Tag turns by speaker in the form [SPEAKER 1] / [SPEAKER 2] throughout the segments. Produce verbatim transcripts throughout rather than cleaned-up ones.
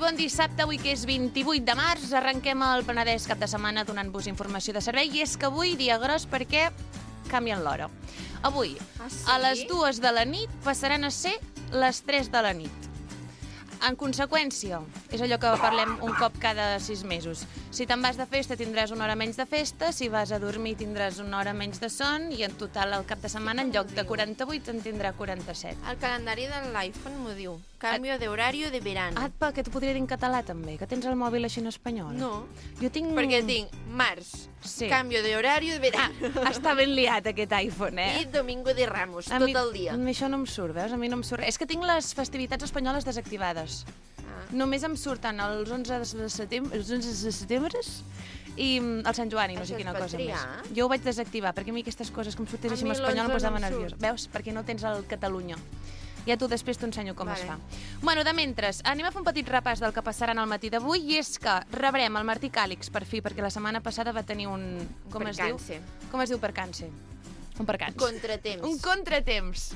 [SPEAKER 1] bon dissabte, avui que és vint-i-vuit de març, arrenquem el Penedès cap de setmana donant-vos informació de servei, i és que avui dia gros perquè canvien l'hora. Avui,
[SPEAKER 2] ah, sí?
[SPEAKER 1] a les dues de la nit passaran a ser les tres de la nit. En conseqüència, és allò que parlem un cop cada sis mesos. Si te'n vas de festa tindràs una hora menys de festa, si vas a dormir tindràs una hora menys de son, i en total al cap de setmana en lloc de quaranta-vuit en tindrà quaranta-set.
[SPEAKER 2] El calendari de l'iPhone m'ho diu. Cambio de horario de verano.
[SPEAKER 1] Ah, que t'ho podria dir en català també, que tens el mòbil així en espanyol.
[SPEAKER 2] No,
[SPEAKER 1] jo tinc...
[SPEAKER 2] perquè tinc març,
[SPEAKER 1] sí.
[SPEAKER 2] Cambio de horario de verano.
[SPEAKER 1] Ah, està ben liat aquest iPhone, eh?
[SPEAKER 2] I Domingo de Ramos,
[SPEAKER 1] a
[SPEAKER 2] tot
[SPEAKER 1] mi,
[SPEAKER 2] el dia.
[SPEAKER 1] A mi això no em surt, veus? A mi no em surt. És que tinc les festivitats espanyoles desactivades. Ah. Només em surten els onze de setembre, els onze de setembre i el Sant Joan i no sé quina cosa
[SPEAKER 2] triar?
[SPEAKER 1] més. Jo ho vaig desactivar, perquè a mi aquestes coses que em sortís així en espanyol em posava
[SPEAKER 2] no
[SPEAKER 1] nerviós. Veus? Perquè no tens el Catalunya. Ja tu després t'ho ensenyo com vale. Es fa. Bueno, de mentre, anem a fer un petit repàs del que passarà en el matí d'avui, i és que rebrem el Martí Càlix per fi, perquè la setmana passada va tenir un... Com
[SPEAKER 2] percance.
[SPEAKER 1] es diu? Com es diu percance? Un percance.
[SPEAKER 2] Un contratemps.
[SPEAKER 1] Un contratemps.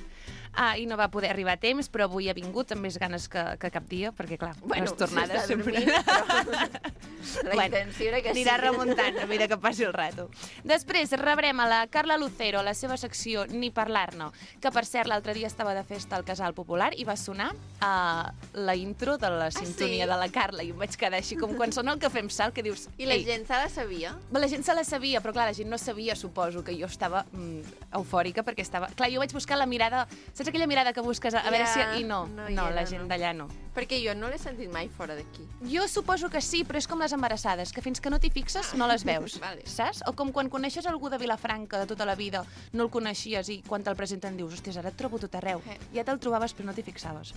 [SPEAKER 1] Ah, i no va poder arribar a temps, però avui ha vingut amb més ganes que, que cap dia, perquè, clar,
[SPEAKER 2] bueno,
[SPEAKER 1] les tornades sempre...
[SPEAKER 2] Dormint, però... La bueno, intenció era que
[SPEAKER 1] anirà
[SPEAKER 2] sí.
[SPEAKER 1] remuntant a mesura que passi el rato. Després rebrem a la Carla Lucero, a la seva secció Ni parlar-ne, que, per cert, l'altre dia estava de festa al Casal Popular i va sonar uh, la intro de la sintonia ah, sí? de la Carla, i em vaig quedar així com quan sona el Cafè amb Sal, que dius...
[SPEAKER 2] I la gent se la sabia?
[SPEAKER 1] La gent se la sabia, però clar, la gent no sabia, suposo, que jo estava mm, eufòrica, perquè estava... Clar, jo vaig buscar la mirada... Saps aquella mirada que busques a, a veure si... I no, no, no era, la gent no. d'allà no.
[SPEAKER 2] Perquè jo no l'he sentit mai fora d'aquí.
[SPEAKER 1] Jo suposo que sí, però és com les embarassades, que fins que no t'hi fixes no les veus,
[SPEAKER 2] vale.
[SPEAKER 1] Saps? O com quan coneixes algú de Vilafranca de tota la vida, no el coneixies i quan te'l presenten dius, hòstia, ara et trobo tot arreu. Eh. Ja te'l trobaves però no t'hi fixaves.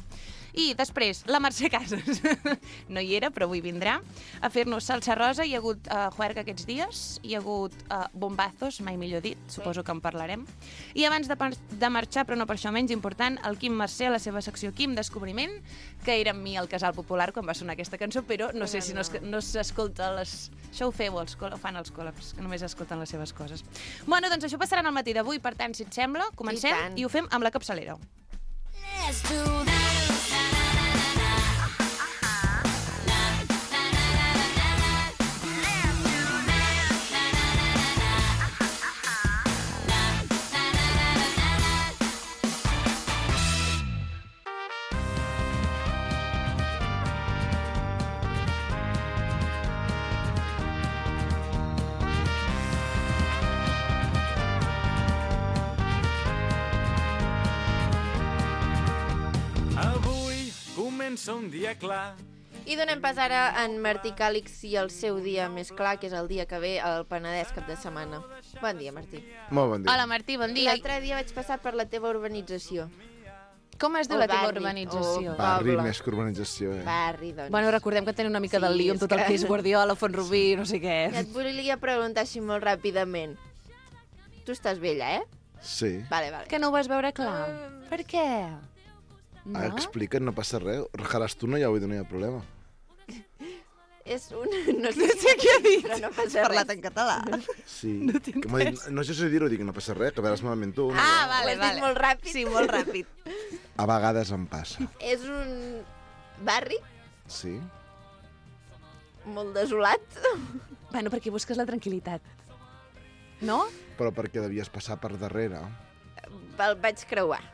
[SPEAKER 1] I després, la Mercè Casas. No hi era, però avui vindrà a fer-nos salsa rosa. Hi ha hagut uh, juerga aquests dies, hi ha hagut uh, bombazos, mai millor dit, suposo que en parlarem. I abans de, de marxar, però no per això menys important, el Quim Mercè, a la seva secció Quim Descobriment, que era amb mi al Casal Popular quan va sonar aquesta cançó, però no sé si no, no s'escolta les... Això ho feu, els ho fan els col·labs, que només escolten les seves coses. Bueno, doncs això passarà al matí d'avui, per tant, si et sembla, comencem i, i ho fem amb la capçalera. Let's do that.
[SPEAKER 3] Un dia clar.
[SPEAKER 2] I donem pas ara a en Martí Càlix i el seu dia més clar, que és el dia que ve al Penedès cap de setmana. Bon dia, Martí.
[SPEAKER 4] Molt bon dia.
[SPEAKER 1] Hola, Martí, bon dia.
[SPEAKER 2] L'altre dia vaig passar per la teva urbanització.
[SPEAKER 1] Com es diu
[SPEAKER 2] o
[SPEAKER 1] la teva
[SPEAKER 2] barri,
[SPEAKER 1] urbanització?
[SPEAKER 4] Barri més que urbanització, eh?
[SPEAKER 2] Barri, doncs.
[SPEAKER 1] Bueno, recordem que tenen una mica
[SPEAKER 2] sí,
[SPEAKER 1] del lío amb tot
[SPEAKER 2] que...
[SPEAKER 1] el que és Guardiola, Font-rubí, no sé què.
[SPEAKER 2] Ja et volia preguntar així molt ràpidament. Tu estàs vella, eh?
[SPEAKER 4] Sí.
[SPEAKER 2] Vale, vale.
[SPEAKER 1] Que no ho vas veure clar. Uh... Per què?
[SPEAKER 4] No? Ah, explica't, no passa res. Rajaràs tu, no, ja vull dir, no hi ha problema.
[SPEAKER 2] És un... No sé,
[SPEAKER 1] no sé què ha dit.
[SPEAKER 2] Però no passa
[SPEAKER 1] res. Parlat en català.
[SPEAKER 4] Sí. No, que dit, no sé si dir-ho, dic, no passa res, que veuràs malament tu.
[SPEAKER 1] Ah, no? Vale,
[SPEAKER 2] ho has
[SPEAKER 1] vale.
[SPEAKER 2] dit molt ràpid.
[SPEAKER 1] Sí, molt ràpid.
[SPEAKER 4] A vegades em passa.
[SPEAKER 2] És un barri?
[SPEAKER 4] Sí.
[SPEAKER 2] Molt desolat?
[SPEAKER 1] Bueno, perquè busques la tranquil·litat. No?
[SPEAKER 4] Però perquè devies passar per darrere.
[SPEAKER 2] El vaig creuar.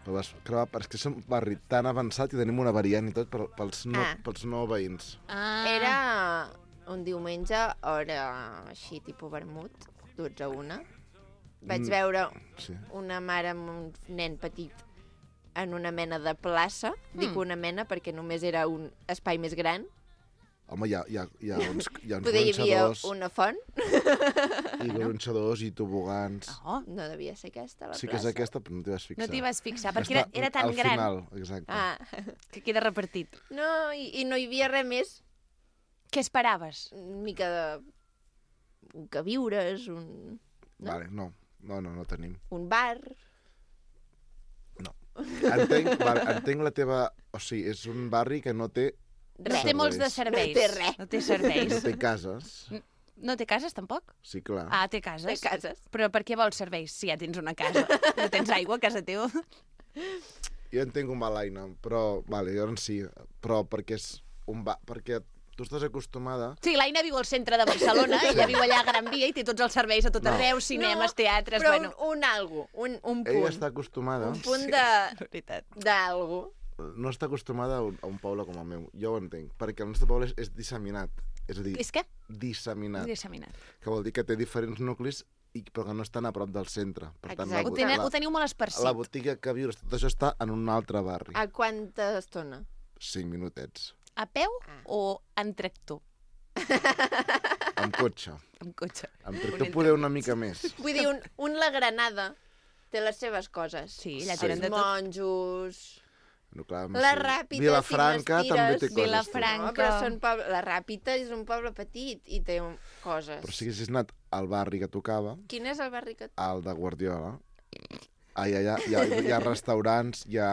[SPEAKER 4] El vas creuar, perquè és un barri tan avançat i tenim una variant i tot pels no,
[SPEAKER 2] ah.
[SPEAKER 4] pels no veïns.
[SPEAKER 2] Ah. Era un diumenge, hora així, tipus vermut, dotze a una. Vaig mm, veure
[SPEAKER 4] sí. una
[SPEAKER 2] mare amb un nen petit en una mena de plaça. Mm. Dic una mena perquè només era un espai més gran.
[SPEAKER 4] Home, hi ha, hi ha, hi ha uns, hi ha uns
[SPEAKER 2] Poder
[SPEAKER 4] gronxadors...
[SPEAKER 2] Hi havia una font.
[SPEAKER 4] I gronxadors i tobogans.
[SPEAKER 2] Oh, no devia ser aquesta, la
[SPEAKER 4] sí
[SPEAKER 2] plaça.
[SPEAKER 4] Sí que és aquesta, però no t'hi vas fixar.
[SPEAKER 1] No t'hi vas fixar, perquè era, era tan
[SPEAKER 4] al
[SPEAKER 1] gran.
[SPEAKER 4] Al final, exacte.
[SPEAKER 2] Ah.
[SPEAKER 1] Que queda repartit.
[SPEAKER 2] No, i, i no hi havia res més.
[SPEAKER 1] Què esperaves?
[SPEAKER 2] Una mica de... un queviures, un...
[SPEAKER 4] No? Vale, no. No, no, no tenim.
[SPEAKER 2] Un bar...
[SPEAKER 4] No. Entenc, vale, entenc la teva... O sigui, és un barri que no té...
[SPEAKER 1] No té molts de serveis.
[SPEAKER 2] No té res.
[SPEAKER 1] No té serveis.
[SPEAKER 4] No té cases.
[SPEAKER 1] No té cases, tampoc?
[SPEAKER 4] Sí, clar.
[SPEAKER 1] Ah, té cases.
[SPEAKER 2] Té cases.
[SPEAKER 1] Però per què vols serveis si ja tens una casa? No tens aigua a casa teva?
[SPEAKER 4] jo entenc un va l'Aina, però, vale, llavors sí, però perquè és un va... perquè tu estàs acostumada...
[SPEAKER 1] Sí, l'Aina viu al centre de Barcelona, ella viu allà a Gran Via i té tots els serveis a tot
[SPEAKER 4] No.
[SPEAKER 1] arreu, cinemes, teatres,
[SPEAKER 2] però
[SPEAKER 1] bueno...
[SPEAKER 2] un, un algo, un, un punt.
[SPEAKER 4] Ella està acostumada...
[SPEAKER 2] Un punt
[SPEAKER 1] Sí,
[SPEAKER 2] de...
[SPEAKER 1] és veritat.
[SPEAKER 2] d'algo.
[SPEAKER 4] No està acostumada a un, a un poble com el meu. Jo ho entenc, perquè el nostre poble és, és disseminat. És a dir,
[SPEAKER 1] És què?
[SPEAKER 4] disseminat.
[SPEAKER 1] Disseminat.
[SPEAKER 4] Que vol dir que té diferents nuclis, i, però que no estan a prop del centre. Per tant, la,
[SPEAKER 2] Exacte.
[SPEAKER 1] Ho,
[SPEAKER 4] bo-
[SPEAKER 1] teniu,
[SPEAKER 4] la,
[SPEAKER 1] ho teniu molt esparcit.
[SPEAKER 4] la botiga que vius, tot això està en un altre barri.
[SPEAKER 2] A quanta estona?
[SPEAKER 4] Cinc minutets.
[SPEAKER 1] A peu
[SPEAKER 2] Ah.
[SPEAKER 1] o en tractor?
[SPEAKER 4] Amb cotxe.
[SPEAKER 1] Amb cotxe.
[SPEAKER 4] Amb
[SPEAKER 1] Un
[SPEAKER 4] tractor
[SPEAKER 1] entre
[SPEAKER 4] poder una
[SPEAKER 1] mig.
[SPEAKER 4] mica més.
[SPEAKER 2] Vull dir, un, un la Granada té les seves coses.
[SPEAKER 1] Sí, allà
[SPEAKER 4] Sí.
[SPEAKER 1] tenen de tot.
[SPEAKER 2] Monjos...
[SPEAKER 4] No, clar,
[SPEAKER 2] La
[SPEAKER 4] sí.
[SPEAKER 2] Ràpita,
[SPEAKER 4] Vilafranca
[SPEAKER 2] si
[SPEAKER 4] també té
[SPEAKER 2] m'estires.
[SPEAKER 4] coses.
[SPEAKER 1] Vilafranca.
[SPEAKER 2] No, però són poble... La Ràpita és un poble petit i té un... coses.
[SPEAKER 4] Però si haguessis anat al barri que tocava,
[SPEAKER 2] Quin és el barri que...
[SPEAKER 4] al de Guardiola, ai, allà hi ha, hi ha restaurants, hi ha...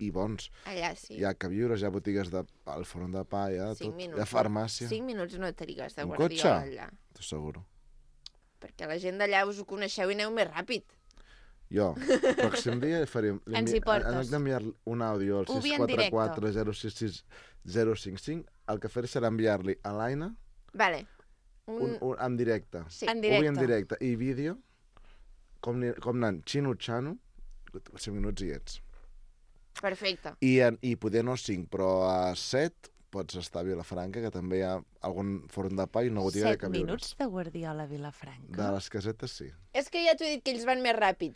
[SPEAKER 4] i bons.
[SPEAKER 2] Allà sí.
[SPEAKER 4] Hi ha queviures, hi ha botigues de... al forn de pa, hi ha
[SPEAKER 2] Cinc
[SPEAKER 4] tot.
[SPEAKER 2] minuts.
[SPEAKER 4] Hi ha farmàcia.
[SPEAKER 2] Cinc minuts no trigues de
[SPEAKER 4] Un
[SPEAKER 2] Guardiola
[SPEAKER 4] cotxe?
[SPEAKER 2] allà.
[SPEAKER 4] T'ho asseguro.
[SPEAKER 2] Perquè la gent d'allà us ho coneixeu i aneu més ràpid.
[SPEAKER 4] Jo, el pròxim dia farem... li
[SPEAKER 1] Ens
[SPEAKER 4] envi-
[SPEAKER 1] hi portes.
[SPEAKER 4] En lloc d'enviar un àudio al
[SPEAKER 1] Ho vi
[SPEAKER 4] sis
[SPEAKER 1] en
[SPEAKER 4] quatre quatre zero sis sis zero cinc cinc, el que faré serà enviar-li a l'Aina
[SPEAKER 2] Vale.
[SPEAKER 4] un,
[SPEAKER 2] Un...
[SPEAKER 4] un, en directe.
[SPEAKER 2] Sí.
[SPEAKER 1] En
[SPEAKER 4] Ho vull en
[SPEAKER 1] directe.
[SPEAKER 4] directe. I vídeo, com, ni- com anant xino-xano, cinc minuts i ets.
[SPEAKER 2] Perfecte.
[SPEAKER 4] I, en, I poder no cinc, però a set pots estar a Vilafranca, que també hi ha algun forn de pa i una botiga de
[SPEAKER 1] Set
[SPEAKER 4] queviures.
[SPEAKER 1] minuts de Guardiola a Vilafranca.
[SPEAKER 4] De les casetes, sí.
[SPEAKER 2] És que ja t'ho he dit que ells van més ràpid.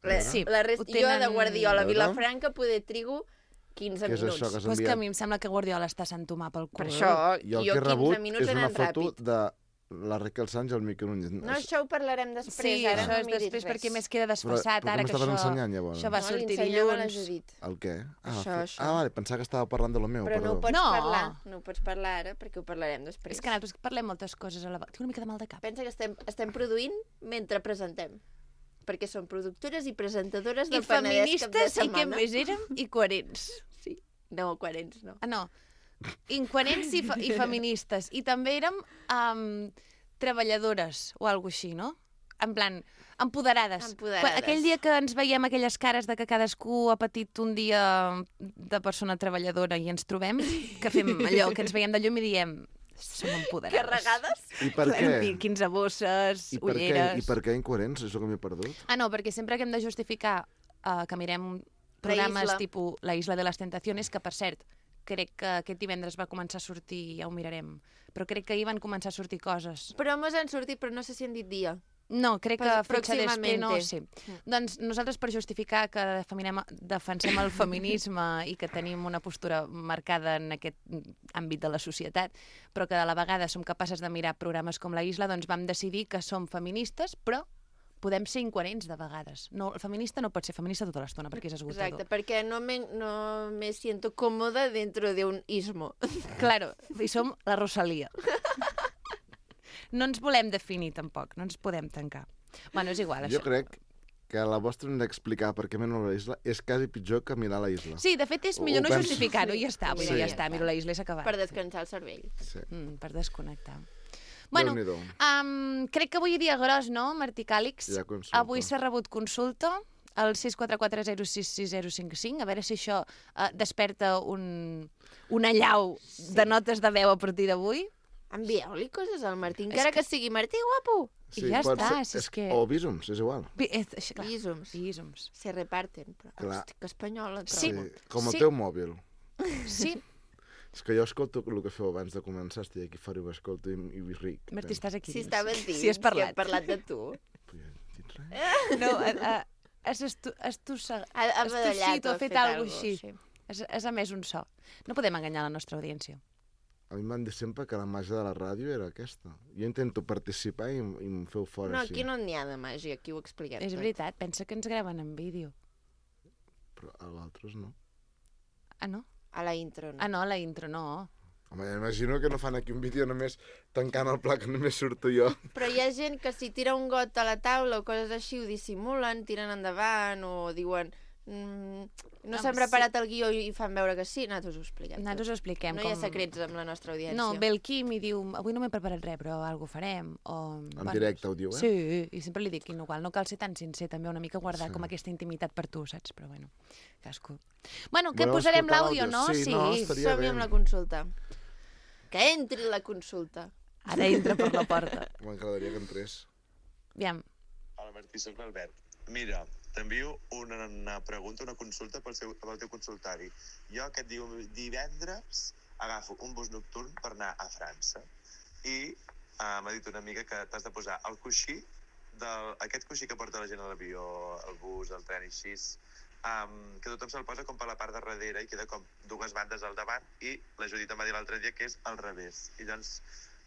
[SPEAKER 2] La,
[SPEAKER 1] Sí,
[SPEAKER 2] la rest...
[SPEAKER 1] ho
[SPEAKER 2] Jo de
[SPEAKER 1] tenen-
[SPEAKER 2] Guardiola a
[SPEAKER 4] A veure.
[SPEAKER 2] Vilafranca poder trigo quinze
[SPEAKER 4] Què és
[SPEAKER 2] minuts.
[SPEAKER 4] això que has
[SPEAKER 1] Però és que a
[SPEAKER 4] enviat?
[SPEAKER 1] mi em sembla que Guardiola està Sant Tomà pel cul.
[SPEAKER 2] Per això,
[SPEAKER 4] Jo el
[SPEAKER 2] jo
[SPEAKER 4] que he rebut
[SPEAKER 2] quinze minuts
[SPEAKER 4] és una
[SPEAKER 2] anant
[SPEAKER 4] foto
[SPEAKER 2] ràpid.
[SPEAKER 4] de la Raquel Sánchez al Miquel Núñez.
[SPEAKER 2] No, això ho parlarem després.
[SPEAKER 1] Sí,
[SPEAKER 2] ara
[SPEAKER 1] això
[SPEAKER 2] no
[SPEAKER 1] és
[SPEAKER 2] miris
[SPEAKER 1] després
[SPEAKER 2] res.
[SPEAKER 1] perquè més queda desfassat,
[SPEAKER 4] però
[SPEAKER 1] ara
[SPEAKER 4] què
[SPEAKER 1] que
[SPEAKER 4] m'estaves
[SPEAKER 1] això,
[SPEAKER 4] ensenyant, llavors?
[SPEAKER 1] això va
[SPEAKER 2] No,
[SPEAKER 1] sortir
[SPEAKER 2] li ensenyava la
[SPEAKER 1] dilluns.
[SPEAKER 2] Judit.
[SPEAKER 4] El què? Ah,
[SPEAKER 2] Això,
[SPEAKER 4] fe-
[SPEAKER 2] això.
[SPEAKER 4] ah, vale, pensava que estava parlant de lo meu,
[SPEAKER 2] Però no
[SPEAKER 4] perdó.
[SPEAKER 2] ho pots
[SPEAKER 1] No.
[SPEAKER 2] parlar. No ho pots parlar ara perquè ho parlarem després.
[SPEAKER 1] És que nosaltres parlem moltes coses a la vegada. Tinc una mica de mal de cap.
[SPEAKER 2] Pensa que estem, estem produint mentre presentem. Perquè som productores i presentadores
[SPEAKER 1] I
[SPEAKER 2] del Penedès cap de
[SPEAKER 1] feministes, i què
[SPEAKER 2] setmana.
[SPEAKER 1] més érem? I coherents.
[SPEAKER 2] Sí. No, coherents, no.
[SPEAKER 1] Ah, no. Incoherents i, fe i feministes. I també érem um, treballadores o alguna així, no? En plan, empoderades.
[SPEAKER 2] Empoderades.
[SPEAKER 1] Quan, aquell dia que ens veiem aquelles cares de que cadascú ha patit un dia de persona treballadora i ens trobem, que fem allò, que ens veiem de llum i diem som empoderades.
[SPEAKER 2] Carregades?
[SPEAKER 4] I per què?
[SPEAKER 1] Pi- quinze bosses,
[SPEAKER 4] I per què?
[SPEAKER 1] ulleres...
[SPEAKER 4] I per què incoherents? És el que m'he perdut.
[SPEAKER 1] Ah, no, perquè sempre que hem de justificar uh, que mirem programes
[SPEAKER 2] Isla.
[SPEAKER 1] tipus La Isla de les Tentaciones, que per cert, crec que aquest divendres va començar a sortir, ja ho mirarem, però crec que ahir van començar a sortir coses.
[SPEAKER 2] Però mos han sortit, però no sé si han dit dia.
[SPEAKER 1] No, crec que
[SPEAKER 2] Pues
[SPEAKER 1] fetge després no,
[SPEAKER 2] pròximamente.
[SPEAKER 1] sí. Doncs nosaltres per justificar que defensem, defensem el feminisme i que tenim una postura marcada en aquest àmbit de la societat, però que a la vegada som capaces de mirar programes com La Isla, doncs vam decidir que som feministes, però podem ser incoherents de vegades. No, el feminista no pot ser feminista tota l'estona perquè és esgotador.
[SPEAKER 2] Exacte, perquè no me, no me siento còmoda dentro de un ismo.
[SPEAKER 1] Claro, i som la Rosalia. No ens volem definir, tampoc. No ens podem tancar. Bueno, és igual,
[SPEAKER 4] Jo
[SPEAKER 1] això.
[SPEAKER 4] crec que la vostra hem d'explicar per què miro la isla és quasi pitjor que mirar la isla.
[SPEAKER 1] Sí, de fet, és
[SPEAKER 4] Ho
[SPEAKER 1] millor no
[SPEAKER 4] penso.
[SPEAKER 1] justificar-ho i ja està. Vull dir,
[SPEAKER 4] Sí.
[SPEAKER 1] ja està, miro la isla i s'ha acabat.
[SPEAKER 2] Per descansar el cervell.
[SPEAKER 4] Sí.
[SPEAKER 1] Mm, per desconnectar. Bueno,
[SPEAKER 4] Déu-n'hi-do.
[SPEAKER 1] um, crec que avui hi dia gros, no, Martí Càlix?
[SPEAKER 4] Hi ha consulta.
[SPEAKER 1] Avui s'ha rebut consulta al sis quatre quatre zero sis sis zero cinc cinc, a veure si això uh, desperta un, una llau de notes de veu a partir d'avui.
[SPEAKER 2] Envieu-li coses al Martí, encara que... que sigui Martí guapo.
[SPEAKER 1] I ja
[SPEAKER 4] pot
[SPEAKER 1] està,
[SPEAKER 4] ser-
[SPEAKER 1] si és que-
[SPEAKER 4] O bísums, és igual.
[SPEAKER 1] Bi- és- és- clar,
[SPEAKER 2] Bísums.
[SPEAKER 1] Bísums.
[SPEAKER 2] Se reparten. Però,
[SPEAKER 4] Clar.
[SPEAKER 2] hosti, que espanyola
[SPEAKER 1] Sí.
[SPEAKER 2] trobo.
[SPEAKER 4] Com el
[SPEAKER 1] Sí.
[SPEAKER 4] teu mòbil.
[SPEAKER 1] Sí,
[SPEAKER 4] És que jo escolto el que feu abans de començar, estic aquí fora i ho escolto i, i ric.
[SPEAKER 1] Martí, estàs aquí.
[SPEAKER 2] Si
[SPEAKER 1] dins.
[SPEAKER 2] estaves dins,
[SPEAKER 1] Si has parlat.
[SPEAKER 2] si hem parlat de tu.
[SPEAKER 4] Però jo no dic res.
[SPEAKER 1] No, a, a, has estu, estussa,
[SPEAKER 2] Ha, ha
[SPEAKER 1] estossit
[SPEAKER 2] badallat
[SPEAKER 1] o
[SPEAKER 2] o
[SPEAKER 1] ha fet
[SPEAKER 2] fet
[SPEAKER 1] alguna
[SPEAKER 2] algo,
[SPEAKER 1] cosa així.
[SPEAKER 2] sí.
[SPEAKER 1] Has, has emès un so. No podem enganyar la nostra audiència.
[SPEAKER 4] A mi em van dir sempre que la màgia de la ràdio era aquesta. Jo intento participar i, em- i em feu fora
[SPEAKER 2] No,
[SPEAKER 4] així.
[SPEAKER 2] aquí no n'hi ha de màgia, aquí ho expliquem
[SPEAKER 1] És
[SPEAKER 2] tot.
[SPEAKER 1] veritat, pensa que ens graven en vídeo.
[SPEAKER 4] Però a l'altres no.
[SPEAKER 1] Ah, no?
[SPEAKER 2] A la intro, no?
[SPEAKER 1] Ah, no, la intro no.
[SPEAKER 4] Home, imagino que no fan aquí un vídeo només tancant el pla que només surto jo.
[SPEAKER 2] Però hi ha gent que si tira un got a la taula o coses així ho dissimulen, tiren endavant o diuen Mm, no
[SPEAKER 1] Home,
[SPEAKER 2] s'han preparat el guió i fan veure que sí, nosaltres ho expliquem.
[SPEAKER 1] Nosaltres ho expliquem.
[SPEAKER 2] No
[SPEAKER 1] com...
[SPEAKER 2] hi ha secrets amb la nostra audiència.
[SPEAKER 1] No, ve el Quim i diu, avui no m'he preparat res, però alguna farem. O...
[SPEAKER 4] En directe ho diu, eh?
[SPEAKER 1] Sí, i sempre li dic, igual, no cal ser tan sincer, també una mica guardar
[SPEAKER 4] Sí.
[SPEAKER 1] com aquesta intimitat per tu, saps? Però bueno, cascú. Bueno, que
[SPEAKER 4] Voleu
[SPEAKER 1] posarem
[SPEAKER 4] escoltar
[SPEAKER 1] l'àudio, no?
[SPEAKER 4] l'àudio? Sí, no, estaria
[SPEAKER 2] Som-hi
[SPEAKER 4] bé.
[SPEAKER 2] amb la consulta. Que entri la consulta.
[SPEAKER 1] Ara entra per la porta.
[SPEAKER 4] M'agradaria que entrés.
[SPEAKER 1] Aviam.
[SPEAKER 5] Hola Martí, soc l'Albert. Mira, t'envio una, una pregunta, una consulta pel, seu, pel teu consultori. Jo aquest diu, divendres agafo un bus nocturn per anar a França i uh, m'ha dit una amiga que t'has de posar el coixí, del, aquest coixí que porta la gent a l'avió, el bus, el tren i així, um, que tothom se'l posa com per la part de darrere i queda com dues bandes al davant i la Judit em va dir l'altre dia que és al revés. I doncs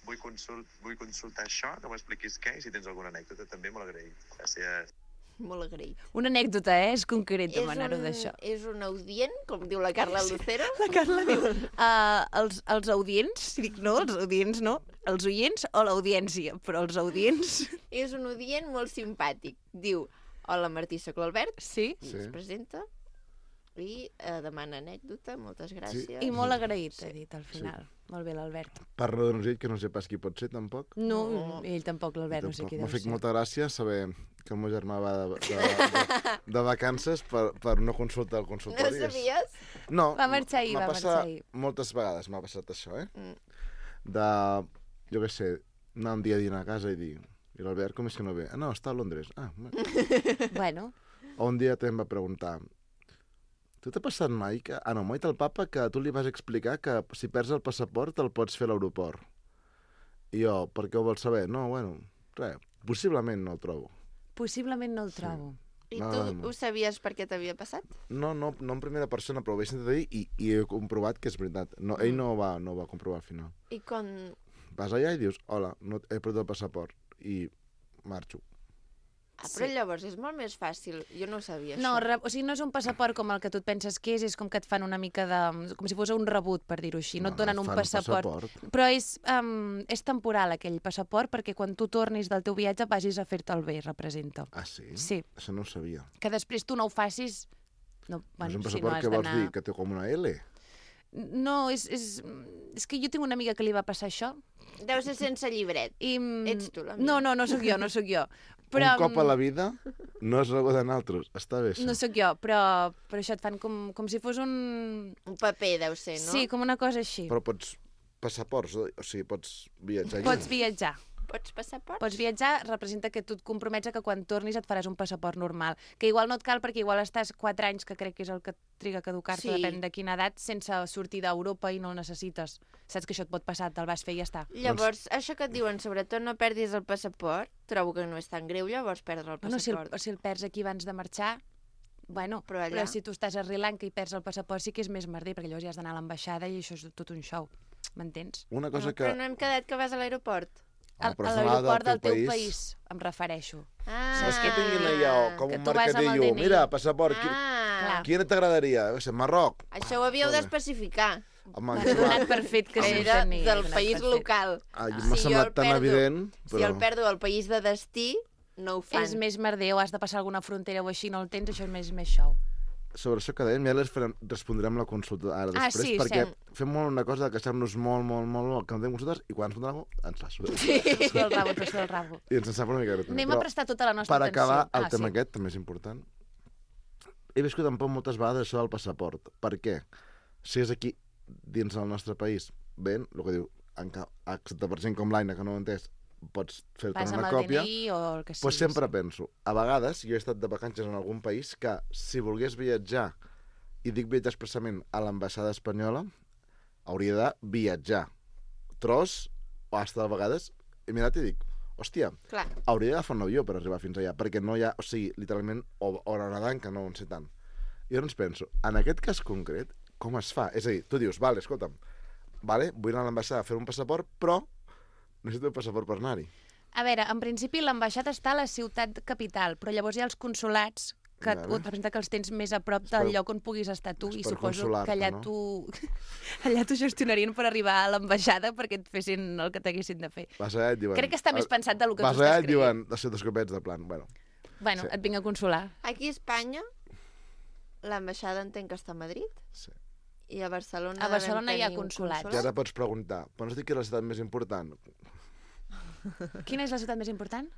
[SPEAKER 5] vull, consult, vull consultar això, que m'expliquis què i si tens alguna anècdota també molt agraït. Gràcies.
[SPEAKER 2] Molt agraït.
[SPEAKER 1] Una anècdota, eh? És concret demanar-ho
[SPEAKER 2] un,
[SPEAKER 1] d'això.
[SPEAKER 2] és un audient, com diu la Carla Lucero.
[SPEAKER 1] La Carla diu, uh, els, els audients, si dic no, els audients no, els oients o l'audiència, però els audients...
[SPEAKER 2] És un audient molt simpàtic. Diu, hola Martí, soc l'Albert.
[SPEAKER 1] Sí,
[SPEAKER 2] I
[SPEAKER 4] Sí.
[SPEAKER 2] es presenta i eh, demana anècdota, moltes gràcies.
[SPEAKER 1] i molt agraït, ha dit al final. Molt bé, l'Albert.
[SPEAKER 4] Parla d'un ocell que no sé pas qui pot ser, tampoc.
[SPEAKER 1] No,
[SPEAKER 2] No.
[SPEAKER 1] ell tampoc, l'Albert, no sé
[SPEAKER 4] Tampoc.
[SPEAKER 1] qui
[SPEAKER 4] M'ha
[SPEAKER 1] deu
[SPEAKER 4] fet
[SPEAKER 1] ser.
[SPEAKER 4] molta gràcia saber que el meu germà va de, de, de, de vacances per, per no consultar el
[SPEAKER 2] No
[SPEAKER 4] consultori. És-
[SPEAKER 2] sabies?
[SPEAKER 4] No,
[SPEAKER 1] Va marxar ahir,
[SPEAKER 4] m'ha
[SPEAKER 1] va
[SPEAKER 4] passat
[SPEAKER 1] marxar ahir.
[SPEAKER 4] moltes vegades m'ha passat això, eh?
[SPEAKER 2] Mm.
[SPEAKER 4] De, jo què sé, anar un dia a dinar a casa i dir, i l'Albert com és que no ve? Ah, no, està a Londres. Ah, bueno.
[SPEAKER 1] Bueno,
[SPEAKER 4] O un dia també em va preguntar, tu t'ha passat mai que... Ah, no, m'ha dit el papa que tu li vas explicar que si perds el passaport el pots fer a l'aeroport. I jo, per què ho vols saber? No, bueno, res, possiblement no el trobo.
[SPEAKER 1] possiblement no el trobo.
[SPEAKER 2] I
[SPEAKER 4] No,
[SPEAKER 2] tu
[SPEAKER 4] no, no.
[SPEAKER 2] ho sabies per què t'havia passat?
[SPEAKER 4] No, no, no en primera persona, però ho vaig sentir dir i, i he comprovat que és veritat. No, ell no ho va, no ho va comprovar al final.
[SPEAKER 2] I quan...
[SPEAKER 4] Vas allà i dius, hola, no he perdut el passaport, i marxo.
[SPEAKER 2] Ah, però
[SPEAKER 1] Sí.
[SPEAKER 2] llavors és molt més fàcil. Jo no ho sabia,
[SPEAKER 1] No,
[SPEAKER 2] això.
[SPEAKER 1] re, o sigui, no és un passaport com el que tu et penses que és, és com que et fan una mica de... com si fos un rebut, per dir-ho així. No, et donen un
[SPEAKER 4] fan
[SPEAKER 1] passaport. Però és, um, és temporal, aquell passaport, perquè quan tu tornis del teu viatge vagis a fer-te'l bé, representa.
[SPEAKER 4] Ah, sí?
[SPEAKER 1] Sí.
[SPEAKER 4] Això no ho sabia.
[SPEAKER 1] Que després tu no ho facis... No,
[SPEAKER 4] No
[SPEAKER 1] bueno,
[SPEAKER 4] és un
[SPEAKER 1] si no
[SPEAKER 4] passaport
[SPEAKER 1] has
[SPEAKER 4] que vols
[SPEAKER 1] d'anar-
[SPEAKER 4] dir, que té com una L?
[SPEAKER 1] No, és, és, és que jo tinc una amiga que li va passar això.
[SPEAKER 2] Deu ser sense llibret.
[SPEAKER 1] I... mm,
[SPEAKER 2] Ets tu, l'amiga.
[SPEAKER 1] No, no, no sóc jo, no sóc jo. Però,
[SPEAKER 4] Un cop a la vida no es rebuda en altres. Està bé, això.
[SPEAKER 1] No sóc jo, però, però això et fan com, com si fos un...
[SPEAKER 2] Un paper deu ser, no?
[SPEAKER 1] Sí, com una cosa així.
[SPEAKER 4] Però pots... Passaports, o o sigui, pots viatjar.
[SPEAKER 1] Pots viatjar.
[SPEAKER 2] Pots passaport?
[SPEAKER 1] Pots viatjar, representa que tu et compromets a que quan tornis et faràs un passaport normal. Que igual no et cal perquè igual estàs quatre anys, que crec que és el que triga a caducar-te,
[SPEAKER 2] Sí.
[SPEAKER 1] depèn de quina edat, sense sortir d'Europa i no el necessites. Saps que això et pot passar, te'l vas fer i ja està.
[SPEAKER 2] Llavors, això que et diuen, sobretot no perdis el passaport, trobo que no és tan greu, llavors perdre el
[SPEAKER 1] Bueno, si el,
[SPEAKER 2] passaport.
[SPEAKER 1] si el perds aquí abans de marxar, bueno,
[SPEAKER 2] Però
[SPEAKER 1] però,
[SPEAKER 2] allà-
[SPEAKER 1] però si tu estàs a Sri Lanka i perds el passaport sí que és més merder, perquè llavors ja has d'anar a l'ambaixada i això és tot un show. M'entens?
[SPEAKER 4] Una
[SPEAKER 2] No,
[SPEAKER 4] cosa que...
[SPEAKER 2] Però no hem quedat que vas a l'aeroport.
[SPEAKER 4] Ah,
[SPEAKER 1] A,
[SPEAKER 4] però
[SPEAKER 1] a
[SPEAKER 4] has d'anar
[SPEAKER 1] l'aeroport del teu
[SPEAKER 4] país.
[SPEAKER 1] país, em refereixo.
[SPEAKER 2] Ah,
[SPEAKER 4] Saps que tinguin allò com
[SPEAKER 1] Que
[SPEAKER 4] un
[SPEAKER 1] tu vas amb el
[SPEAKER 4] mercadillo?
[SPEAKER 1] D N I.
[SPEAKER 4] Mira, passaport, qui...
[SPEAKER 2] Ah,
[SPEAKER 1] Clar.
[SPEAKER 4] quina t'agradaria? Jo què sé, Marroc.
[SPEAKER 2] això ho havíeu
[SPEAKER 4] Joder.
[SPEAKER 2] d'especificar.
[SPEAKER 4] Home,
[SPEAKER 1] M'ha donat per fet que sí,
[SPEAKER 2] Era
[SPEAKER 1] tenia,
[SPEAKER 2] del
[SPEAKER 1] donat
[SPEAKER 2] país
[SPEAKER 1] per fet.
[SPEAKER 2] local.
[SPEAKER 4] Ah,
[SPEAKER 2] Si
[SPEAKER 4] m'ha
[SPEAKER 2] jo
[SPEAKER 4] semblat
[SPEAKER 2] el
[SPEAKER 4] tan
[SPEAKER 2] perdo-
[SPEAKER 4] evident,
[SPEAKER 2] Si
[SPEAKER 4] però...
[SPEAKER 2] el perdo al país de destí, no ho fan.
[SPEAKER 1] És més merder o has de passar alguna frontera o així, no el tens, això és més, més show.
[SPEAKER 4] Sobre això que dèiem, ja les farem, respondrem la consulta ara
[SPEAKER 1] Ah,
[SPEAKER 4] després,
[SPEAKER 1] sí,
[SPEAKER 4] perquè
[SPEAKER 1] sí.
[SPEAKER 4] fem molt una cosa de queixar-nos molt, molt, molt, molt, que no tenim consultes, i quan ens foten alguna cosa, ens la surt.
[SPEAKER 1] Tot el rabo, tot el rabo.
[SPEAKER 4] I ens en sap una mica greu. també.
[SPEAKER 1] Anem a
[SPEAKER 4] Però
[SPEAKER 1] prestar tota la nostra
[SPEAKER 4] per
[SPEAKER 1] atenció.
[SPEAKER 4] acabar, el
[SPEAKER 1] ah,
[SPEAKER 4] tema
[SPEAKER 1] sí.
[SPEAKER 4] aquest també és important. He viscut en por moltes vegades això del passaport. Per què? Si és aquí, dins del nostre país, ben, el que diu, excepte per gent com l'Aina, que no ho ha entès, pots fer-te
[SPEAKER 1] Vas amb
[SPEAKER 4] una
[SPEAKER 1] el
[SPEAKER 4] còpia,
[SPEAKER 1] D N I o el que sigui.
[SPEAKER 4] doncs sempre penso, a vegades, jo he estat de vacances en algun país que, si volgués viatjar, i dic viatjar expressament a l'ambaixada espanyola, hauria de viatjar. Tros, o hasta de vegades, he mirat i dic, hòstia,
[SPEAKER 2] Clar.
[SPEAKER 4] hauria d'agafar un avió per arribar fins allà, perquè no hi ha, o sigui, literalment, o, o nedant, que no en sé tant. I llavors penso, en aquest cas concret, com es fa? És a dir, tu dius, vale, escolta'm, vale, vull anar a l'ambaixada a fer un passaport, però necessito un passaport per anar-hi.
[SPEAKER 1] A veure, en principi l'ambaixada està a la ciutat capital, però llavors hi ha els consolats que
[SPEAKER 4] Vale.
[SPEAKER 1] ho representa que els tens més a prop
[SPEAKER 4] És
[SPEAKER 1] del
[SPEAKER 4] per-
[SPEAKER 1] lloc on puguis estar tu
[SPEAKER 4] és
[SPEAKER 1] i
[SPEAKER 4] per
[SPEAKER 1] suposo
[SPEAKER 4] consolar-te,
[SPEAKER 1] que allà
[SPEAKER 4] no?
[SPEAKER 1] tu allà t'ho gestionarien per arribar a l'ambaixada perquè et fessin el que t'haguessin de fer.
[SPEAKER 4] Vas allà i et diuen...
[SPEAKER 1] Crec que està més pensat del que
[SPEAKER 4] vas
[SPEAKER 1] tu
[SPEAKER 4] allà
[SPEAKER 1] estàs
[SPEAKER 4] i et diuen, de ser dos copets de plan, bueno.
[SPEAKER 1] Bueno,
[SPEAKER 4] sí.
[SPEAKER 1] et vinc a consolar.
[SPEAKER 2] Aquí a Espanya l'ambaixada entenc que està a Madrid.
[SPEAKER 4] Sí.
[SPEAKER 2] I a Barcelona...
[SPEAKER 1] A Barcelona hi ha
[SPEAKER 2] devem tenir un
[SPEAKER 1] consulats.
[SPEAKER 4] I ara pots preguntar, pots dir que és la ciutat més important?
[SPEAKER 1] Quina és la ciutat més important?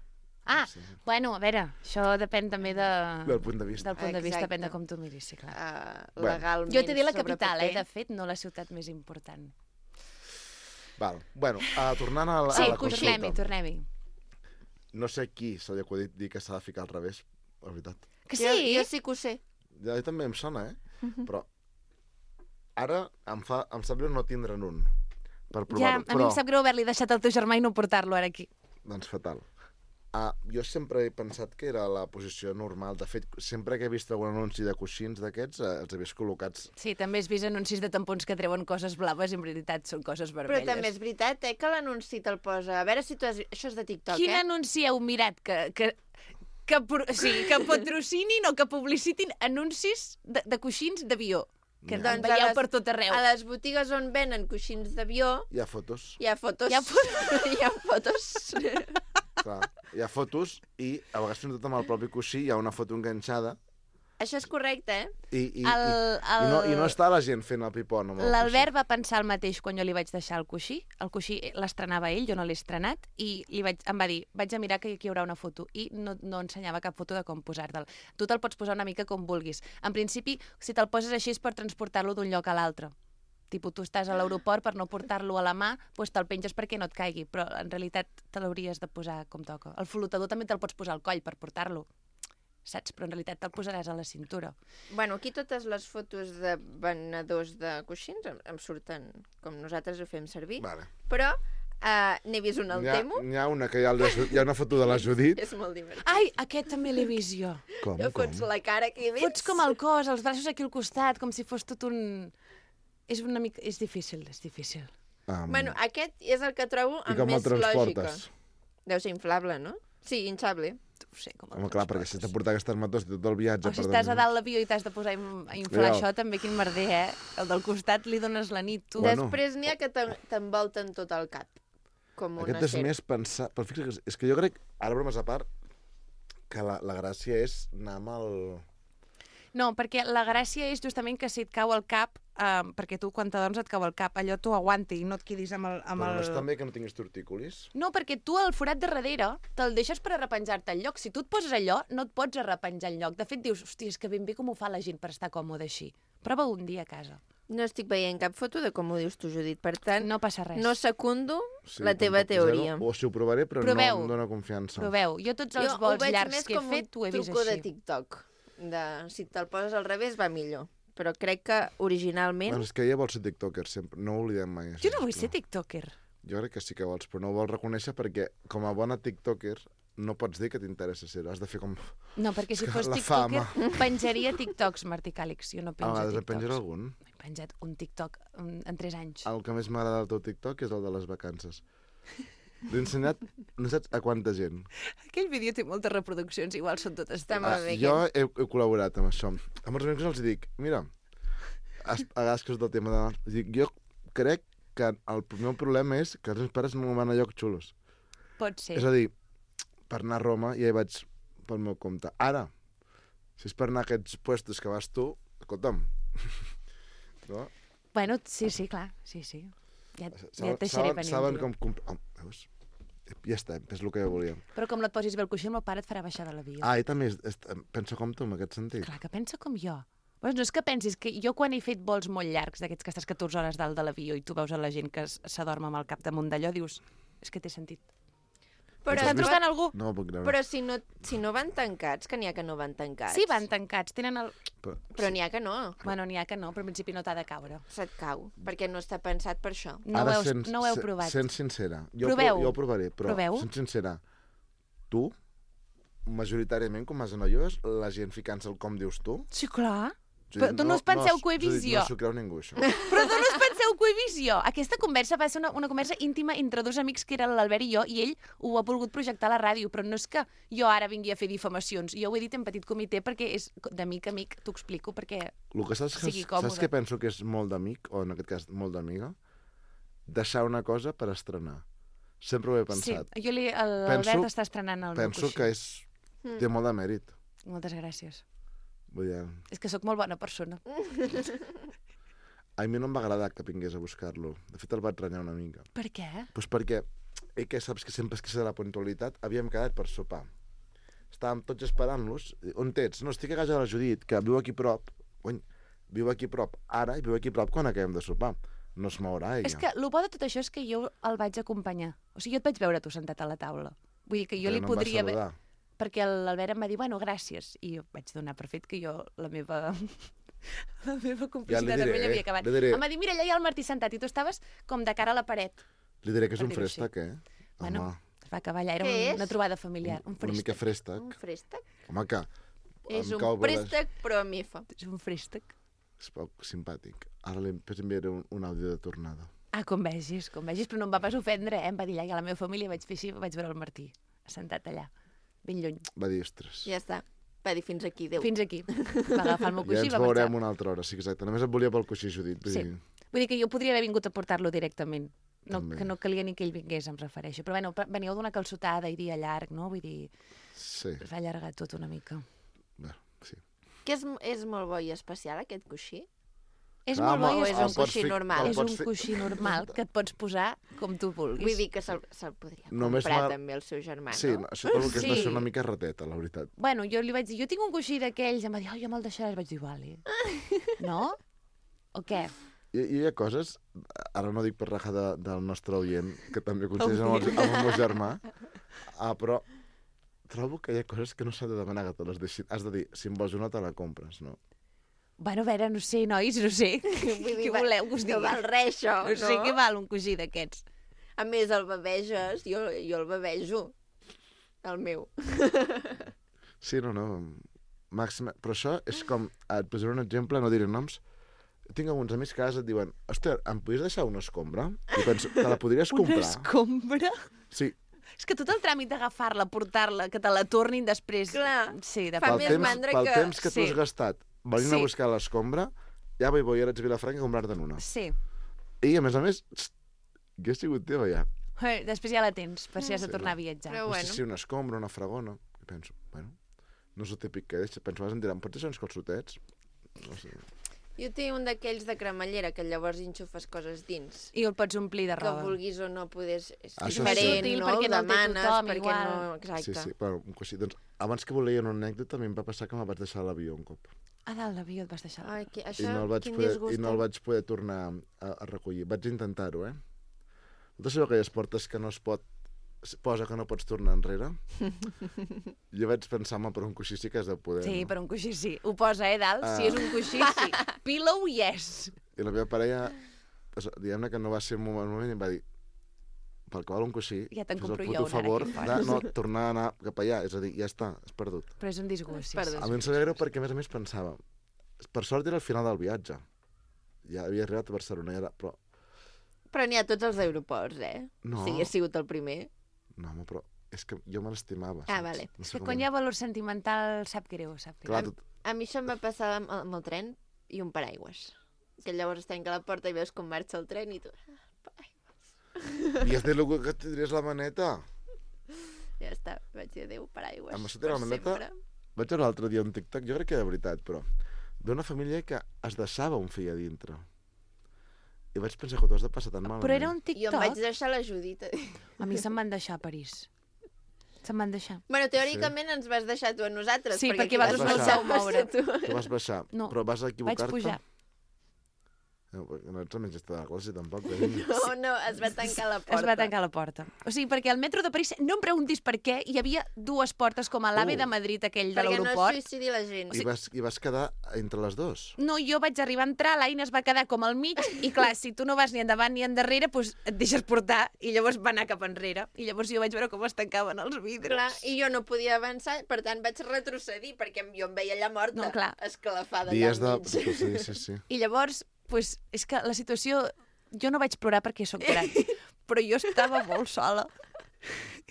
[SPEAKER 1] Ah,
[SPEAKER 4] Sí.
[SPEAKER 1] bueno, a veure, això depèn també de...
[SPEAKER 4] Del punt de vista.
[SPEAKER 1] del punt de vista,
[SPEAKER 2] Exacte.
[SPEAKER 1] depèn de com tu miris, sí, clar.
[SPEAKER 2] Uh,
[SPEAKER 4] Bueno.
[SPEAKER 2] legalment
[SPEAKER 1] Jo t'he dit la
[SPEAKER 2] sobre
[SPEAKER 1] capital, eh,
[SPEAKER 2] paper.
[SPEAKER 1] de fet, no la ciutat més important.
[SPEAKER 4] Val. Bueno, uh, tornant a la,
[SPEAKER 1] Sí,
[SPEAKER 4] a la
[SPEAKER 1] tornem-hi,
[SPEAKER 4] consulta.
[SPEAKER 1] tornem-hi.
[SPEAKER 4] No sé qui se li ha acudit dir que s'ha de ficar al revés, la veritat.
[SPEAKER 1] Que
[SPEAKER 2] Jo,
[SPEAKER 1] sí?
[SPEAKER 2] jo sí que ho sé.
[SPEAKER 4] Ja a mi també em sona, eh? Però ara em, fa, em sap greu no tindre'n un per
[SPEAKER 1] Ja,
[SPEAKER 4] provar-ho.
[SPEAKER 1] a mi em sap greu haver-li deixat al teu germà i no portar-lo ara aquí.
[SPEAKER 4] Doncs fatal. Ah, jo sempre he pensat que era la posició normal. De fet, sempre que he vist algun anunci de coixins d'aquests, eh, els he vist col·locats...
[SPEAKER 1] Sí, també has vist anuncis de tampons que treuen coses blaves i en veritat són coses
[SPEAKER 2] Però
[SPEAKER 1] vermelles.
[SPEAKER 2] també és veritat, eh, que l'anunci te'l posa... A veure si tu has... Això és de TikTok,
[SPEAKER 1] Quin
[SPEAKER 2] eh?
[SPEAKER 1] anunci heu mirat que, que, que, pro- o sigui, que patrocinin o que publicitin anuncis de, de coixins d'avió? Que
[SPEAKER 4] Ja.
[SPEAKER 1] doncs
[SPEAKER 2] Doncs a
[SPEAKER 1] veieu
[SPEAKER 2] les-
[SPEAKER 1] per tot arreu.
[SPEAKER 2] A les botigues on venen coixins d'avió
[SPEAKER 4] Hi ha fotos,
[SPEAKER 2] hi ha fotos.
[SPEAKER 1] Hi ha
[SPEAKER 2] hi ha fotos.
[SPEAKER 4] clar. Hi ha fotos i a vegades fins i tot amb el propi coixí hi ha una foto enganxada
[SPEAKER 2] Això és correcte, eh?
[SPEAKER 4] i, i,
[SPEAKER 1] El,
[SPEAKER 4] i,
[SPEAKER 1] el...
[SPEAKER 4] i, no, i no està la gent fent el pipon amb el
[SPEAKER 1] L'Albert va pensar el mateix quan jo li vaig deixar el coixí. El coixí l'estrenava ell, jo no l'he estrenat, i li vaig, em va dir, vaig a mirar que aquí hi haurà una foto, i no, no ensenyava cap foto de com posar-te'l. Tu te'l pots posar una mica com vulguis. En principi, si te'l poses així és per transportar-lo d'un lloc a l'altre. Tipo, tu estàs a l'aeroport per no portar-lo a la mà, doncs te'l penges perquè no et caigui, però en realitat te l'hauries de posar com toca. El flotador també te'l pots posar al coll per portar-lo, saps? Però en realitat te'l posaràs a la cintura.
[SPEAKER 2] Bueno, aquí totes les fotos de venedors de coixins em, em surten com nosaltres ho fem servir,
[SPEAKER 4] Vale.
[SPEAKER 2] però uh, n'he vist una al
[SPEAKER 4] N'hi ha,
[SPEAKER 2] Temu.
[SPEAKER 4] n'hi ha una que hi ha, el de- hi ha una foto de la Judit.
[SPEAKER 2] És molt divertit.
[SPEAKER 1] Ai, aquest també l'he vist jo.
[SPEAKER 4] Com,
[SPEAKER 2] Jo
[SPEAKER 4] com?
[SPEAKER 2] fots la cara aquí dins.
[SPEAKER 1] Fots com el cos, els braços aquí al costat, com si fos tot un... És una mica... És difícil, és difícil.
[SPEAKER 4] Um,
[SPEAKER 2] Bueno, aquest és el que trobo
[SPEAKER 4] I
[SPEAKER 2] amb
[SPEAKER 4] com el
[SPEAKER 2] més lògica.
[SPEAKER 4] transportes?
[SPEAKER 2] Deu ser inflable, no? Sí, hinchable.
[SPEAKER 1] No sé com
[SPEAKER 4] Home, clar, perquè si has de portar aquestes motos tot el viatge...
[SPEAKER 1] O si
[SPEAKER 4] per
[SPEAKER 1] estàs a
[SPEAKER 4] damunt.
[SPEAKER 1] dalt l'avió i t'has de posar a in- a inflar
[SPEAKER 4] Ja.
[SPEAKER 1] això, també quin merder, eh? El del costat li dones la nit, tu.
[SPEAKER 4] Bueno.
[SPEAKER 2] Després n'hi ha que t'en- t'envolten tot el cap. Com una
[SPEAKER 4] Aquest és
[SPEAKER 2] serp.
[SPEAKER 4] més pensar... Però fixa't, que és- és que jo crec, ara bromes a part, que la, la gràcia és anar amb el...
[SPEAKER 1] No, perquè la gràcia és justament que si et cau el cap, eh, perquè tu quan t'adorms et cau el cap, allò t'ho aguanti i no et quedis amb el... Amb
[SPEAKER 4] Però no
[SPEAKER 1] el...
[SPEAKER 4] és també que no tinguis tortícolis?
[SPEAKER 1] No, perquè tu el forat de darrere te'l deixes per arrepenjar-te al lloc. Si tu et poses allò, no et pots arrepenjar al lloc. De fet, dius, hòstia, és que ben bé com ho fa la gent per estar còmode així. Prova un dia a casa.
[SPEAKER 2] No estic veient cap foto de com ho dius tu, Judit. Per tant,
[SPEAKER 1] No passa res.
[SPEAKER 2] no secundo
[SPEAKER 4] Sí,
[SPEAKER 2] la teva
[SPEAKER 4] tampoc
[SPEAKER 2] teoria.
[SPEAKER 4] Zero, o si ho provaré, però
[SPEAKER 1] Proveu.
[SPEAKER 4] no em dóna confiança.
[SPEAKER 1] Proveu. Jo tots els
[SPEAKER 2] Jo ho
[SPEAKER 1] vols
[SPEAKER 2] veig
[SPEAKER 1] llargs
[SPEAKER 2] més
[SPEAKER 1] que he
[SPEAKER 2] com
[SPEAKER 1] fet, ho he
[SPEAKER 2] un
[SPEAKER 1] vist
[SPEAKER 2] truco de
[SPEAKER 1] així.
[SPEAKER 2] TikTok. De, si te'l poses al revés va millor. Però crec que originalment...
[SPEAKER 4] Bueno, és que ella vol ser tiktoker, sempre. No ho oblidem mai. això,
[SPEAKER 1] Jo no vull ser
[SPEAKER 4] sisplau.
[SPEAKER 1] tiktoker.
[SPEAKER 4] Jo crec que sí que vols, però no ho vols reconèixer perquè, com a bona tiktoker, no pots dir que t'interessa ser. Has de fer com...
[SPEAKER 1] No, perquè si
[SPEAKER 4] que
[SPEAKER 1] fos
[SPEAKER 4] la
[SPEAKER 1] tiktoker,
[SPEAKER 4] fama.
[SPEAKER 1] penjaria tiktoks, Martí Càlix. Jo no
[SPEAKER 4] A
[SPEAKER 1] penjo
[SPEAKER 4] vegades en
[SPEAKER 1] tiktoks.
[SPEAKER 4] penjaré algun.
[SPEAKER 1] He penjat un tiktok en, en tres anys.
[SPEAKER 4] El que més m'agrada del teu tiktok és el de les vacances. L'he ensenyat, no saps a quanta gent.
[SPEAKER 1] Aquell vídeo té moltes reproduccions, igual són totes
[SPEAKER 2] Està
[SPEAKER 1] teves.
[SPEAKER 2] molt bé.
[SPEAKER 4] Jo he, he col·laborat amb això. Amb els amics els dic, mira, has, a vegades que és del tema de... Dic, jo crec que el meu problema és que els meus pares no van a llocs xulos.
[SPEAKER 1] Pot ser.
[SPEAKER 4] És a dir, per anar a Roma ja hi vaig pel meu compte. Ara, si és per anar a aquests puestos que vas tu, escolta'm, no?
[SPEAKER 1] Bueno, sí, sí, clar, sí, sí. Ja, ja
[SPEAKER 4] Saben,
[SPEAKER 1] et deixaré
[SPEAKER 4] saben,
[SPEAKER 1] venir
[SPEAKER 4] saben
[SPEAKER 1] un dia.
[SPEAKER 4] com... comp- Oh, veus? Ja està, és el que jo volia.
[SPEAKER 1] Però com no et posis bé el coixí, el meu pare et farà baixar de l'avió.
[SPEAKER 4] Ah, i també és, és, penso com tu, en aquest sentit.
[SPEAKER 1] Clar, que pensa com jo. Pues no és que pensis que jo quan he fet vols molt llargs, d'aquests que estàs catorze hores dalt de l'avió i tu veus a la gent que s- s'adorm amb el cap damunt d'allò, dius, és que té sentit.
[SPEAKER 2] Però,
[SPEAKER 1] Està
[SPEAKER 4] has
[SPEAKER 2] no,
[SPEAKER 4] vist-
[SPEAKER 1] trucant algú?
[SPEAKER 4] No ho puc creure.
[SPEAKER 2] però si, no, si no van tancats, que n'hi ha que no van tancats.
[SPEAKER 1] Sí, van tancats, tenen el...
[SPEAKER 4] Però,
[SPEAKER 2] Però n'hi ha que no.
[SPEAKER 1] Bueno, n'hi ha que no, però en principi no t'ha de caure.
[SPEAKER 2] Se't cau, perquè no està pensat per això.
[SPEAKER 1] No,
[SPEAKER 4] Ara
[SPEAKER 1] ho, heu,
[SPEAKER 4] sents-
[SPEAKER 1] no ho heu
[SPEAKER 4] se-
[SPEAKER 1] provat.
[SPEAKER 4] Sent sincera. Jo,
[SPEAKER 1] Proveu.
[SPEAKER 4] Pro, jo ho provaré, però
[SPEAKER 1] Proveu.
[SPEAKER 4] sent sincera. Tu, majoritàriament, com vas a noies, la gent ficant-se el com dius tu...
[SPEAKER 1] Sí, clar.
[SPEAKER 4] Judit,
[SPEAKER 1] Però tu no us penseu que ho he
[SPEAKER 4] Judit,
[SPEAKER 1] vist jo.
[SPEAKER 4] No s'ho creu ningú, això.
[SPEAKER 1] Però tu no us penseu que ho he vist jo. Aquesta conversa va ser una, una conversa íntima entre dos amics que eren l'Albert i jo, i ell ho ha volgut projectar a la ràdio, però no és que jo ara vingui a fer difamacions. Jo ho he dit en petit comitè perquè és d'amic a amic, t'ho explico, perquè...
[SPEAKER 4] El que saps,
[SPEAKER 1] Sigui
[SPEAKER 4] que,
[SPEAKER 1] còmode.
[SPEAKER 4] saps que penso que és molt d'amic, o en aquest cas molt d'amiga? Deixar una cosa per estrenar. Sempre ho he pensat.
[SPEAKER 1] Sí, jo li, l'Albert
[SPEAKER 4] Penso-
[SPEAKER 1] està estrenant el
[SPEAKER 4] Penso
[SPEAKER 1] meu coixí.
[SPEAKER 4] que és, té molt de mèrit.
[SPEAKER 1] Moltes gràcies.
[SPEAKER 4] Vull dir,
[SPEAKER 1] És que sóc molt bona persona.
[SPEAKER 4] a mi no em va agradar que vingués a buscar-lo. De fet, el vaig renyar una mica.
[SPEAKER 1] Per què?
[SPEAKER 4] Pues perquè, ell que saps que sempre es queixa de la puntualitat, havíem quedat per sopar. Estàvem tots esperant-los. On ets? No, estic a casa de la Judit, que viu aquí prop. Cony, viu aquí prop ara i viu aquí prop quan acabem de sopar. No es mourà, ella.
[SPEAKER 1] És que el bo de tot això és que jo el vaig acompanyar. O sigui, jo et vaig veure tu sentat a la taula. Vull dir que jo
[SPEAKER 4] Però
[SPEAKER 1] li
[SPEAKER 4] no em va
[SPEAKER 1] podria... haver-
[SPEAKER 4] saludar.
[SPEAKER 1] Perquè l'Albert em va dir, bueno, gràcies. I jo vaig donar per fet que jo, la meva... la meva complicitat
[SPEAKER 4] diré,
[SPEAKER 1] amb ell havia
[SPEAKER 4] eh?
[SPEAKER 1] acabat.
[SPEAKER 4] Li diré.
[SPEAKER 1] Em va dir, mira, allà hi ha el Martí sentat i tu estaves com de cara a la paret.
[SPEAKER 4] Li diré que és
[SPEAKER 1] per
[SPEAKER 4] un
[SPEAKER 1] dir-ho així.
[SPEAKER 4] frèstec, eh?
[SPEAKER 1] Bueno,
[SPEAKER 4] Home,
[SPEAKER 1] es va acabar allà, era
[SPEAKER 2] Què
[SPEAKER 1] un, una
[SPEAKER 2] és?
[SPEAKER 1] trobada familiar. Un
[SPEAKER 4] una mica
[SPEAKER 1] fréstec.
[SPEAKER 2] Un
[SPEAKER 4] frèstec.
[SPEAKER 2] préstec?
[SPEAKER 4] Home, que...
[SPEAKER 2] És
[SPEAKER 4] em
[SPEAKER 2] un
[SPEAKER 4] cau bé les-
[SPEAKER 2] préstec, però amb I F A.
[SPEAKER 1] És un fréstec.
[SPEAKER 4] És poc simpàtic. Ara li enviaré un, un àudio de tornada.
[SPEAKER 1] Ah, com vegis, com vegis, però no em va pas ofendre, eh? Em va dir, allà a la meva família vaig fer així, vaig veure el Martí, sentat allà, ben lluny.
[SPEAKER 4] Va dir, ostres.
[SPEAKER 2] Ja està. Va dir fins aquí, Déu.
[SPEAKER 1] Fins aquí. Va agafar el meu
[SPEAKER 4] Ja
[SPEAKER 1] coixí i
[SPEAKER 4] ens
[SPEAKER 1] va marxar.
[SPEAKER 4] veurem una altra hora, sí, exacte. Només et volia pel coixí, Judit. Vull
[SPEAKER 1] Sí.
[SPEAKER 4] dir,
[SPEAKER 1] Vull dir que jo podria haver vingut a portar-lo directament. No,
[SPEAKER 4] També.
[SPEAKER 1] que no calia ni que ell vingués, em refereixo. Però bueno, veníeu d'una calçotada i dia llarg, no? Vull dir,
[SPEAKER 4] sí,
[SPEAKER 1] es va allargar tot una mica.
[SPEAKER 4] bueno, sí.
[SPEAKER 2] Que és, és molt bo i especial, aquest coixí?
[SPEAKER 1] És
[SPEAKER 4] Clar,
[SPEAKER 1] molt bo
[SPEAKER 4] home,
[SPEAKER 1] i
[SPEAKER 2] és
[SPEAKER 1] és,
[SPEAKER 2] un
[SPEAKER 4] el pots
[SPEAKER 2] coixí
[SPEAKER 4] fi-
[SPEAKER 2] normal.
[SPEAKER 4] el
[SPEAKER 1] és
[SPEAKER 4] pots
[SPEAKER 1] un
[SPEAKER 4] fi-
[SPEAKER 1] coixí normal que et pots posar com tu vulguis.
[SPEAKER 2] Vull dir que se'l se podria
[SPEAKER 4] Només
[SPEAKER 2] comprar
[SPEAKER 4] m'ha-
[SPEAKER 2] també el seu germà,
[SPEAKER 4] Sí,
[SPEAKER 2] no?
[SPEAKER 4] això trobo que és de
[SPEAKER 1] Sí.
[SPEAKER 4] ser una mica rateta, la veritat.
[SPEAKER 1] Bueno, jo li vaig dir, jo tinc un coixí d'aquells, em va dir, oh, ja me'l deixaràs. Vaig dir, vale. No? O què?
[SPEAKER 4] I, I hi ha coses, ara no dic per raja de, del nostre oient, que també coincideix amb, el, amb el meu germà, ah, però trobo que hi ha coses que no s'ha de demanar que te les deixin. Has de dir, si em vols una, te la compres, no?
[SPEAKER 1] Bueno, a veure, no sé, nois, no sé.
[SPEAKER 2] Vull dir,
[SPEAKER 1] Què
[SPEAKER 2] va-
[SPEAKER 1] voleu que us
[SPEAKER 2] no
[SPEAKER 1] digui?
[SPEAKER 2] val res, això,
[SPEAKER 1] No sé què val un coixí d'aquests.
[SPEAKER 2] A més, el beveges, jo, jo el bevejo. El meu.
[SPEAKER 4] Sí, no, no. Màxima... Però això és com... Et posaré un exemple, no diré noms. Tinc alguns amics que a vegades et diuen, hòstia, em podries deixar una escombra? I penso, te la podries
[SPEAKER 1] Una
[SPEAKER 4] comprar?
[SPEAKER 1] escombra?
[SPEAKER 4] Sí,
[SPEAKER 1] És que tot el tràmit d'agafar-la, portar-la, que te la tornin després...
[SPEAKER 2] Clar,
[SPEAKER 1] Sí, de
[SPEAKER 2] fa
[SPEAKER 4] pel
[SPEAKER 2] més
[SPEAKER 4] temps,
[SPEAKER 2] mandra
[SPEAKER 4] pel
[SPEAKER 2] que-
[SPEAKER 4] temps que tu
[SPEAKER 1] Sí.
[SPEAKER 4] has gastat venint
[SPEAKER 1] Sí.
[SPEAKER 4] a buscar l'escombra, ja vaig voy ara a Vilafranca a comprar-te'n una.
[SPEAKER 1] Sí.
[SPEAKER 4] I, a més a més, txt, que he sigut teva ja.
[SPEAKER 1] Eh, Després ja la tens, per si has de
[SPEAKER 4] Sí,
[SPEAKER 1] tornar
[SPEAKER 4] no.
[SPEAKER 1] a viatjar.
[SPEAKER 2] Però
[SPEAKER 4] No
[SPEAKER 2] bueno.
[SPEAKER 4] sé si una escombra, una fragona. I penso, bueno, no és el típic que deixa. Penso, vas em diran, pots deixar uns calçotets? No sé.
[SPEAKER 2] Jo tinc un d'aquells de cremallera, que llavors enxufes coses dins.
[SPEAKER 1] I el pots omplir de
[SPEAKER 2] Que
[SPEAKER 1] roba.
[SPEAKER 2] vulguis o no podes... És
[SPEAKER 4] Això
[SPEAKER 2] diferent,
[SPEAKER 1] sí.
[SPEAKER 2] no?
[SPEAKER 1] Perquè no
[SPEAKER 2] Ho
[SPEAKER 1] el té
[SPEAKER 2] demanes,
[SPEAKER 1] tothom,
[SPEAKER 2] perquè
[SPEAKER 1] igual.
[SPEAKER 2] no... Exacte.
[SPEAKER 4] Sí, sí, bueno, un coixí. Doncs, abans que volia una anècdota, a mi em va passar que me'l vaig deixar a l'avió un cop.
[SPEAKER 1] A dalt l'avió et vas deixar.
[SPEAKER 2] Ai, que,
[SPEAKER 4] I
[SPEAKER 2] això,
[SPEAKER 4] no, el vaig
[SPEAKER 2] quin
[SPEAKER 4] poder,
[SPEAKER 2] disgust.
[SPEAKER 4] I no el vaig poder tornar a, a recollir. Vaig intentar-ho, eh? Totes aquelles portes que no es pot... es posa que no pots tornar enrere. Jo vaig pensar, home, per un coixí sí que has de poder,
[SPEAKER 1] Sí,
[SPEAKER 4] no?
[SPEAKER 1] per un coixí sí. Ho posa, eh, dalt?
[SPEAKER 4] Ah.
[SPEAKER 1] Si és un coixí, sí. Pillow, yes.
[SPEAKER 4] I la meva parella, pues, diguem-ne que no va ser un moment, un moment i em va dir, pel que val un coixí,
[SPEAKER 1] Ja te'n
[SPEAKER 4] fes el
[SPEAKER 1] compro
[SPEAKER 4] puto
[SPEAKER 1] jo un ara
[SPEAKER 4] favor
[SPEAKER 1] aquí
[SPEAKER 4] de
[SPEAKER 1] fora.
[SPEAKER 4] no tornar a anar cap allà. És a dir, ja està, has perdut.
[SPEAKER 1] Però és un disgust, sí.
[SPEAKER 2] Perdó.
[SPEAKER 4] A mi em sabia greu perquè, a més a més, pensava, per sort era el final del viatge. Ja havia arribat a Barcelona, ja era, però...
[SPEAKER 2] Però n'hi ha a tots els aeroports, eh?
[SPEAKER 4] No.
[SPEAKER 2] Si hagués sigut el primer.
[SPEAKER 4] No, home, però és que jo me l'estimava.
[SPEAKER 2] Ah,
[SPEAKER 4] saps?
[SPEAKER 2] vale.
[SPEAKER 4] No
[SPEAKER 1] És
[SPEAKER 4] sé
[SPEAKER 1] que
[SPEAKER 4] com
[SPEAKER 1] quan
[SPEAKER 4] dir.
[SPEAKER 1] hi ha valor sentimental sap greu, sap greu.
[SPEAKER 4] Clar, tot...
[SPEAKER 2] A mi això em va passar amb, amb el tren i un paraigües. Que llavors es tanca la porta i veus com marxa el tren i tu... "Ah,
[SPEAKER 4] Havies dit algú que tindries la maneta.
[SPEAKER 2] Ja està, vaig dir adéu, paraigües.
[SPEAKER 4] Amb això té la
[SPEAKER 2] per
[SPEAKER 4] maneta?
[SPEAKER 2] sempre.
[SPEAKER 4] Vaig veure l'altre dia un TikTok, jo crec que de veritat, però d'una família que es deixava un fill a dintre. I vaig pensar que t'ho has de passar tan malament.
[SPEAKER 1] Però era un
[SPEAKER 2] Jo em vaig
[SPEAKER 1] TikTok.
[SPEAKER 2] deixar la Judit.
[SPEAKER 1] A mi se'm van deixar a París. Se'm van deixar.
[SPEAKER 2] Bueno, teòricament ens vas deixar tu a nosaltres.
[SPEAKER 1] Sí, perquè
[SPEAKER 2] qui
[SPEAKER 4] vosaltres
[SPEAKER 2] vas
[SPEAKER 4] no
[SPEAKER 2] passar
[SPEAKER 1] us vau moure.
[SPEAKER 2] vas ser tu.
[SPEAKER 4] Tu vas baixar,
[SPEAKER 1] No,
[SPEAKER 4] però vas
[SPEAKER 1] Vaig
[SPEAKER 4] equivocar-te.
[SPEAKER 1] pujar.
[SPEAKER 4] No, perquè no ets el menjista de la classe, tampoc. carinyo.
[SPEAKER 2] No, no, es va tancar la porta.
[SPEAKER 1] Es va tancar la porta. O sigui, perquè al metro de París, no em preguntis per què, hi havia dues portes com a l'AVE
[SPEAKER 4] Uh.
[SPEAKER 1] de Madrid, aquell de
[SPEAKER 2] Perquè no es
[SPEAKER 1] l'aeroport.
[SPEAKER 2] suïcidi la gent.
[SPEAKER 4] I, vas, I vas quedar entre les dues.
[SPEAKER 1] No, jo vaig arribar a entrar, l'Aina es va quedar com al mig, i clar, si tu no vas ni endavant ni endarrere, doncs et deixes portar, i llavors va anar cap enrere. I llavors jo vaig veure com es tancaven els vidres.
[SPEAKER 2] Clar, i jo no podia avançar, per tant vaig retrocedir, perquè jo em veia allà morta,
[SPEAKER 1] No, clar.
[SPEAKER 2] esclafada
[SPEAKER 4] Dies de...
[SPEAKER 2] allà enmig.
[SPEAKER 4] Sí, sí, sí.
[SPEAKER 1] I llavors, pues, és que la situació... Jo no vaig plorar perquè sóc gran, però jo estava molt sola.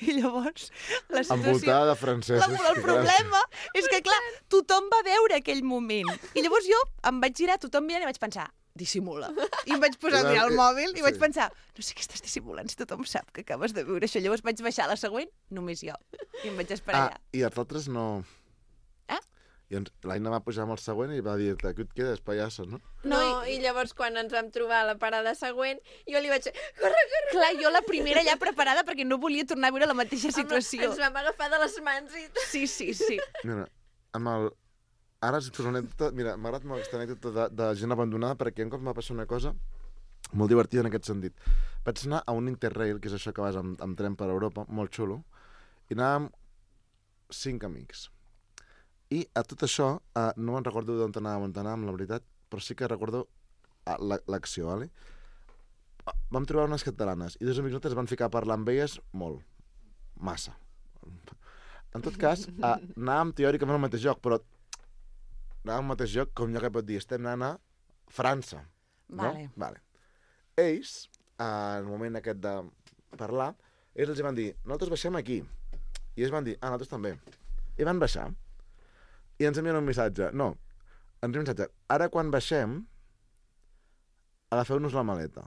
[SPEAKER 1] I llavors, la situació...
[SPEAKER 4] Envoltada de
[SPEAKER 1] La,
[SPEAKER 4] francesos.
[SPEAKER 1] el problema és que, clar, tothom va veure aquell moment. I llavors jo em vaig girar, tothom mirant, i vaig pensar, dissimula. I em vaig posar a mirar el mòbil i vaig
[SPEAKER 4] Sí.
[SPEAKER 1] pensar, no sé què estàs dissimulant, si tothom sap que acabes de viure això. Llavors vaig baixar a la següent, només jo. I em vaig esperar
[SPEAKER 4] Ah,
[SPEAKER 1] allà.
[SPEAKER 4] i els altres no...
[SPEAKER 1] Eh?
[SPEAKER 4] I ens, l'Aina va pujar amb el següent i va dir-te, que et quedes, pallasso, no?
[SPEAKER 2] No, no i... i llavors quan ens vam trobar a la parada següent, jo li vaig dir, corre, corre.
[SPEAKER 1] Clar, jo la primera ja preparada perquè no volia tornar a viure la mateixa situació.
[SPEAKER 2] Home, ens vam agafar de les mans i tot.
[SPEAKER 1] Sí, sí, sí.
[SPEAKER 4] Mira, amb el... Ara és una anècdota... Mira, m'ha agradat molt aquesta anècdota de, de gent abandonada perquè un cop m'ha passat una cosa molt divertida en aquest sentit. Vaig anar a un Interrail, que és això que vas amb, amb tren per Europa, molt xulo, i anàvem cinc amics. I a tot això, eh, no me'n recordo d'on anàvem, on anàvem, la veritat, però sí que recordo eh, l'acció, vale? Vam trobar unes catalanes i dos amics nostres van ficar a parlar amb elles molt, massa. En tot cas, eh, anàvem teòricament al mateix lloc, però anàvem al mateix lloc, com jo que pot dir, estem anant a França. No?
[SPEAKER 1] Vale.
[SPEAKER 4] Vale. Ells, eh, en el moment aquest de parlar, ells els van dir, nosaltres baixem aquí. I ells van dir, ah, nosaltres també. I van baixar. I ens envien un missatge. No, ens envien un missatge. Ara, quan baixem, agafeu-nos la maleta.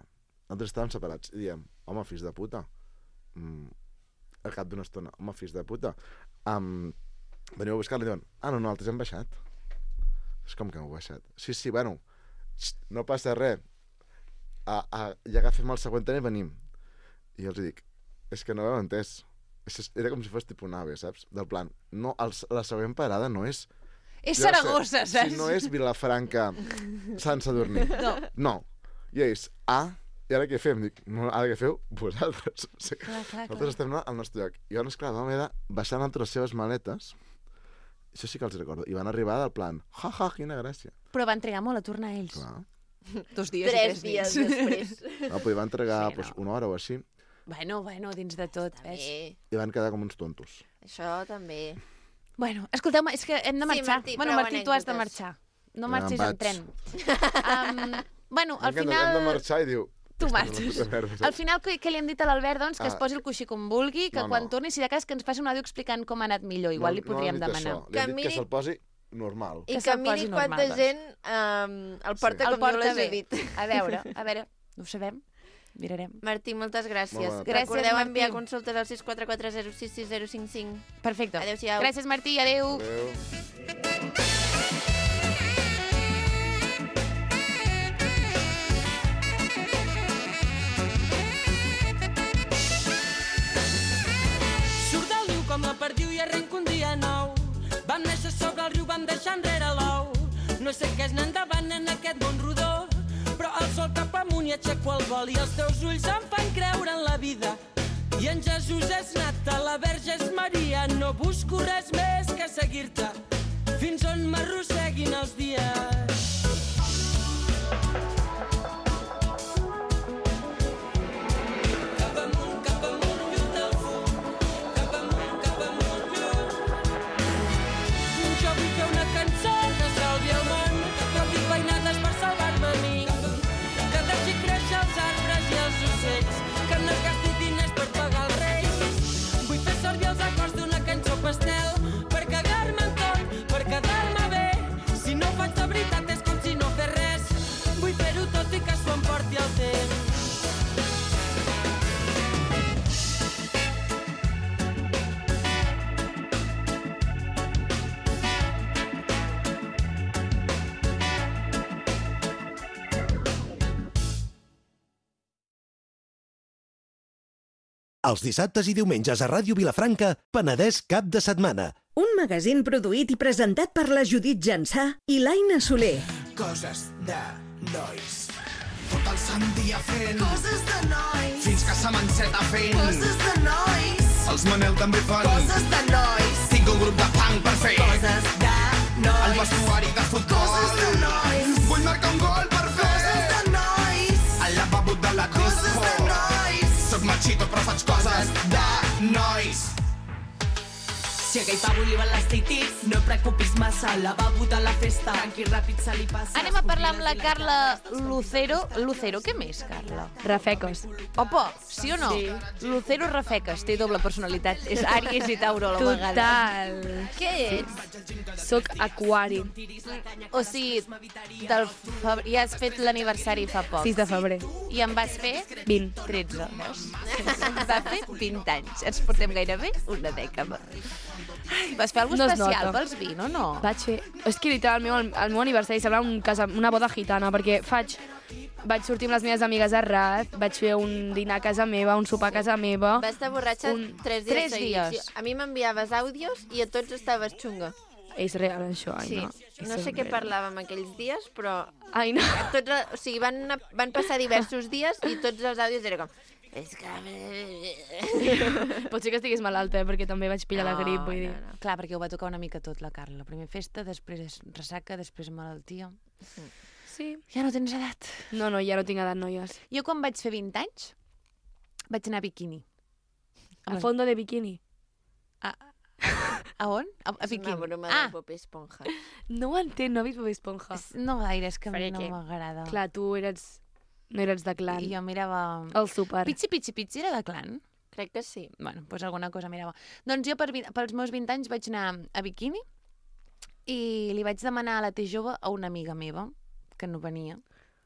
[SPEAKER 4] Nosaltres estàvem separats. I diem, home, fills de puta. Mm, al cap d'una estona, home, fills de puta. Um, veniu a buscar-la i diuen, ah, no, no, nosaltres hem baixat. És com que heu baixat. Sí, sí, bueno, no passa res. A, a, ja agafem el següent tren i venim. I jo els dic, és que no ho heu entès. Era com si fos tipus nave, saps? Del plan, no, el, la següent parada no és...
[SPEAKER 1] És Saragossa,
[SPEAKER 4] sé,
[SPEAKER 1] saps?
[SPEAKER 4] Si no és Vilafranca, Sant Sadurní.
[SPEAKER 1] No.
[SPEAKER 4] No. I ells, ah, i ara què fem? Dic, no, ara què feu? Vosaltres. O sigui,
[SPEAKER 1] clar, clar,
[SPEAKER 4] nosaltres
[SPEAKER 1] clar.
[SPEAKER 4] estem al nostre lloc. I llavors, clar, vam haver de baixar entre les seves maletes. Això sí que els recordo. I van arribar del plan, ja, ja, quina gràcia.
[SPEAKER 1] Però van trigar molt a tornar ells.
[SPEAKER 4] Clar.
[SPEAKER 1] Dos dies
[SPEAKER 2] Tres
[SPEAKER 1] i
[SPEAKER 2] dies
[SPEAKER 1] tres nits.
[SPEAKER 2] després.
[SPEAKER 4] No, però hi van entregar
[SPEAKER 1] Sí, no.
[SPEAKER 4] pues, una hora o així.
[SPEAKER 1] Bueno, bueno, dins de tot, ves?
[SPEAKER 2] Bé,
[SPEAKER 4] I van quedar com uns tontos.
[SPEAKER 2] això també.
[SPEAKER 1] Bueno, escolteu-me, és que hem de
[SPEAKER 2] Sí,
[SPEAKER 1] marxar.
[SPEAKER 2] Martí,
[SPEAKER 1] bueno,
[SPEAKER 2] prou
[SPEAKER 1] Martí, tu has de
[SPEAKER 2] anècdotes.
[SPEAKER 1] marxar. No
[SPEAKER 4] Ja
[SPEAKER 1] marxis
[SPEAKER 4] me'n
[SPEAKER 1] en tren. Um, bueno, al
[SPEAKER 4] M'encanta, hem de
[SPEAKER 1] final...
[SPEAKER 4] marxar i diu...
[SPEAKER 1] Tu
[SPEAKER 4] "Aquesta és la
[SPEAKER 1] marxes.
[SPEAKER 4] puta merda", saps?
[SPEAKER 1] Al final, què, què li hem dit a l'Albert? Doncs que
[SPEAKER 4] Ah.
[SPEAKER 1] es posi el coixí com vulgui, que
[SPEAKER 4] No,
[SPEAKER 1] quan
[SPEAKER 4] no.
[SPEAKER 1] torni, si de cas, que ens faci un àudio explicant com ha anat millor. Igual li podríem
[SPEAKER 4] no, no hem dit
[SPEAKER 1] demanar.
[SPEAKER 4] Això. Li hem
[SPEAKER 2] Que
[SPEAKER 4] dit
[SPEAKER 2] miri-
[SPEAKER 4] que se'l posi normal.
[SPEAKER 2] I
[SPEAKER 1] Que
[SPEAKER 2] que
[SPEAKER 1] se'l
[SPEAKER 2] miri
[SPEAKER 1] posi
[SPEAKER 2] quanta
[SPEAKER 1] normal, doncs.
[SPEAKER 2] gent um, el porta
[SPEAKER 4] Sí.
[SPEAKER 2] com
[SPEAKER 1] El porta
[SPEAKER 2] jo les
[SPEAKER 1] bé.
[SPEAKER 2] he dit.
[SPEAKER 1] A veure, a veure, ho sabem. Mirarem.
[SPEAKER 2] Martí, moltes gràcies.
[SPEAKER 4] Molt bona
[SPEAKER 1] tarda.
[SPEAKER 2] Recordeu
[SPEAKER 1] Gràcies,
[SPEAKER 2] enviar
[SPEAKER 1] Martí.
[SPEAKER 2] consultes al sis quatre quatre zero sis sis zero cinc cinc.
[SPEAKER 1] Perfecte.
[SPEAKER 2] Adéu-siau.
[SPEAKER 1] Gràcies, Martí. Adéu.
[SPEAKER 4] Adéu.
[SPEAKER 6] Surt del riu com la perdiu i arrenca un dia nou. Vam néixer sobre el riu, vam deixar enrere l'ou. No sé què és anar endavant en aquest món rodó, però el sol cap amunt i aixeco el vol i els teus ulls em fan creure en la vida. I en Jesús és nata, la Verge és Maria. No busco res més que seguir-te fins on m'arrosseguin els dies. Cap amunt, cap amunt, lluny del fum. Cap amunt, cap amunt, lluny. Jo vull fer una cançó que salvi el món, però vull veïnades per salvar-me a mi. Que deixi créixer els arbres i els ocells, que no es gasti diners per pagar els reis. Vull fer servir els acords d'una cançó pastel per cagar-me en tot, per quedar-me bé. Si no ho faig de veritat és com si no fes res. Vull fer-ho tot i que s'ho emporti el temps.
[SPEAKER 7] Els dissabtes i diumenges a Ràdio Vilafranca, Penedès cap de setmana.
[SPEAKER 8] Un magazín produït i presentat per la Judit Jansà i l'Aina Soler.
[SPEAKER 9] Coses de nois. Tot el sant dia fent
[SPEAKER 10] Coses de nois.
[SPEAKER 9] fins que se m'enceta fent
[SPEAKER 10] Coses de nois.
[SPEAKER 9] Els Manel també fan
[SPEAKER 10] Coses de nois.
[SPEAKER 9] Tinc un grup de punk per fer
[SPEAKER 10] Coses de nois.
[SPEAKER 9] el vestuari de futbol.
[SPEAKER 10] Coses de nois.
[SPEAKER 9] Vull marcar un gol per fer
[SPEAKER 10] Coses de nois.
[SPEAKER 9] al lavabo de la
[SPEAKER 10] Coses
[SPEAKER 9] disco.
[SPEAKER 10] de nois.
[SPEAKER 9] Soc machito però faig coses de nois.
[SPEAKER 10] Si a aquell pavo li van les titis, no preocupis massa, la va votar la festa, tranqui, ràpid se li passa.
[SPEAKER 1] Anem a parlar amb la Carla Lucero. Lucero, què més, Carla?
[SPEAKER 11] Rafecos.
[SPEAKER 1] Opa, sí o no?
[SPEAKER 11] Sí.
[SPEAKER 1] Lucero Rafecas, té doble personalitat. És Àries i Tauro a la vegada.
[SPEAKER 11] Total.
[SPEAKER 1] Què ets?
[SPEAKER 11] Soc aquari.
[SPEAKER 1] O sigui, del febrer, ja has fet l'aniversari fa poc.
[SPEAKER 11] sis de febrer.
[SPEAKER 1] I en vas fer?
[SPEAKER 11] vint.
[SPEAKER 1] tretze, veus? Va fer vint anys. Ens portem gairebé una dècada. Ai, vas fer alguna
[SPEAKER 11] No es
[SPEAKER 1] especial
[SPEAKER 11] nota.
[SPEAKER 1] pels vint o no?
[SPEAKER 11] Vaig fer... És que literalment el, el meu aniversari sembla un casa, una boda gitana, perquè faig... Vaig sortir amb les meves amigues a Rat, vaig fer un dinar a casa meva, un sopar a casa meva...
[SPEAKER 2] Va estar borratxa
[SPEAKER 11] un...
[SPEAKER 2] tres dies
[SPEAKER 1] Tres
[SPEAKER 2] seguits.
[SPEAKER 1] dies.
[SPEAKER 2] Sí, a mi m'enviaves àudios i a tots estaves xunga.
[SPEAKER 11] És real, això, ai,
[SPEAKER 2] Sí.
[SPEAKER 11] no.
[SPEAKER 2] No sé què parlàvem aquells dies, però...
[SPEAKER 11] Ai, no.
[SPEAKER 2] Tots, o sigui, van, van passar diversos dies i tots els àudios era com... És que...
[SPEAKER 11] Pot ser que estigués malalta, eh, perquè també vaig pillar la grip, vull dir.
[SPEAKER 2] no, no.
[SPEAKER 1] Clar, perquè ho va tocar una mica tot, la Carla. Primer festa, després ressaca, després malaltia.
[SPEAKER 11] Sí.
[SPEAKER 1] Ja no tens edat.
[SPEAKER 11] No, no, ja no tinc edat, noies.
[SPEAKER 1] Jo quan vaig fer vint anys, vaig anar a biquini.
[SPEAKER 11] A fondo de biquini.
[SPEAKER 1] A, a on? A, a
[SPEAKER 2] És una
[SPEAKER 1] biquini.
[SPEAKER 2] broma
[SPEAKER 1] Ah,
[SPEAKER 2] de Bob Esponja.
[SPEAKER 11] No ho entenc, no he vist Bob Esponja.
[SPEAKER 1] no gaire, és que a mi no
[SPEAKER 11] Perquè,
[SPEAKER 1] m'agrada.
[SPEAKER 11] Clar, tu eres... No eres de clan.
[SPEAKER 1] I jo mirava...
[SPEAKER 11] El súper.
[SPEAKER 1] Pitxi, pitxi, pitxi era de clan?
[SPEAKER 2] Crec que sí.
[SPEAKER 1] Bueno, doncs alguna cosa mirava. Doncs jo per, vi- pels meus vint anys vaig anar a biquini i li vaig demanar a la T jove a una amiga meva, que no venia,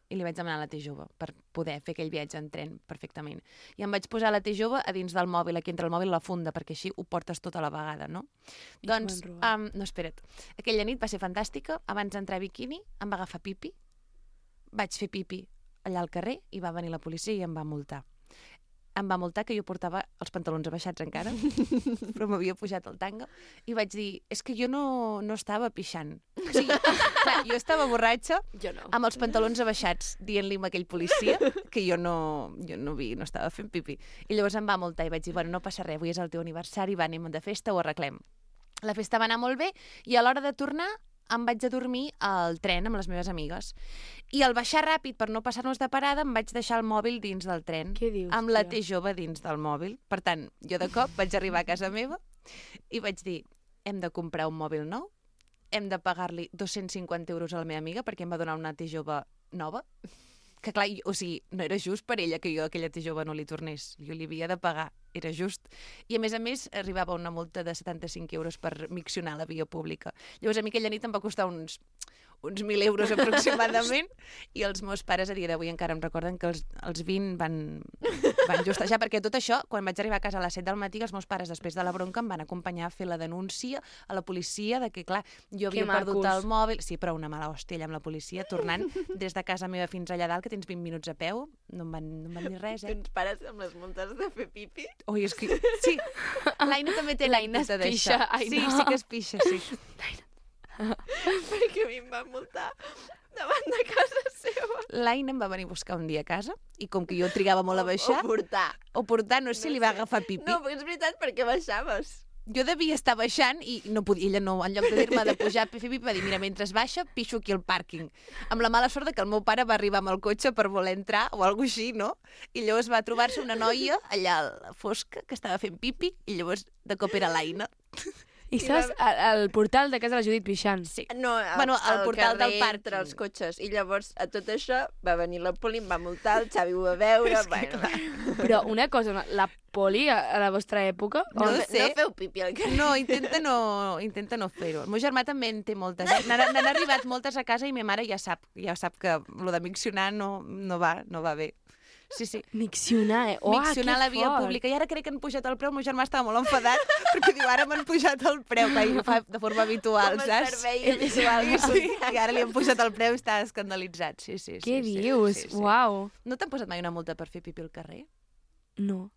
[SPEAKER 1] i li vaig demanar a la T jove per poder fer aquell viatge en tren perfectament. I em vaig posar la T jove a dins del mòbil, aquí entre el mòbil i la funda, perquè així ho portes tota la vegada, no?
[SPEAKER 11] I
[SPEAKER 1] Doncs,
[SPEAKER 11] t'ho van robar.
[SPEAKER 1] um, no, espera't. Aquella nit va ser fantàstica. Abans d'entrar a biquini em va agafar pipi. Vaig fer pipi allà al carrer i va venir la policia i em va multar. Em va multar que jo portava els pantalons abaixats encara, però m'havia pujat el tanga, i vaig dir, és que jo no, no estava pixant. O sigui, clar, jo estava borratxa
[SPEAKER 11] Jo no.
[SPEAKER 1] amb els pantalons abaixats, dient-li a aquell policia que jo no, jo no, vi, no estava fent pipi. I llavors em va multar i vaig dir, bueno, no passa res, avui és el teu aniversari, va, anem de festa, ho arreglem. La festa va anar molt bé i a l'hora de tornar em vaig a dormir al tren amb les meves amigues. I al baixar ràpid, per no passar-nos de parada, em vaig deixar el mòbil dins del tren.
[SPEAKER 11] Què dius,
[SPEAKER 1] Amb la
[SPEAKER 11] tia?
[SPEAKER 1] T jove dins del mòbil. Per tant, jo de cop vaig arribar a casa meva i vaig dir, hem de comprar un mòbil nou, hem de pagar-li dos-cents cinquanta euros a la meva amiga perquè em va donar una T jove nova. Que clar, o sigui, no era just per ella que jo a aquella T jove no li tornés. Jo li havia de pagar, era just. I a més a més arribava una multa de setanta-cinc euros per miccionar la via pública. Llavors a mi aquella nit em va costar uns, uns mil euros aproximadament i els meus pares a dia d'avui encara em recorden que els, els vint van, van justejar, perquè tot això, quan vaig arribar a casa a les set del matí, els meus pares després de la bronca em van acompanyar a fer la denúncia a la policia de que, clar, jo havia
[SPEAKER 11] Que
[SPEAKER 1] perdut
[SPEAKER 11] macos.
[SPEAKER 1] el mòbil. Sí, però una mala hòstia allà amb la policia, tornant des de casa meva fins allà dalt, que tens vint minuts a peu, no em van, no em van dir res, eh?
[SPEAKER 2] Tens pares amb les multes de fer pipi?
[SPEAKER 1] Ui, és que... Sí, l'Aina també té
[SPEAKER 11] L'Aina es
[SPEAKER 1] l'anècdota
[SPEAKER 11] pixa,
[SPEAKER 1] d'això.
[SPEAKER 11] ai,
[SPEAKER 1] Sí,
[SPEAKER 11] no.
[SPEAKER 1] sí que es pixa, sí.
[SPEAKER 2] Perquè a mi em van multar davant de casa seva.
[SPEAKER 1] L'Aina em va venir a buscar un dia a casa i com que jo trigava molt a baixar...
[SPEAKER 2] O portar.
[SPEAKER 1] O portar, no sé si li va agafar pipi.
[SPEAKER 2] No, però és veritat, perquè baixaves.
[SPEAKER 1] Jo devia estar baixant i no podia, ella no, en lloc de dir-me de pujar a fer pipi, va dir, mira, mentre baixa, pixo aquí al pàrquing. Amb la mala sort de que el meu pare va arribar amb el cotxe per voler entrar o alguna així, no? I llavors va trobar-se una noia allà a la fosca que estava fent pipi i llavors de cop era l'Aina.
[SPEAKER 11] I saps, al, al portal de casa de la Judit pixant.
[SPEAKER 1] Sí.
[SPEAKER 2] No, al,
[SPEAKER 1] Bueno, al portal del
[SPEAKER 2] carrer
[SPEAKER 1] parc.
[SPEAKER 2] entre els cotxes. I llavors, a tot això, va venir la poli, em va multar, el Xavi ho va veure...
[SPEAKER 1] És que,
[SPEAKER 2] bueno,
[SPEAKER 1] clar.
[SPEAKER 11] Però una cosa, la poli a, a la vostra època...
[SPEAKER 1] No
[SPEAKER 2] no,
[SPEAKER 11] o-
[SPEAKER 1] sé.
[SPEAKER 2] no feu pipi al carrer.
[SPEAKER 1] No, intenta no, intenta no fer-ho. El meu germà també en té moltes. N'han n'han arribat moltes a casa i ma mare ja sap, ja sap que lo de miccionar no, no va, no va bé. Sí, sí.
[SPEAKER 11] Miccionar, eh? Uah,
[SPEAKER 1] Miccionar
[SPEAKER 11] que
[SPEAKER 1] la via
[SPEAKER 11] fort.
[SPEAKER 1] pública. I ara crec que han pujat el preu. El meu germà estava molt enfadat perquè diu, ara m'han pujat el preu, que ell ho fa de forma habitual,
[SPEAKER 2] Com a
[SPEAKER 1] saps?
[SPEAKER 2] servei habitual.
[SPEAKER 1] Sí, sí, i ara li han pujat el preu i està escandalitzat. Sí, sí, sí.
[SPEAKER 11] Què
[SPEAKER 1] sí,
[SPEAKER 11] dius?
[SPEAKER 1] Sí, sí.
[SPEAKER 11] Uau.
[SPEAKER 1] No t'han posat mai una multa per fer pipi al carrer?
[SPEAKER 11] No.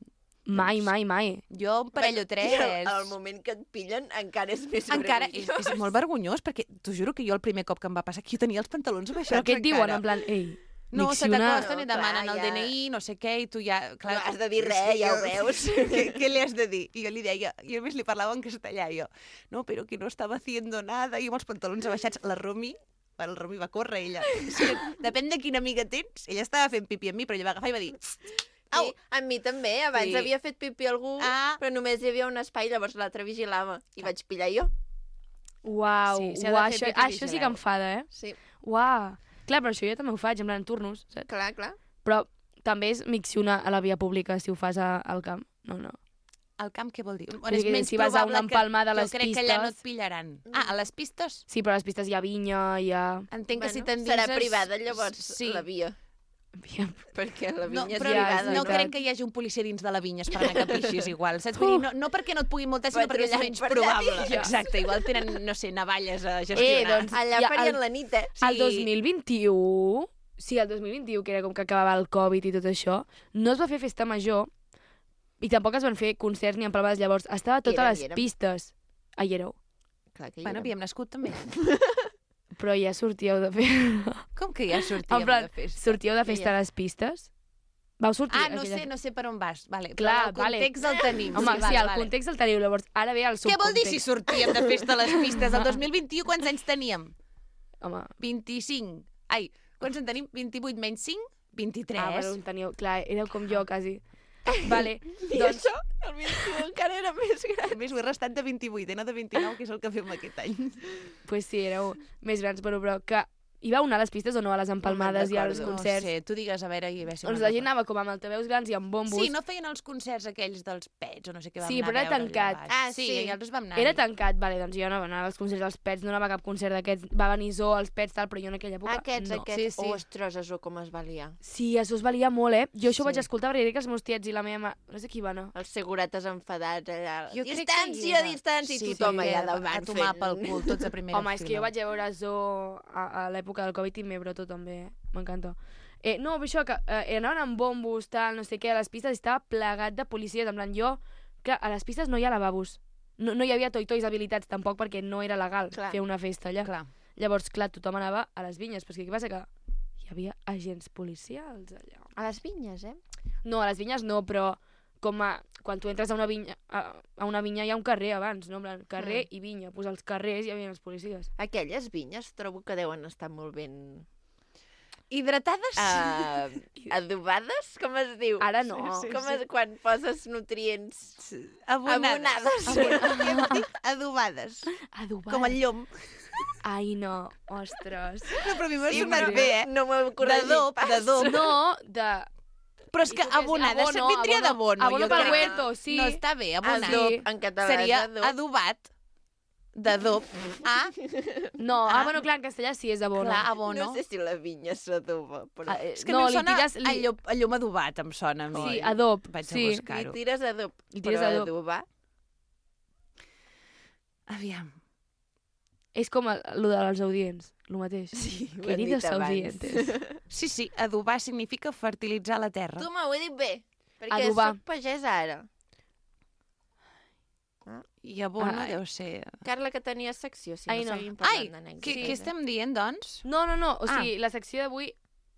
[SPEAKER 11] Mai, mai, mai.
[SPEAKER 1] Jo un parell o tres.
[SPEAKER 2] I al, al moment que et pillen encara és més
[SPEAKER 1] Encara és,
[SPEAKER 2] vergonyós.
[SPEAKER 1] és molt vergonyós, perquè t'ho juro que jo el primer cop que em va passar que jo tenia els pantalons abaixats
[SPEAKER 11] Però què et diuen,
[SPEAKER 1] encara.
[SPEAKER 11] en plan, ei,
[SPEAKER 1] No, se
[SPEAKER 11] miccionar...
[SPEAKER 1] t'acosten i
[SPEAKER 2] No,
[SPEAKER 1] demanen
[SPEAKER 2] clar,
[SPEAKER 1] el
[SPEAKER 2] ja.
[SPEAKER 1] D N I, no sé què, i tu ja... Clar,
[SPEAKER 2] No has de dir
[SPEAKER 1] és
[SPEAKER 2] res,
[SPEAKER 1] que
[SPEAKER 2] ja
[SPEAKER 1] jo-
[SPEAKER 2] ho veus.
[SPEAKER 1] ¿Qué, ¿Qué le has de dir? I jo li deia, i a més li parlava en castellà, i jo, no, però que no estava haciendo nada, i amb els pantalons abaixats, la Romi, el Romi va córrer, ella. Sí, depèn de quina amiga tens, ella estava fent pipi amb mi, però ella va agafar i va dir, au,
[SPEAKER 2] Sí, a mi també. Abans
[SPEAKER 1] Sí.
[SPEAKER 2] havia fet pipi algú,
[SPEAKER 1] Ah.
[SPEAKER 2] però només hi havia un espai, llavors l'altre vigilava. I vaig pillar jo.
[SPEAKER 11] Uau,
[SPEAKER 1] Sí, s'ha de
[SPEAKER 11] uau,
[SPEAKER 1] fer
[SPEAKER 11] això,
[SPEAKER 1] pipi
[SPEAKER 11] això sí que
[SPEAKER 1] vigilant.
[SPEAKER 11] enfada, eh?
[SPEAKER 2] Sí,
[SPEAKER 11] Uau. Clar, però això jo també ho faig, en plan turnos, saps?
[SPEAKER 2] clar, clar.
[SPEAKER 11] Però també és miccionar a la via pública si ho fas a, al camp. No, no.
[SPEAKER 1] al camp què vol dir?
[SPEAKER 11] Vull dir que si vas a una empalmada a les
[SPEAKER 1] Jo crec que allà no et
[SPEAKER 11] pistes-
[SPEAKER 1] pillaran. Ah, a les pistes?
[SPEAKER 11] Sí, però a les pistes hi ha vinya, hi ha...
[SPEAKER 1] Entenc que si
[SPEAKER 2] Bueno,
[SPEAKER 1] t'endinses...
[SPEAKER 2] serà privada, llavors,
[SPEAKER 1] Sí.
[SPEAKER 2] la via. Perquè la
[SPEAKER 1] No,
[SPEAKER 2] vinya és
[SPEAKER 1] però
[SPEAKER 2] privada.
[SPEAKER 1] no crec que hi hagi un policia dins de la vinya esperant a que pixis igual, saps? Vull dir, no, no perquè no et puguin multar, sinó perquè és menys probable. Exacte, igual tenen, no sé, navalles a gestionar.
[SPEAKER 11] Eh, doncs,
[SPEAKER 2] Allà
[SPEAKER 11] ja,
[SPEAKER 2] farien
[SPEAKER 11] el-
[SPEAKER 2] la nit, eh?
[SPEAKER 11] El dos mil vint-i-u, sí, el dos mil vint-i-u, que era com que acabava el Covid i tot això, no es va fer festa major i tampoc es van fer concerts ni empalmades. Llavors, estava a totes
[SPEAKER 2] Érem,
[SPEAKER 11] les
[SPEAKER 2] hi érem.
[SPEAKER 11] pistes. Ah, hi éreu.
[SPEAKER 2] Clar que hi
[SPEAKER 1] Bueno,
[SPEAKER 2] érem.
[SPEAKER 1] havíem nascut també.
[SPEAKER 11] Però ja sortíeu de festa.
[SPEAKER 1] Com que ja sortíem
[SPEAKER 11] En plan,
[SPEAKER 1] de festa?
[SPEAKER 11] sortíeu de festa a les pistes? Vau sortir...
[SPEAKER 1] Ah, no
[SPEAKER 11] aquella-
[SPEAKER 1] sé, no sé per on vas. Vale,
[SPEAKER 11] Clar,
[SPEAKER 1] però el context el tenim.
[SPEAKER 11] Home, sí,
[SPEAKER 1] vale,
[SPEAKER 11] el
[SPEAKER 1] vale.
[SPEAKER 11] context el teniu. Llavors, ara ve el
[SPEAKER 1] Què vol dir si
[SPEAKER 11] subcontext.
[SPEAKER 1] sortíem de festa a les pistes? El dos mil vint-i-u quants anys teníem?
[SPEAKER 11] Home,
[SPEAKER 1] vint-i-cinc. Ai, quants en tenim? vint-i-vuit menys cinc? vint-i-tres.
[SPEAKER 11] ah, bueno, en teníeu... Clar, éreu com jo, quasi. Vale,
[SPEAKER 2] I
[SPEAKER 11] doncs...
[SPEAKER 2] això, el vint-i-u encara era més gran.
[SPEAKER 1] A més, ho he restat de vint-i-vuit, eh? No de vint-i-nou, que és el que fem aquest any.
[SPEAKER 11] Pues sí, éreu més grans, però, però que hi vau anar a les pistes o no, a les empalmades i als
[SPEAKER 2] recordo.
[SPEAKER 11] concerts?
[SPEAKER 1] No sé, tu digues a veure i a veure si
[SPEAKER 11] Doncs
[SPEAKER 1] me'n
[SPEAKER 11] la gent
[SPEAKER 1] recordo.
[SPEAKER 11] anava com amb altaveus grans i amb bombos.
[SPEAKER 1] Sí, no feien els concerts aquells dels Pets o no sé què vam
[SPEAKER 11] Sí,
[SPEAKER 1] anar
[SPEAKER 11] però
[SPEAKER 1] a
[SPEAKER 11] era
[SPEAKER 1] veure
[SPEAKER 11] tancat.
[SPEAKER 1] allà baix.
[SPEAKER 2] Ah,
[SPEAKER 1] sí,
[SPEAKER 2] sí.
[SPEAKER 1] i nosaltres vam anar.
[SPEAKER 11] Era tancat, vale, doncs jo no anava als concerts dels Pets, no anava a cap concert d'aquests, va venir Zoo, els Pets, tal, però jo en aquella època
[SPEAKER 2] Aquests,
[SPEAKER 11] no.
[SPEAKER 2] aquests.
[SPEAKER 1] Sí, sí.
[SPEAKER 2] Ostres, això com es va liar.
[SPEAKER 11] Sí, això es valia molt, eh? Jo això ho
[SPEAKER 1] Sí.
[SPEAKER 11] vaig escoltar perquè crec que els meus tiets i la meva mare... No sé qui va anar.
[SPEAKER 2] Els segurates enfadats allà.
[SPEAKER 1] Jo crec que hi
[SPEAKER 2] Distància,
[SPEAKER 1] era.
[SPEAKER 2] distància,
[SPEAKER 1] Sí,
[SPEAKER 2] i tothom
[SPEAKER 1] perquè
[SPEAKER 2] allà davant
[SPEAKER 1] a tomar
[SPEAKER 2] fent...
[SPEAKER 1] pel cul, tots a primera
[SPEAKER 11] Home, és que jo vaig a veure Zoo a, a l'època del Covid i m'he broto també, eh? M'encanta. Eh, no, però això, que eh, anaven amb bombos, tal, no sé què, a les pistes estava plegat de policies, en plan, jo... Clar, a les pistes no hi ha lavabos. No, no hi havia toi-tois habilitats tampoc perquè no era legal
[SPEAKER 2] Clar.
[SPEAKER 11] fer una festa allà.
[SPEAKER 1] Clar.
[SPEAKER 11] Llavors, clar, tothom anava a les vinyes, però és que què passa? Que hi havia agents policials allà.
[SPEAKER 2] A les vinyes, eh?
[SPEAKER 11] No, a les vinyes no, però com a, quan tu entres a una vinya, a, a una vinya hi ha un carrer abans, no? En plan, carrer
[SPEAKER 2] Mm.
[SPEAKER 11] i vinya. Pues als carrers hi havia els policies.
[SPEAKER 2] Aquelles vinyes trobo que deuen estar molt ben...
[SPEAKER 1] Hidratades?
[SPEAKER 2] Uh, adobades, com es diu?
[SPEAKER 11] Ara no.
[SPEAKER 1] Sí, sí,
[SPEAKER 2] Com
[SPEAKER 1] sí.
[SPEAKER 2] és quan poses nutrients
[SPEAKER 1] Abonades.
[SPEAKER 2] abonades?
[SPEAKER 1] Hem dit adobades.
[SPEAKER 11] Adobat.
[SPEAKER 1] Com el llom.
[SPEAKER 11] Ai, no, ostres.
[SPEAKER 1] No, però a mi m'ha
[SPEAKER 2] Sí,
[SPEAKER 1] sonat
[SPEAKER 2] però
[SPEAKER 1] bé, eh?
[SPEAKER 2] No m'ho he corregit
[SPEAKER 1] D'adob,
[SPEAKER 2] pas.
[SPEAKER 1] d'adob.
[SPEAKER 11] No, de...
[SPEAKER 1] Però és
[SPEAKER 11] I
[SPEAKER 1] que
[SPEAKER 11] tu què és?
[SPEAKER 1] abonades
[SPEAKER 11] Abono,
[SPEAKER 1] vindria
[SPEAKER 11] abono.
[SPEAKER 1] d'abono.
[SPEAKER 11] Abono
[SPEAKER 1] jo
[SPEAKER 11] pel
[SPEAKER 1] crec.
[SPEAKER 11] huerto, sí.
[SPEAKER 1] No està bé, abonat.
[SPEAKER 2] Adob, en català
[SPEAKER 1] Seria
[SPEAKER 2] és adob.
[SPEAKER 1] adobat, d'adob, a...
[SPEAKER 11] No, ah, bueno, clar, en castellà sí és abono.
[SPEAKER 1] Clar, abono.
[SPEAKER 2] No sé si la vinya s'adoba, però...
[SPEAKER 11] Ah, eh,
[SPEAKER 1] És que
[SPEAKER 11] no,
[SPEAKER 1] a mi em
[SPEAKER 11] li
[SPEAKER 1] sona
[SPEAKER 11] tires...
[SPEAKER 1] a, llom, a llom adobat, em sona a mi.
[SPEAKER 11] Sí, adob,
[SPEAKER 1] Vaig
[SPEAKER 11] sí.
[SPEAKER 1] a buscar-ho.
[SPEAKER 2] Li tires adob,
[SPEAKER 11] Li tires
[SPEAKER 2] però
[SPEAKER 11] adob.
[SPEAKER 2] adobar...
[SPEAKER 1] Aviam.
[SPEAKER 11] És com el, el dels audients, el mateix.
[SPEAKER 2] Sí, ho hem
[SPEAKER 11] Queridos
[SPEAKER 2] dit abans.
[SPEAKER 11] audientes.
[SPEAKER 1] Sí, sí, adobar significa fertilitzar la terra.
[SPEAKER 2] Tu m'ho he dit bé, perquè
[SPEAKER 11] Adobar.
[SPEAKER 2] soc pagès ara.
[SPEAKER 1] I abono
[SPEAKER 11] Ai.
[SPEAKER 1] deu ser...
[SPEAKER 2] Carla, que tenia secció, si
[SPEAKER 11] Ai,
[SPEAKER 2] no,
[SPEAKER 11] no.
[SPEAKER 2] seguim
[SPEAKER 1] Ai,
[SPEAKER 2] parlant d'anècdotes.
[SPEAKER 1] què, què estem dient, doncs?
[SPEAKER 11] No, no, no, o
[SPEAKER 1] Ah.
[SPEAKER 11] sigui, la secció d'avui...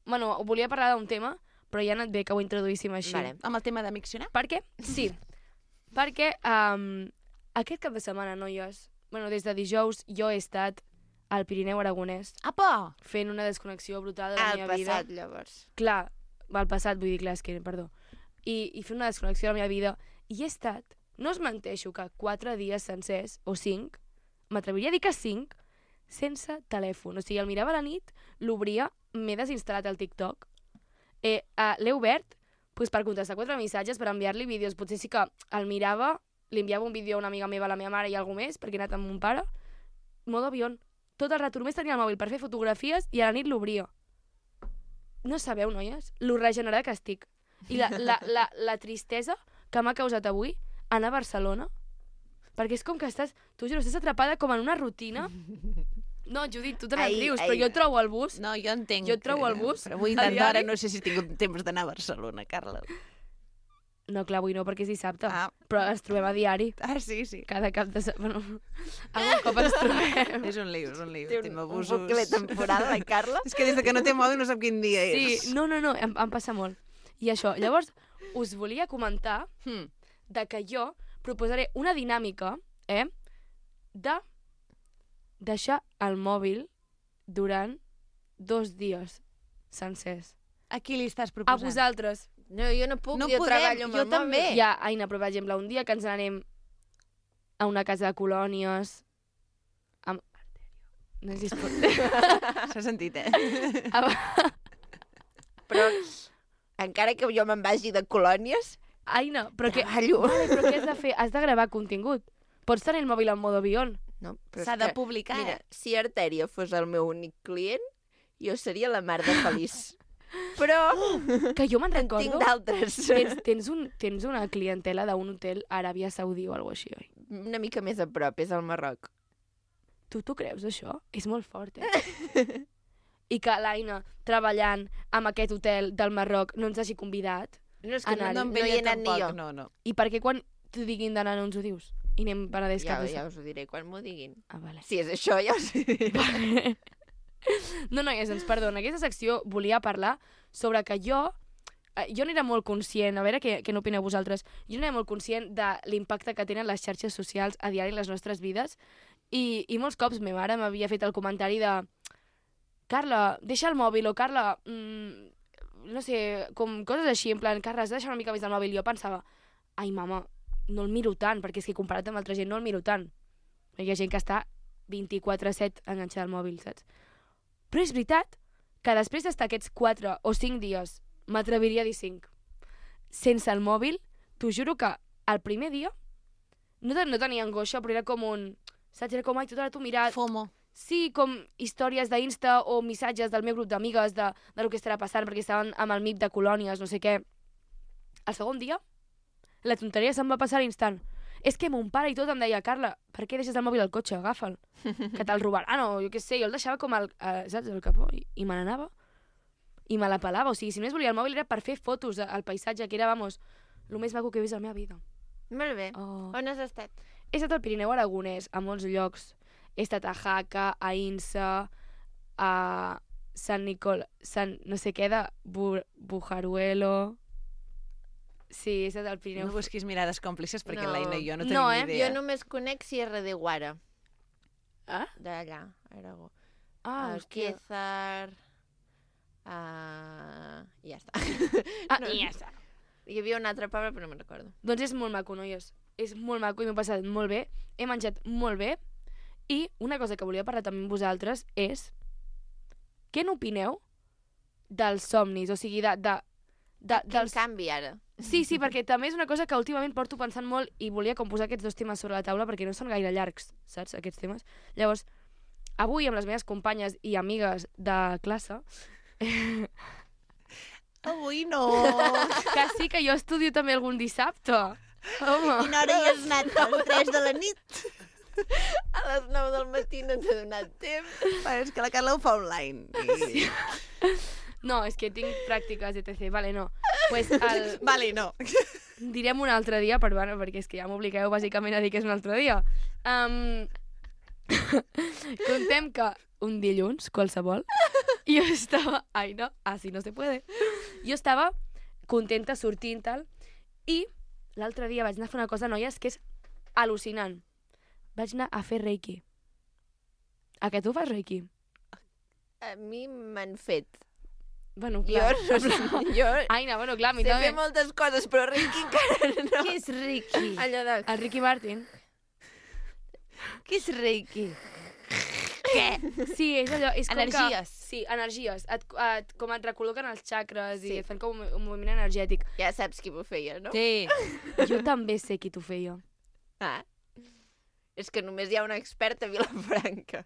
[SPEAKER 11] Bueno, volia parlar d'un tema, però ja ha anat bé que ho introduíssim així.
[SPEAKER 2] Vale.
[SPEAKER 1] Amb el tema de miccionar?
[SPEAKER 11] Per què? Sí. Perquè um, aquest cap de setmana, noies, bueno, des de dijous jo he estat al Pirineu Aragonès
[SPEAKER 1] Apa!
[SPEAKER 11] fent una desconnexió brutal de la
[SPEAKER 2] Al
[SPEAKER 11] meva vida.
[SPEAKER 2] passat, llavors.
[SPEAKER 11] Clar, al passat, vull dir, clar, és que, perdó. I, i fent una desconnexió de la meva vida. I he estat, no us menteixo, que quatre dies sencers, o cinc, m'atreviria a dir que cinc, sense telèfon. O sigui, el mirava a la nit, l'obria, m'he desinstal·lat el TikTok, eh, uh, l'he obert pues, per contestar quatre missatges, per enviar-li vídeos. Potser sí que el mirava, li enviava un vídeo a una amiga meva, a la meva mare i algú més, perquè he anat amb mon pare, modo avió. Tot el rato només tenia el mòbil per fer fotografies i a la nit l'obria. No sabeu, noies, lo regenerat que estic. I la, la, la, la tristesa que m'ha causat avui anar a Barcelona, perquè és com que estàs, t'ho juro, estàs atrapada com en una rutina. No, Judit, tu te
[SPEAKER 2] Ai,
[SPEAKER 11] n'en rius,
[SPEAKER 2] ai.
[SPEAKER 11] però jo trobo el bus.
[SPEAKER 1] No, jo entenc.
[SPEAKER 11] Jo et trobo
[SPEAKER 1] que-
[SPEAKER 11] el bus
[SPEAKER 1] Però avui
[SPEAKER 11] a
[SPEAKER 1] intentar ara
[SPEAKER 11] diari.
[SPEAKER 1] no sé si he tingut temps d'anar a Barcelona, Carla.
[SPEAKER 11] No, clar, avui no, perquè és dissabte.
[SPEAKER 1] Ah.
[SPEAKER 11] Però ens trobem a diari.
[SPEAKER 1] Ah, sí, sí.
[SPEAKER 11] Cada cap de setmana. Bueno, algun cop ens trobem.
[SPEAKER 1] És un lío, és un lío.
[SPEAKER 2] Té
[SPEAKER 1] Tenim
[SPEAKER 2] un, un
[SPEAKER 1] abusos.
[SPEAKER 2] bucle temporal, la Carla.
[SPEAKER 1] És que des de que no té mòbil no sap quin dia és.
[SPEAKER 11] Sí, no, no, no, em, em passa molt. I això, llavors, us volia comentar
[SPEAKER 1] Hmm.
[SPEAKER 11] de que jo proposaré una dinàmica, eh, de deixar el mòbil durant dos dies sencers.
[SPEAKER 1] A qui li estàs
[SPEAKER 11] A
[SPEAKER 1] proposant?
[SPEAKER 11] vosaltres.
[SPEAKER 2] No, jo no puc,
[SPEAKER 1] No
[SPEAKER 2] jo
[SPEAKER 1] podem,
[SPEAKER 2] treballo amb
[SPEAKER 1] jo
[SPEAKER 2] el
[SPEAKER 1] també.
[SPEAKER 2] mòbil.
[SPEAKER 11] Ja, Aina, però per exemple, un dia que ens anem a una casa de colònies amb... No sé si es pot...
[SPEAKER 1] S'ha sentit, eh?
[SPEAKER 2] Però encara que jo me'n vagi de colònies,
[SPEAKER 11] Aina, però que...
[SPEAKER 2] treballo.
[SPEAKER 11] Vale, però què has de fer? Has de gravar contingut. Pots tenir el mòbil en modo avió.
[SPEAKER 2] No, però
[SPEAKER 1] S'ha
[SPEAKER 2] és
[SPEAKER 1] de
[SPEAKER 2] que,
[SPEAKER 1] publicar,
[SPEAKER 2] Mira,
[SPEAKER 1] eh?
[SPEAKER 2] si Artèria fos el meu únic client, jo seria la mar de feliç. Però
[SPEAKER 11] Que jo me'n
[SPEAKER 2] en
[SPEAKER 11] recordo...
[SPEAKER 2] tinc d'altres.
[SPEAKER 11] Tens, tens, un, tens una clientela d'un hotel a Aràbia Saudí o alguna així, oi?
[SPEAKER 2] Una mica més a prop, és al Marroc.
[SPEAKER 11] Tu t'ho creus, això? És molt fort, eh? I que l'Aina, treballant amb aquest hotel del Marroc, no ens hagi convidat.
[SPEAKER 2] No, és que no,
[SPEAKER 11] anar-hi.
[SPEAKER 2] no, no hi he anat ni jo.
[SPEAKER 1] No, no.
[SPEAKER 11] I per què quan t'ho diguin d'anar no ens ho dius? I anem Penedès
[SPEAKER 2] Ja,
[SPEAKER 11] cap a
[SPEAKER 2] ja
[SPEAKER 11] això.
[SPEAKER 2] us ho diré quan m'ho diguin.
[SPEAKER 11] Ah, vale.
[SPEAKER 2] Si és això, ja us ho diré.
[SPEAKER 11] No, noies, ens perdona. Aquesta secció volia parlar sobre que jo... eh, Jo n'era molt conscient, a veure què, què n'opineu vosaltres, jo n'era molt conscient de l'impacte que tenen les xarxes socials a diari en les nostres vides i, i molts cops ma mare m'havia fet el comentari de Carla, deixa el mòbil, o Carla, mmm, no sé, com coses així, en plan, Carla, has de deixar una mica més el mòbil. I jo pensava, ai, mama, no el miro tant, perquè és que comparat amb altra gent no el miro tant. Hi ha gent que està vint-i-quatre set enganxada al mòbil, saps? Però és veritat que després d'estar aquests quatre o cinc dies, m'atreviria a dir cinc, sense el mòbil, t'ho juro que el primer dia no, ten no tenia angoixa, però era com un... Saps? Era com, ai, tota l'hora t'ho mirat.
[SPEAKER 1] FOMO.
[SPEAKER 11] Sí, com històries d'Insta o missatges del meu grup d'amigues de, de lo que estarà passant, perquè estaven amb el M I P de colònies, no sé què. El segon dia, la tonteria se'm va passar a l'instant. És que mon pare i tot em deia, Carla, per què deixes el mòbil al cotxe? Agafa'l, que te'l robaran, o jo què sé. Jo el deixava com al, eh, saps, al capó, i, i me n'anava. I me la pelava, o sigui, si només volia el mòbil era per fer fotos al paisatge, que era, vamos, el més maco que he vist a la meva vida.
[SPEAKER 2] Molt bé.
[SPEAKER 11] Oh.
[SPEAKER 2] On has estat?
[SPEAKER 11] He estat al Pirineu Aragonès, a molts llocs. He estat a Jaca, a Insa, a Sant Nicol... Sant... no sé què, de Bu Bujaruelo... Sí, he estat al Pirineu.
[SPEAKER 1] No busquis mirades còmplices perquè
[SPEAKER 2] No.
[SPEAKER 1] l'Aina i jo no tenim
[SPEAKER 11] No,
[SPEAKER 1] ni
[SPEAKER 11] eh?
[SPEAKER 1] idea.
[SPEAKER 2] Jo només conec Sierra de Guara.
[SPEAKER 11] Ah?
[SPEAKER 2] D'allà, Aragó.
[SPEAKER 11] Ah, hòstia.
[SPEAKER 2] Alquézar... Uh... I ja està.
[SPEAKER 11] Ah,
[SPEAKER 2] No.
[SPEAKER 11] i ja està.
[SPEAKER 2] Hi havia un altre poble, però no me'n recordo.
[SPEAKER 11] Doncs és molt maco, noies. És molt maco i m'ho he passat molt bé. He menjat molt bé. I una cosa que volia parlar també amb vosaltres és... Què n'opineu dels somnis? O sigui, de... de, de
[SPEAKER 2] Quin
[SPEAKER 11] dels...
[SPEAKER 2] canvi, ara?
[SPEAKER 11] Sí, sí, perquè també és una cosa que últimament porto pensant molt i volia com posar aquests dos temes sobre la taula perquè no són gaire llargs, saps, aquests temes. Llavors, avui amb les meves companyes i amigues de classe...
[SPEAKER 1] Avui no.
[SPEAKER 11] Que sí, que jo estudio també algun dissabte. Home.
[SPEAKER 2] Quina hora hi has anat? A les tres de la nit? A les nou del matí no t'ha donat temps.
[SPEAKER 1] Bueno, és que la Carla ho fa online. I...
[SPEAKER 11] No, és que tinc pràctiques, etcètera. Vale, no. Pues el...
[SPEAKER 1] Vale, no.
[SPEAKER 11] Direm un altre dia, per, bueno, perquè és que ja m'obligueu bàsicament a dir que és un altre dia. Um... Contem que un dilluns, qualsevol, jo estava... Ai, no, así no se puede. Jo estava contenta sortint tal, i l'altre dia vaig anar a fer una cosa, noies, que és al·lucinant. Vaig anar a fer reiki. A que tu fas reiki?
[SPEAKER 2] A mi m'han fet.
[SPEAKER 11] Bueno,
[SPEAKER 2] Jo,
[SPEAKER 11] clar.
[SPEAKER 2] no sé, jo
[SPEAKER 11] Aina, bueno, clar, a mi
[SPEAKER 2] sé
[SPEAKER 11] també.
[SPEAKER 2] fer moltes coses, però Ricky encara no.
[SPEAKER 1] Què és Reiki?
[SPEAKER 2] Allò de...
[SPEAKER 11] El Ricky Martin.
[SPEAKER 1] Què és Reiki?
[SPEAKER 11] Què? Sí, és allò... És com
[SPEAKER 1] Energies.
[SPEAKER 11] Que, sí, energies. Et, et, com et recol·loquen els xacres
[SPEAKER 2] Sí.
[SPEAKER 11] i et fan com un, un moviment energètic.
[SPEAKER 2] Ja saps qui m'ho feia, no?
[SPEAKER 1] Sí.
[SPEAKER 11] Jo també sé qui t'ho feia.
[SPEAKER 2] Ah. És que només hi ha una experta a Vilafranca.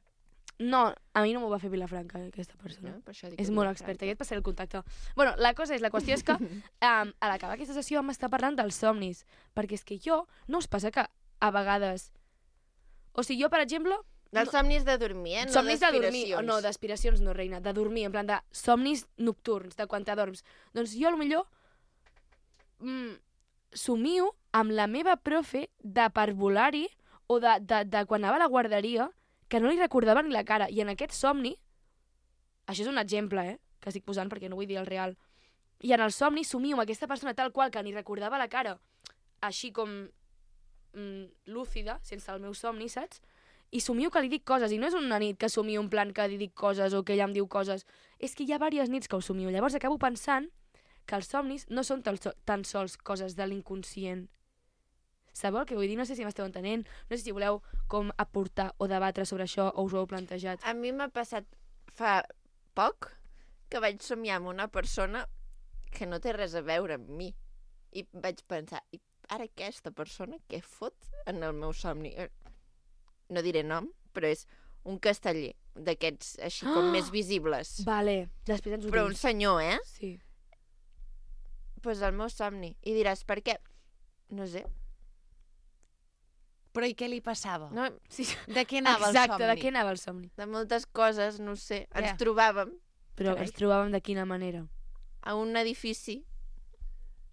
[SPEAKER 11] No, a mi no m'ho va fer Vilafranca, aquesta persona.
[SPEAKER 2] No? Per això dic
[SPEAKER 11] És
[SPEAKER 2] que
[SPEAKER 11] molt
[SPEAKER 2] Vilafranca.
[SPEAKER 11] experta, ja et passaré el contacte. Bueno, la cosa és, la qüestió és que um, a l'acabar aquesta sessió vam estar parlant dels somnis, perquè és que jo, no us passa que a vegades... O sigui, jo, per exemple...
[SPEAKER 2] Dels somnis de dormir, eh? No
[SPEAKER 11] somnis de dormir,
[SPEAKER 2] d'aspiracions.
[SPEAKER 11] no, d'aspiracions no, reina, de dormir, en plan de somnis nocturns, de quan t'adorms. Doncs jo, potser mm, somio amb la meva profe de parvulari o de, de, de quan anava a la guarderia, que no li recordava ni la cara. I en aquest somni, això és un exemple, eh, que estic posant perquè no vull dir el real, i en el somni somio amb aquesta persona tal qual que ni recordava la cara, així com mm, lúcida, sense el meu somni, saps? I somio que li dic coses, i no és una nit que somio en plan que li dic coses o que ella em diu coses, és que hi ha diverses nits que ho somio. Llavors acabo pensant que els somnis no són tan, tan sols coses de l'inconscient. Sabeu el que vull dir? No sé si m'esteu entenent, no sé si voleu com aportar o debatre sobre això o us ho heu plantejat.
[SPEAKER 2] A mi m'ha passat fa poc que vaig somiar amb una persona que no té res a veure amb mi. I vaig pensar, i ara aquesta persona què fot en el meu somni? No diré nom, però és un casteller d'aquests així com més visibles.
[SPEAKER 11] Vale, després ens ho
[SPEAKER 2] Però
[SPEAKER 11] dius.
[SPEAKER 2] un senyor, eh?
[SPEAKER 11] Sí.
[SPEAKER 2] Pues el meu somni. I diràs, per què? No sé.
[SPEAKER 1] Però i què li passava?
[SPEAKER 2] No,
[SPEAKER 11] Sí.
[SPEAKER 1] De què anava
[SPEAKER 11] Exacte,
[SPEAKER 1] el somni?
[SPEAKER 11] de què anava el somni?
[SPEAKER 2] de moltes coses, no ho sé. Ens
[SPEAKER 1] Ja.
[SPEAKER 2] trobàvem
[SPEAKER 11] Però
[SPEAKER 1] Carai.
[SPEAKER 11] ens trobàvem de quina manera?
[SPEAKER 2] a un edifici.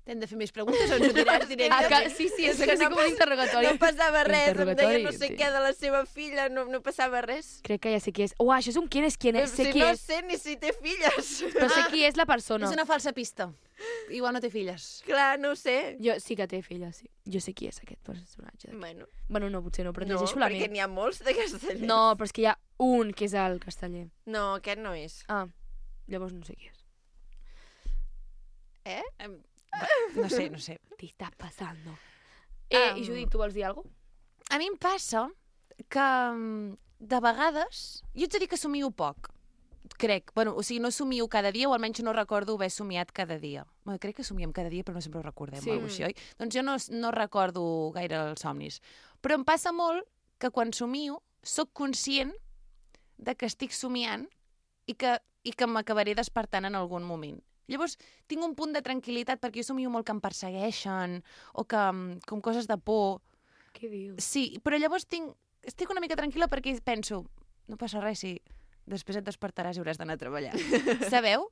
[SPEAKER 1] T'hem de fer més preguntes o ens ho diràs
[SPEAKER 11] Ah,
[SPEAKER 1] directament?
[SPEAKER 11] que, sí, sí, és,
[SPEAKER 2] És
[SPEAKER 11] que,
[SPEAKER 2] que
[SPEAKER 11] sí
[SPEAKER 2] no
[SPEAKER 11] com un interrogatori.
[SPEAKER 2] No passava res, em deia
[SPEAKER 11] Interrogatori,
[SPEAKER 2] no sé
[SPEAKER 11] sí.
[SPEAKER 2] què de la seva filla, no, no passava res.
[SPEAKER 11] Crec que ja sé qui és. Uah, això és un quién és quién és. Sé
[SPEAKER 2] si
[SPEAKER 11] qui
[SPEAKER 2] no
[SPEAKER 11] és,
[SPEAKER 2] sé ni si té filles.
[SPEAKER 11] però sé qui és la persona.
[SPEAKER 1] És una falsa pista. Igual no té filles.
[SPEAKER 2] Clar, no ho sé.
[SPEAKER 11] Jo sí que té filles, sí. Jo sé qui és aquest personatge. d'aquí.
[SPEAKER 2] Bueno,
[SPEAKER 11] Bueno, no, potser no, però
[SPEAKER 2] no,
[SPEAKER 11] llegeixo la
[SPEAKER 2] perquè
[SPEAKER 11] ment.
[SPEAKER 2] n'hi ha molts de castellers.
[SPEAKER 11] No, però és que hi ha un que és el casteller.
[SPEAKER 2] No, aquest no és.
[SPEAKER 11] Ah, llavors no sé qui és.
[SPEAKER 2] Eh?
[SPEAKER 1] Em, No sé, no sé.
[SPEAKER 11] T'hi està passant. Eh,
[SPEAKER 1] Am.
[SPEAKER 11] I Judit, tu vols dir alguna cosa?
[SPEAKER 1] A mi em passa que mm, de vegades... Jo ets a dir que somio poc, crec. Bueno, o sigui, no somio cada dia, o almenys no recordo haver somiat cada dia. Bueno, crec que somiem cada dia, però no sempre ho recordem,
[SPEAKER 11] Sí.
[SPEAKER 1] o alguna cosa així, oi? Doncs jo no, no recordo gaire els somnis. Però em passa molt que quan somio sóc conscient de que estic somiant i que, i que m'acabaré despertant en algun moment. Llavors, tinc un punt de tranquil·litat perquè jo somio molt que em persegueixen o que, mm, com coses de por.
[SPEAKER 11] Què dius?
[SPEAKER 1] Sí, però llavors tinc, estic una mica tranquil·la perquè penso, no passa res si després et despertaràs i hauràs d'anar a treballar. Sabeu?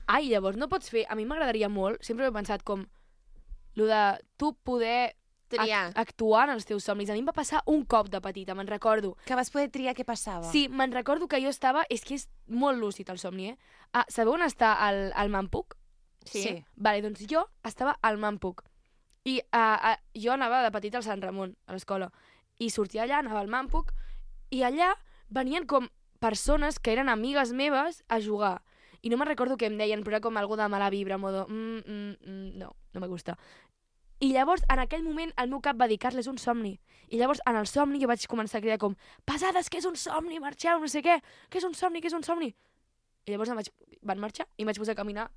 [SPEAKER 11] Ai, llavors no pots fer... A mi m'agradaria molt, sempre he pensat com lo de tu poder
[SPEAKER 2] Triar.
[SPEAKER 11] act actuar en els teus somnis. A mi em va passar un cop de petita, me'n recordo.
[SPEAKER 1] Que vas poder triar què passava.
[SPEAKER 11] Sí, me'n recordo que jo estava... És que és molt lúcid el somni, eh? Ah, sabeu on està el, el Mampuc?
[SPEAKER 2] Sí.
[SPEAKER 1] Sí.
[SPEAKER 11] Vale, doncs jo estava al Mampuc. I uh, uh, jo anava de petita al Sant Ramon, a l'escola. I sortia allà, anava al Mampuc, i allà venien com persones que eren amigues meves a jugar. I no me'n recordo què em deien, però era com algo de mala vibra, modo... Mm, mm, mm, no, no me gusta. I llavors, en aquell moment, el meu cap va dir, Carles, és un somni. I llavors, en el somni, jo vaig començar a cridar com, pesades, que és un somni, marxeu, no sé què, que és un somni, que és un somni. I llavors em vaig, van marxar i em vaig posar a caminar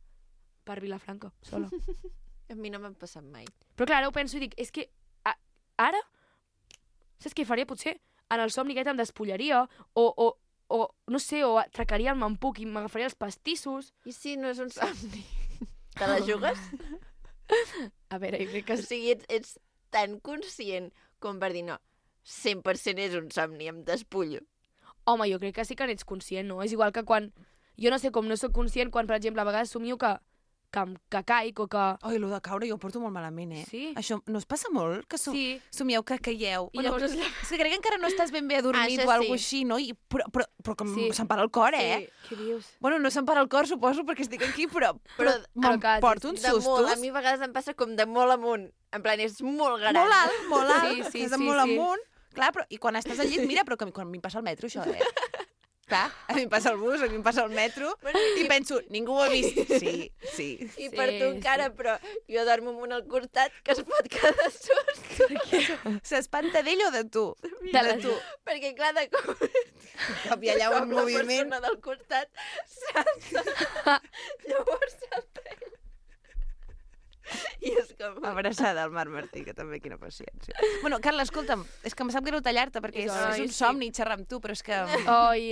[SPEAKER 11] per Vilafranca, sola.
[SPEAKER 2] A mi no m'ha passat mai.
[SPEAKER 11] Però clar, ara ho penso i dic, és que a, ara, saps què faria potser? En el somni aquest em despullaria, o, o, o no sé, o atracaria el Mampuc i m'agafaria els pastissos.
[SPEAKER 2] I si no és un somni? Te la jugues?
[SPEAKER 11] A veure, jo crec que...
[SPEAKER 2] O sigui, ets, ets tan conscient com per dir, no, cent per cent és un somni, em despullo.
[SPEAKER 11] Home, jo crec que sí que n'ets conscient, no? És igual que quan... Jo no sé com no sóc conscient quan, per exemple, a vegades somio que, que, que caic o que...
[SPEAKER 1] Oi, lo de caure jo ho porto molt malament, eh?
[SPEAKER 11] Sí?
[SPEAKER 1] Això no es passa molt? Que som...
[SPEAKER 11] Sí.
[SPEAKER 1] somieu que caieu?
[SPEAKER 11] I llavors es...
[SPEAKER 1] És que crec que encara no estàs ben bé adormit
[SPEAKER 2] Ah, això
[SPEAKER 1] o alguna
[SPEAKER 2] sí.
[SPEAKER 1] així, no? I, però, però, però que
[SPEAKER 11] Sí.
[SPEAKER 1] sí. se'm para el cor, eh?
[SPEAKER 2] Sí.
[SPEAKER 11] Què dius?
[SPEAKER 1] Bueno, no se'm para el cor, suposo, perquè estic aquí, però, però,
[SPEAKER 2] Però-
[SPEAKER 1] però
[SPEAKER 11] però que-
[SPEAKER 1] porto uns
[SPEAKER 2] De molt,
[SPEAKER 1] sustos.
[SPEAKER 2] a mi a vegades em passa com de molt amunt. En plan, és molt gran.
[SPEAKER 1] Molt alt, molt alt,
[SPEAKER 11] Sí, sí,
[SPEAKER 1] que és de
[SPEAKER 11] sí,
[SPEAKER 1] molt
[SPEAKER 11] sí.
[SPEAKER 1] amunt. Clar, però, i quan estàs al llit, mira, però que, quan a mi em passa el metro, això, eh? Clar, a mi em passa el bus, a mi em passa el metro,
[SPEAKER 2] Bueno,
[SPEAKER 1] i penso, ningú ho ha vist. Sí, sí.
[SPEAKER 2] I
[SPEAKER 11] Sí,
[SPEAKER 2] per tu encara,
[SPEAKER 11] sí.
[SPEAKER 2] però jo dormo amb un al costat que es pot quedar sust.
[SPEAKER 1] S'espanta d'ell o de tu?
[SPEAKER 11] De
[SPEAKER 1] De
[SPEAKER 11] la-
[SPEAKER 1] tu.
[SPEAKER 2] Perquè, clar, de cop,
[SPEAKER 1] Cop hi ha allà un
[SPEAKER 2] com la
[SPEAKER 1] moviment.
[SPEAKER 2] persona del costat salta. Llavors salta ell. I és com...
[SPEAKER 1] Abraçada al Marc Martí, que també quina paciència. Bueno, Carla, escolta'm, és que em sap greu tallar-te, perquè és,
[SPEAKER 2] Ai,
[SPEAKER 1] és un
[SPEAKER 2] sí.
[SPEAKER 1] somni xerrar amb tu, però és que...
[SPEAKER 11] Oi,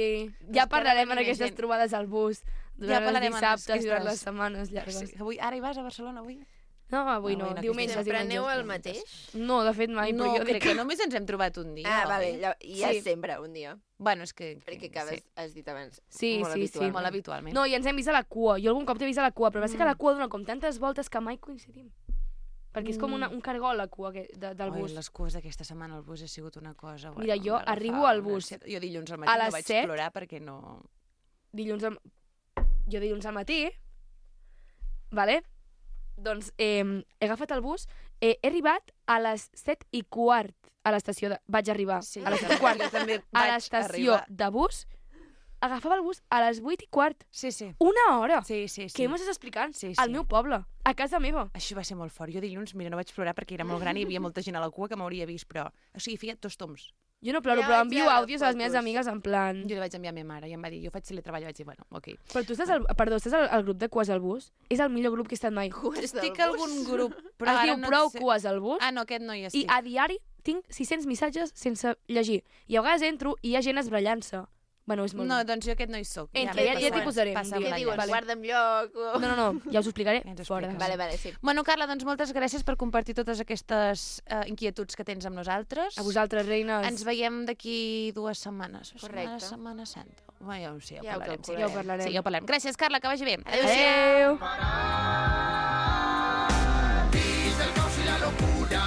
[SPEAKER 11] ja
[SPEAKER 1] Espera
[SPEAKER 11] parlarem
[SPEAKER 1] venir
[SPEAKER 11] en
[SPEAKER 1] més
[SPEAKER 11] aquestes
[SPEAKER 1] gent.
[SPEAKER 11] trobades al bus, durant
[SPEAKER 1] Ja
[SPEAKER 11] els
[SPEAKER 1] parlarem en
[SPEAKER 11] dissabtes,
[SPEAKER 1] aquestes-
[SPEAKER 11] durant les setmanes llargues.
[SPEAKER 1] Sí, avui, ara hi vas a Barcelona, avui?
[SPEAKER 11] No, avui no,
[SPEAKER 1] Ah, avui no,
[SPEAKER 11] diumenges,
[SPEAKER 1] aquesta
[SPEAKER 2] Sempre
[SPEAKER 11] diumenges.
[SPEAKER 2] aneu al mateix?
[SPEAKER 11] No, de fet mai,
[SPEAKER 1] no,
[SPEAKER 11] però jo
[SPEAKER 1] crec
[SPEAKER 11] dic
[SPEAKER 1] que només ens hem trobat un dia.
[SPEAKER 2] Ah,
[SPEAKER 1] oi?
[SPEAKER 2] vale, lla- i ja
[SPEAKER 11] Sí.
[SPEAKER 2] sempre un dia.
[SPEAKER 1] Bueno, és que...
[SPEAKER 2] Perquè acabes,
[SPEAKER 1] Sí,
[SPEAKER 2] has dit abans,
[SPEAKER 11] Sí,
[SPEAKER 2] molt
[SPEAKER 11] sí, sí.
[SPEAKER 2] habitualment.
[SPEAKER 1] molt habitualment.
[SPEAKER 11] No, i ens hem vist a la cua. Jo algun cop t'he vist a la cua, però va ser que
[SPEAKER 1] Mm.
[SPEAKER 11] la cua dona com tantes voltes que mai coincidim. Perquè és com una, un cargol, la cua que, de, del
[SPEAKER 1] Oi,
[SPEAKER 11] bus.
[SPEAKER 1] les cues d'aquesta setmana al bus ha sigut una cosa...
[SPEAKER 11] Mira,
[SPEAKER 1] bueno,
[SPEAKER 11] jo
[SPEAKER 1] em va agafar
[SPEAKER 11] arribo al
[SPEAKER 1] una
[SPEAKER 11] bus
[SPEAKER 1] ansietat. Jo dilluns al matí
[SPEAKER 11] a
[SPEAKER 1] no
[SPEAKER 11] les
[SPEAKER 1] vaig
[SPEAKER 11] set.
[SPEAKER 1] plorar perquè no...
[SPEAKER 11] Dilluns al... Jo dilluns al matí, vale? Doncs eh, he agafat el bus, eh, he arribat a les set i quart a l'estació de... Vaig arribar
[SPEAKER 1] Sí,
[SPEAKER 11] a les set i quart.
[SPEAKER 1] jo també
[SPEAKER 11] A
[SPEAKER 1] vaig
[SPEAKER 11] l'estació
[SPEAKER 1] arribar.
[SPEAKER 11] de bus, agafava el bus a les vuit i quart.
[SPEAKER 1] Sí, sí.
[SPEAKER 11] Una hora!
[SPEAKER 1] Sí, sí, sí.
[SPEAKER 11] Què m'estàs explicant?
[SPEAKER 1] Sí,
[SPEAKER 11] Al
[SPEAKER 1] sí.
[SPEAKER 11] meu poble, a casa meva.
[SPEAKER 1] Això va ser molt fort. Jo dilluns, mira, no vaig plorar perquè era molt gran i hi havia molta gent a la cua que m'hauria vist, però... O sigui, feia dos toms.
[SPEAKER 11] Jo no ploro,
[SPEAKER 2] Ja
[SPEAKER 11] però
[SPEAKER 2] vaig
[SPEAKER 11] envio
[SPEAKER 2] veure
[SPEAKER 11] àudios a les meves
[SPEAKER 2] fotos.
[SPEAKER 11] amigues en plan...
[SPEAKER 1] Jo li vaig enviar a ma mare i em va dir, jo faig teletreball, i vaig dir, bueno, ok.
[SPEAKER 11] Però tu estàs al, perdó, estàs al, al grup de cues al bus? És el millor grup que he estat mai.
[SPEAKER 1] Estic a algun grup,
[SPEAKER 11] Però
[SPEAKER 1] però
[SPEAKER 11] es
[SPEAKER 1] ara
[SPEAKER 11] diu
[SPEAKER 1] no
[SPEAKER 11] prou
[SPEAKER 1] sé...
[SPEAKER 11] cues al bus
[SPEAKER 1] Ah, no, aquest no hi
[SPEAKER 11] i
[SPEAKER 1] estic.
[SPEAKER 11] a diari tinc sis cents missatges sense llegir. I a vegades entro i hi ha gent esbrallant-se. Bueno, és molt...
[SPEAKER 1] No, doncs jo aquest no hi soc.
[SPEAKER 11] Entre, ja, ja t'hi posaré.
[SPEAKER 2] Què diuen? Vale. Guarda'm lloc? O...
[SPEAKER 11] No, no, no, ja us ho explicaré fora.
[SPEAKER 2] Vale, vale, sí.
[SPEAKER 1] Bueno, Carla, doncs moltes gràcies per compartir totes aquestes uh, inquietuds que tens amb nosaltres.
[SPEAKER 11] A vosaltres, reines.
[SPEAKER 1] Ens veiem d'aquí dues setmanes.
[SPEAKER 2] Correcte.
[SPEAKER 1] Setmana, setmana santa. Bueno, ja ho sé, ja,
[SPEAKER 2] ja
[SPEAKER 1] ho parlarem.
[SPEAKER 2] Sí.
[SPEAKER 11] Ja ho parlarem.
[SPEAKER 1] Sí, ja ho parlarem. Gràcies, Carla, que vagi bé.
[SPEAKER 11] Adéu.
[SPEAKER 9] Fills del caos i la locura,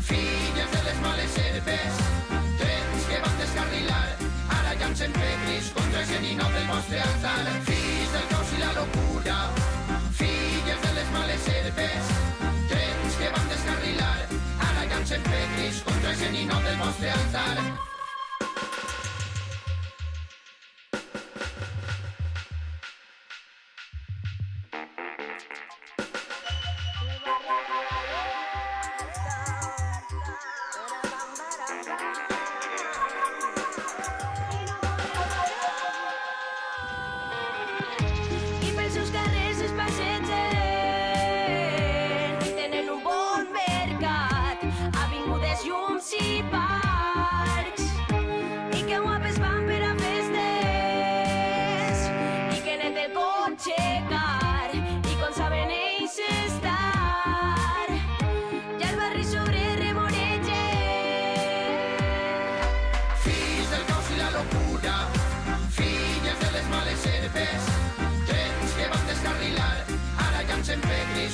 [SPEAKER 9] filles de les males herbes, trens que van descarrilar, ara llancen pedris contra el geninot del vostre altar. Fills del caos i la locura, filles de les males herbes, trens que van descarrilar, ara llancen pedris contra el geninot del vostre altar.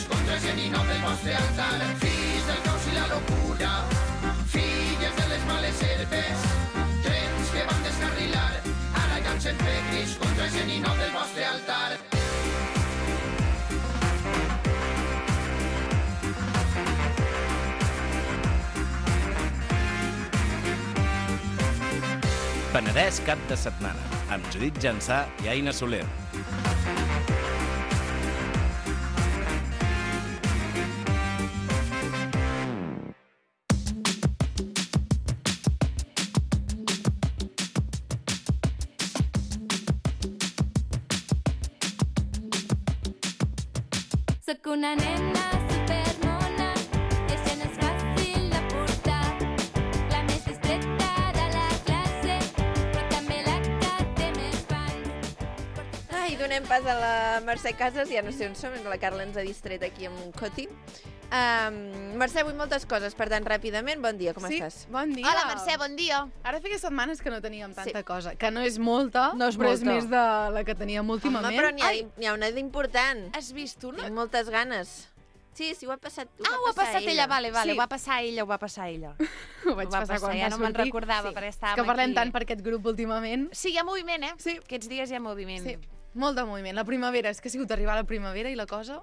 [SPEAKER 9] Contra el geninot del vostre altar, fills del caos i la locura, filles de les males herbes, trens que van descarrilar, ara llancen pedris contra el geninot del vostre altar.
[SPEAKER 3] Penedès cap de setmana, amb Judit Jansà i Aina Soler.
[SPEAKER 12] Soc una nena supermona i això no és fàcil de portar. La més discreta de la classe, però també la que té més fans.
[SPEAKER 2] Ai, donem pas a la Mercè Casas, ja no sé on som, la Carla ens ha distret aquí amb un coti. Um, Mercè, vull moltes coses, per tant, ràpidament, bon dia, com
[SPEAKER 13] sí,
[SPEAKER 2] estàs?
[SPEAKER 13] Bon dia.
[SPEAKER 1] Hola, Mercè, bon dia.
[SPEAKER 13] Ara feia setmanes que no teníem tanta
[SPEAKER 2] Sí.
[SPEAKER 13] cosa, que no és molta,
[SPEAKER 1] No és
[SPEAKER 13] però
[SPEAKER 1] molta.
[SPEAKER 13] és més de la que teníem últimament.
[SPEAKER 2] Home, però n'hi ha,
[SPEAKER 1] Ai.
[SPEAKER 2] n'hi ha una d'important.
[SPEAKER 1] Has vist una?
[SPEAKER 2] Tinc moltes ganes. Sí, sí, ho ha passat, ho
[SPEAKER 1] Ah,
[SPEAKER 2] va
[SPEAKER 1] ho ha
[SPEAKER 2] passar
[SPEAKER 1] passat ella, vale, vale,
[SPEAKER 13] Sí.
[SPEAKER 1] ho va passar ella, ho va passar ella.
[SPEAKER 13] Ho vaig
[SPEAKER 1] Ho va
[SPEAKER 13] passar quan
[SPEAKER 1] ja
[SPEAKER 13] va
[SPEAKER 1] no me'n
[SPEAKER 13] sortir.
[SPEAKER 1] recordava,
[SPEAKER 2] Sí.
[SPEAKER 1] perquè
[SPEAKER 13] És
[SPEAKER 1] estàvem
[SPEAKER 13] que parlem
[SPEAKER 1] aquí.
[SPEAKER 13] tant per aquest grup últimament.
[SPEAKER 1] Sí, hi ha moviment, eh?
[SPEAKER 13] Sí.
[SPEAKER 1] Aquests dies hi ha moviment.
[SPEAKER 13] Sí, molt de moviment. La primavera, és que ha sigut arribar la primavera i la cosa...